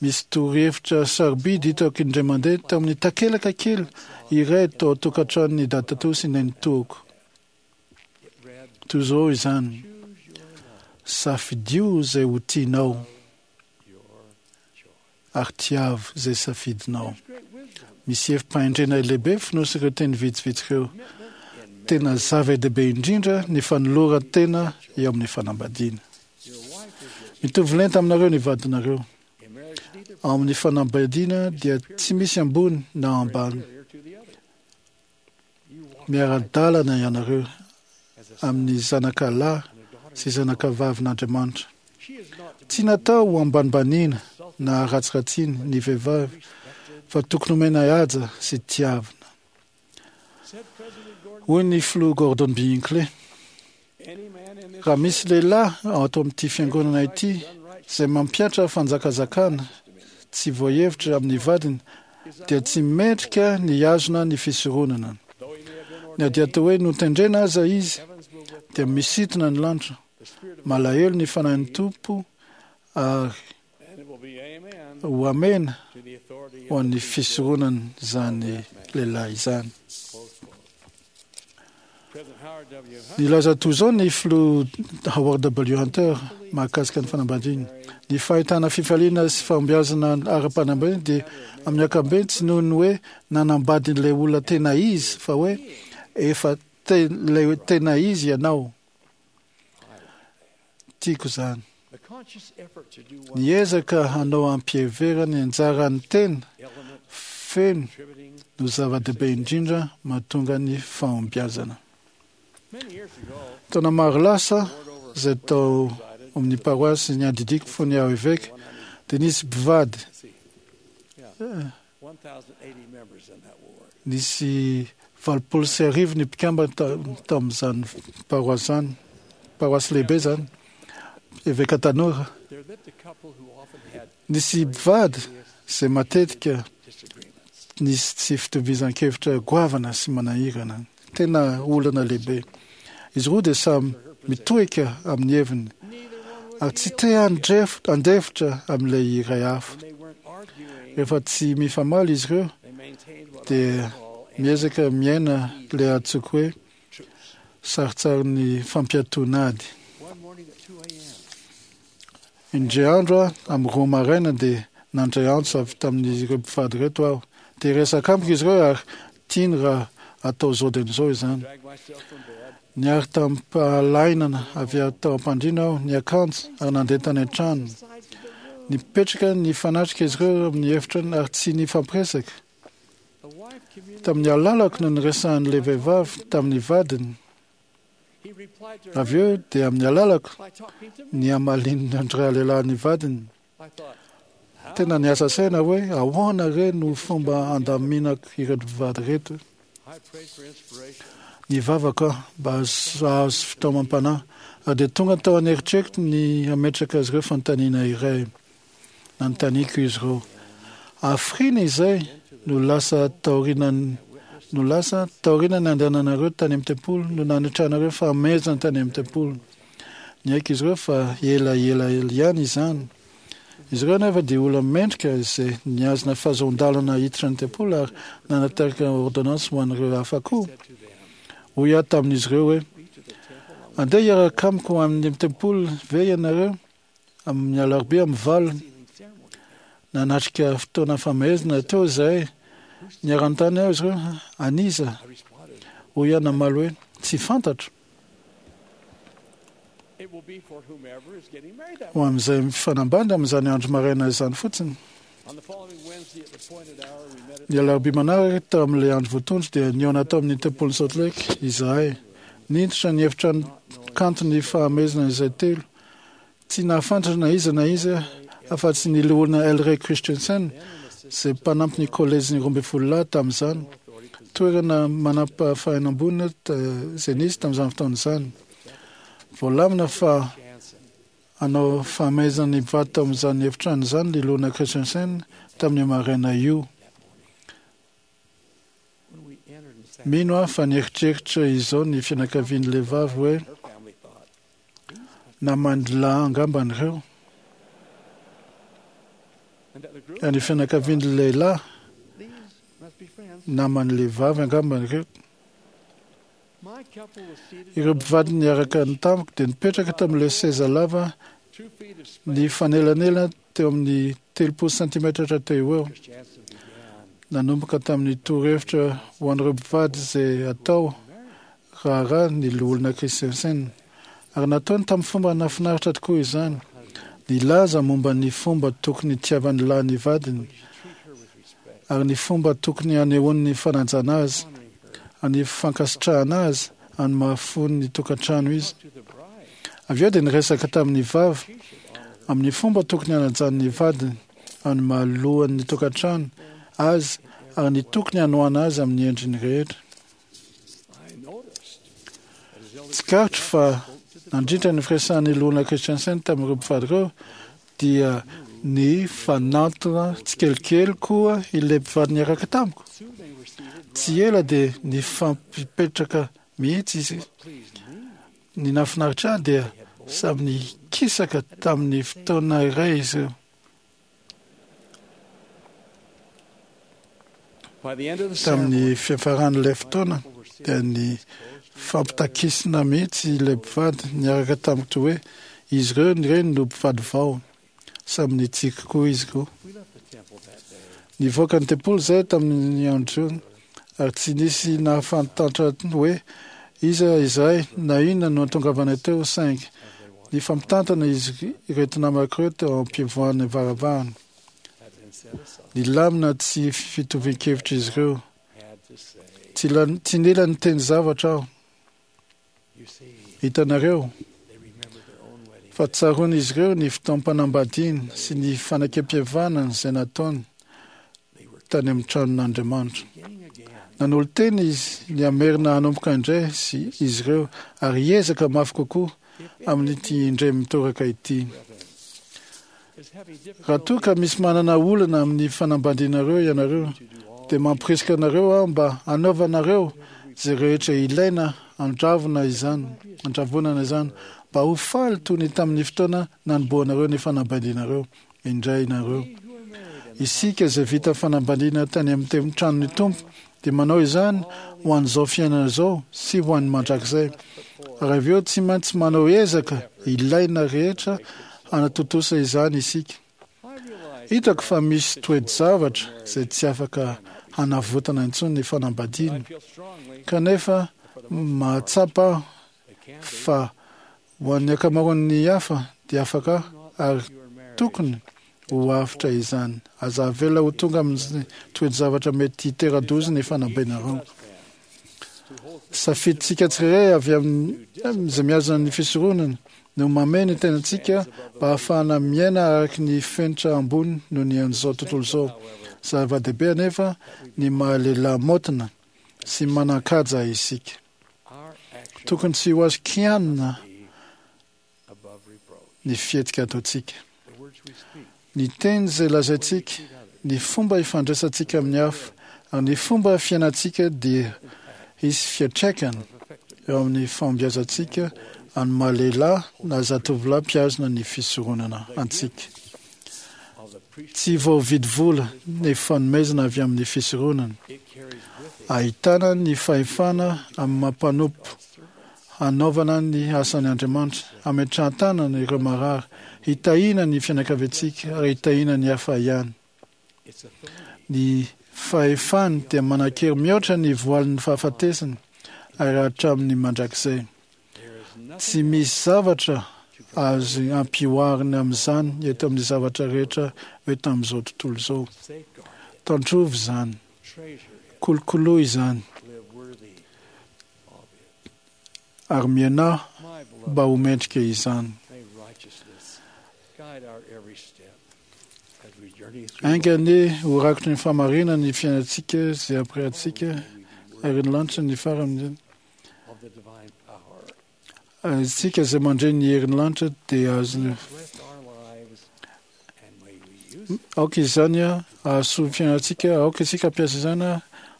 Misy torohevitra sarobidy hitako indray mandeha tao amin'ny takelaka kely iray tao an-tokantranon'ny dadatoa sy nenitoako. Toy izao izany: safidio izay ho tianao ary tiavo izay safidinao. Misy hevi-pahendrena lehibe fonosy ireo teny vitsivitsy ireo. Tena zava-dehibe indrindra ny fanoloran-tena eo amin'ny fanambadiana. Mitovy lenta aminareo ny vadinareo. Ao amin'ny fanambadiana dia tsy misy ambony na ambany. Miara-dalana ianareo amin'ny zanaka lahy sy zanaka vavin'Andriamanitra. Tsy natao ho ambanimbaniana na ratsiratsiny ny vehivavy, fa tokony homena haja sy tiavina. Hoy ny filoha Gordon B. Hinckley: raha misy lehilahy ato amin'ity fiangonana ity izay mampihatra fanjakazakana tsy voahevitra amin'ny vadiny, dia tsy mendrika ny hihazona ny fisoronana. Na dia atao hoe notendrena aza izy, dia misintona ny lanitra, malahelo ny fanahin'ny Tompo ary ho amena ho an'ny fisoronana izany lehilahy izany. Nilaza toy izao ny filoha Howard W. Hunter mahakasika ny fanambadiana: ny fahitana fifaliana sy fahombiazana ara-panambadiana dia amin'ny ankapobeny tsy noho ny hoe nanambady ilay olona tena izy, fa hoe efa ilay tena izy ianao. Tiako izany. Ny ezaka hanao ampiheverana ny anjaran'ny tena feno no zava-dehibe indrindra mahatonga ny fahombiazana. Taona maro lasa izay tao amin'ny paroasy ny adidiko fony aho eveka, dia nisy mpivady nisy valopolo sy arivo ny mpikambana tamin'izany paroasy izany, paroasy lehibe izany, eveka tanora. Nisy mpivady izay matetika nisy tsy fitovizan-kevitra goavana sy manahirana, tena olana lehibe. Izy roa dia samy mitohika amin'ny heviny ary tsy te handefitra amin'ilay iray hafa. Rehefa tsy mifamaly izy ireo dia miezaka miaina ilay antsoiko hoe Saritsarin'ny fampiatoana ady. Indray andro aho, amin'ny roa maraina, dia nandray antso avy tamin'ireo mpivady ireto aho. Dia resaka amiko izy ireo ary tiany raha atao izao dia izao izany. Niary tamin'ny-pahalainana avy tao am-pandriana aho, niakanjo ary nandeha tany an-trano. Nipetraka nifanatrika izy ireo amin'ny efitrany ary tsy nifampiresaka. Tamin'ny alalako no niresahan'ilay vehivavy tamin'ny vadiny. Avy eo dia amin'ny alalako ny hamalin'andray lehilahy ny vadiny. Tena niasa saina hoe ahoana re no fomba andaminako ireto mpivady ireto. Nivavaka aho mba hahazo fitaomam-panahy ary dia tonga tao an'eritreritro ny hametraka azy ireo fanontaniana iray. Nanontaniako izy ireo. Hafiriana izay no lasa taorian'ny no lasa taorian'ny nandehananareo tany amin'ny tempoly no nanetranareo fahamezana tany amin'ny tempoly. Niaiky izy ireo fa ela ela ihany izany. Izy ireo nefa dia olona mendrika izay nihazona fahazoan-dalana hiditra ny tempoly ary nanatarika ordonnance ho an'ireo hafa koa. Hoy aho tamin'izy ireo hoe andeha hiaraka amiko amin'ny tempoly ve ianareo amin'ny alarobia amin'ny valo. Nanatrika fotoana famehezana teo izahay. Niara-nanontany aho izy ireo, an'iza? Hoy aho namaly hoe tsy fantatro. Ho amin'izay mifanambady amin'izany andro maraina izany fotsiny. Ny alarobia manaraka tao amin'ilay andro voatondro dia nihaona tao amin'ny tempolin'i Salt Lake izahay. Niditra ny efitrano kanto ny fahamezana izay telo. Tsy nahafantatra na iza na iza afa-tsy ny loholona El Rey Christensen izay mpanampy ny kolejin'ny roa ambin'ny folo lahy tamin'izany. Toerana manampahafahana ambony izay nisy tamin'izany fotoana izany. Voalamina fa hanao fahamezana ny mpivady tao amin'izany efitrano izany ny loholona Christensen tamin'ny maraina io. Mino aho fa nieritreritra izao ny fianakavian'ilay vavy hoe naman'ny lahy angambany ireo. Ny fianakavian'ny lehilahy naman'ilay vavy angambany ireo. Ireo mpivady niaraka tamiko dia nipetraka tamin'ilay seza lava ny fanelanelana teo amin'ny telopolo santimetatra teo eo. Nanomboka tamin'ny torohevitra ho an'ireo mpivady izay atao raharaha ny loholona Christensen. Ary nataony tamin'ny fomba nahafinaritra tokoa izany. Nilaza momba ny fomba tokony hitiavan'ny lahy ny vadiny ary ny fomba tokony hanehoany ny fanajana azy, ny fankasitrahana azy, ary ny mahafony ny tokantrano izy. Avy eo dia niresaka tamin'ny vavy amin'ny fomba tokony hanajany ny vadiny, ary ny mahalohan'ny tokantrano azy, ary ny tokony hanohana azy amin'ny endriny rehetra. Tsikaritro fa nandritra ny firesahan'ny loholona Christensen tamin'ireo mpivady ireo dia ny fanantona tsikelikely koa ilay mpivady niaraka tamiko. Tsy ela dia nifampipetraka mihitsy izy. Ny nahafinaritra ahy dia samy nikisaka tamin'ny fotoana iray izy ireo. Tamin'ny fiafaran'ilay fotoana dia ny fampitakisina mihitsy ilay mpivady niaraka tamiko hoe izy ireo ireny no mpivady vao. Samy nitsiky koa izy koa. Nivoaka ny tempoly izay tamin'ny andro io ary tsy nisy nahafantatra hoe iza izahay na inona no nahatongavana teo, saingy nifampitantana izy ireto namako ireo teo am-pivoahan'ny varavarana. Nilamina tsy fitovian-kevitra izy ireo. Tsy nila niteny zavatra aho. Hitanareo fa tsaroan'izy ireo ny fotoam-panambadiany sy ny fanekempihavanana izay nataony tany amin'ny tranon'Andriamanitra. Nanolo-tena izy ny hamerina hanomboka indray sy izy ireo ary hiezaka mafy kokoa amin'ity indray mitoraka ity. Raha toa ka misy manana olana amin'ny fanambadianareo ianareo, dia mampirisika anareo aho mba hanaovanareo izay rehetra ilaina handravona izany, handravonana izany, mba ho faly toy ny tamin'ny fotoana nanombohanareo ny fanambadianareo indray nareo. Isika izay vita fanambadiana tany amin'ny tranon'ny Tompo dia manao izany ho an'izao fiainana izao sy ho an'ny mandrakizay. Ary avy eo tsy maintsy manao ezaka ilaina rehetra hanatontosa izany isika. Hitako fa misy toe-javatra izay tsy afaka hanavotana intsony ny fanambadiana. Kanefa mahatsapa aho fa ho an'ny ankamaroan'ny hafa dia afaka ary tokony ho avotra izany. Aza avela ho tonga amin'ny toe-javatra mety hitera-doza ny fanambenareo. Safidintsika tsirairay avy amin'izay mihazona ny fisoronana no mamehy ny tenantsika mba hahafahana miaina araka ny fenitra ambony noho ny an'izao tontolo izao. Zava-dehibe anefa ny maha-lehilahy maotina sy manan-kaja isika. Tokony tsy ho azo kianina ny fihetsika ataontsika. Ny teny izay lazaintsika, ny fomba ifandraisantsika amin'ny hafa, ary ny fomba fiainantsika dia hisy fiantraikany eo amin'ny fahombiazantsika amin'ny maha-lehilahy na zatovolahy mpihazona ny fisoronana antsika. Tsy voavidy vola ny fanomezana avy amin'ny fisoronana. Ahitana ny fahefana amin'ny mampanompo hanaovana ny asan'ny Andriamanitra, hametrahan-tanana ireo marary, hitahiana ny fianakaviantsika ary hitahiana ny hafa ihany. Ny fahefany dia manan-kery mihoatra ny voalin'ny fahafatesana ary hatramin'ny mandrakizay. Tsy misy zavatra azo ampihoarina amin'izany eto amin'ny zavatra rehetra eto amin'izao tontolo izao. Tandrovy izany, kolokoloy izany, ary miainà mba ho mendrika izany. Ainga anie ho rakotry ny fahamarinana ny fiainantsika izay ampirehantsika ary ny lanitra ny farany. Isika izay mandre ny herin'ny lanitra dia azony. Aoka izany hahasoa ny fiainantsika, aoka isika hampiasa izany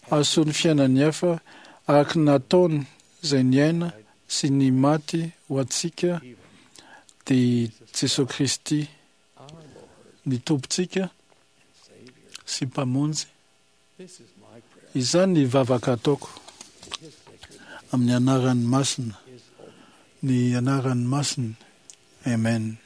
hahasoa ny fiainan'ny hafa araka ny nataony izay niaina sy ny maty ho antsika dia Jesosy Kristy ny Tompontsika sy Mpamonjy. Izany ny vavaka ataoko amin'ny anarany masina, ny anarany masina. Amen.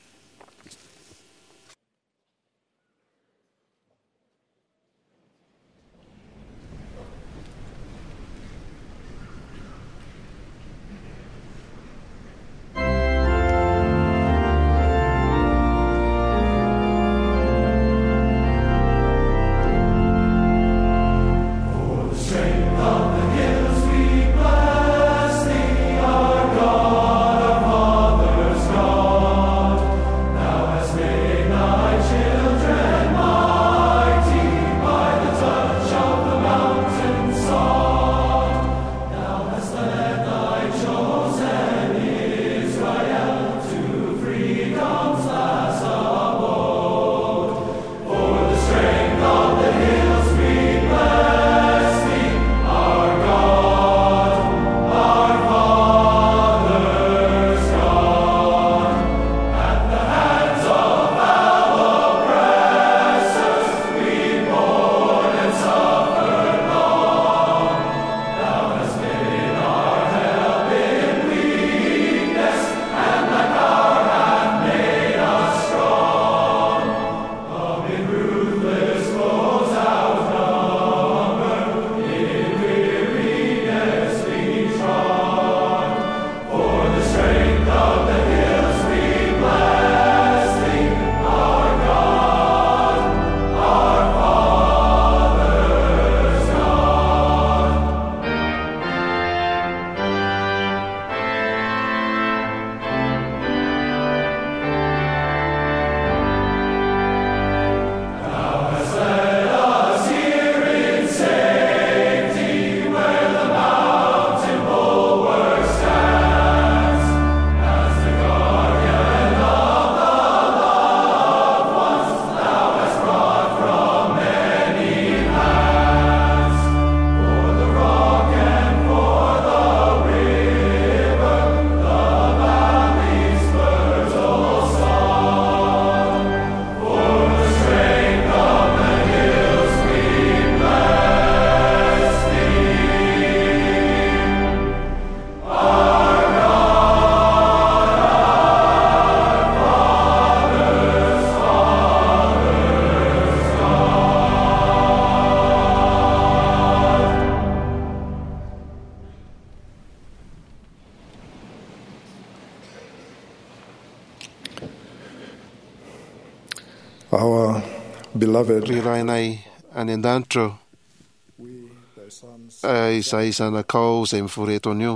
Our God, our Father's God. Beloved, Ry Rainay any an-danitra ô, eh, izay zanakao izay mivory eto anio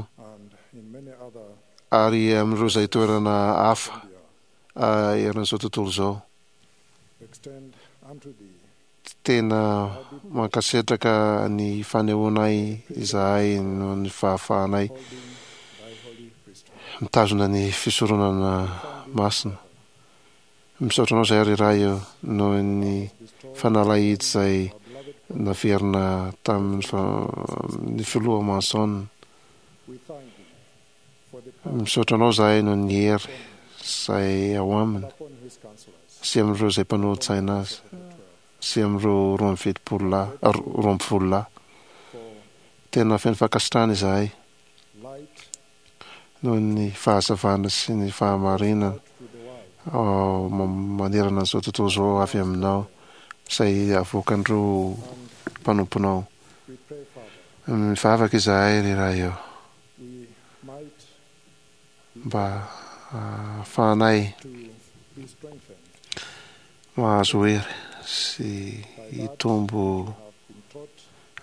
ary amin'ireo izay toerana hafa eh, eran'izao tontolo izao, tena mankasitraka ny fanehoanay izahay noho ny fahafahanay mitazona ny fisoronana masina. Misaotra anao izahay, ry Ray ô, noho ny fanalahidy izay naverina tamin'ny fa- ny filoha Manson. Misaotra anao izahay noho ny hery izay ao aminy sy amin'ireo izay mpanolotsaina azy sy amin'ireo roa amby fitopolo lahy, roa amby folo lahy. Tena feno fankasitrahana izahay noho ny fahazavana sy ny fahamarinana ao ma- manerana an'izao tontolo izao avy aminao izay avoakan'ireo mpanomponao. Mivavaka izahay, ry Ray ô, mba ahafahanay mahazo hery sy hitombo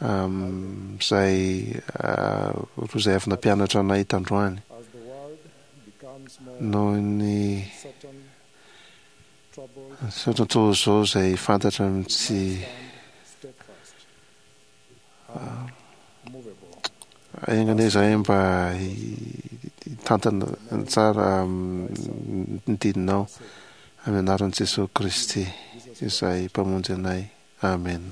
amin'izay roa izay avy nampianatra anay tandroany noho ny izao tontolo izao izay fantatra amin'ny tsy enga anie izahay mba hitantana tsara ny didinao amin'ny anaran'i Jesosy Kristy izay mpamonjy anay. Amen.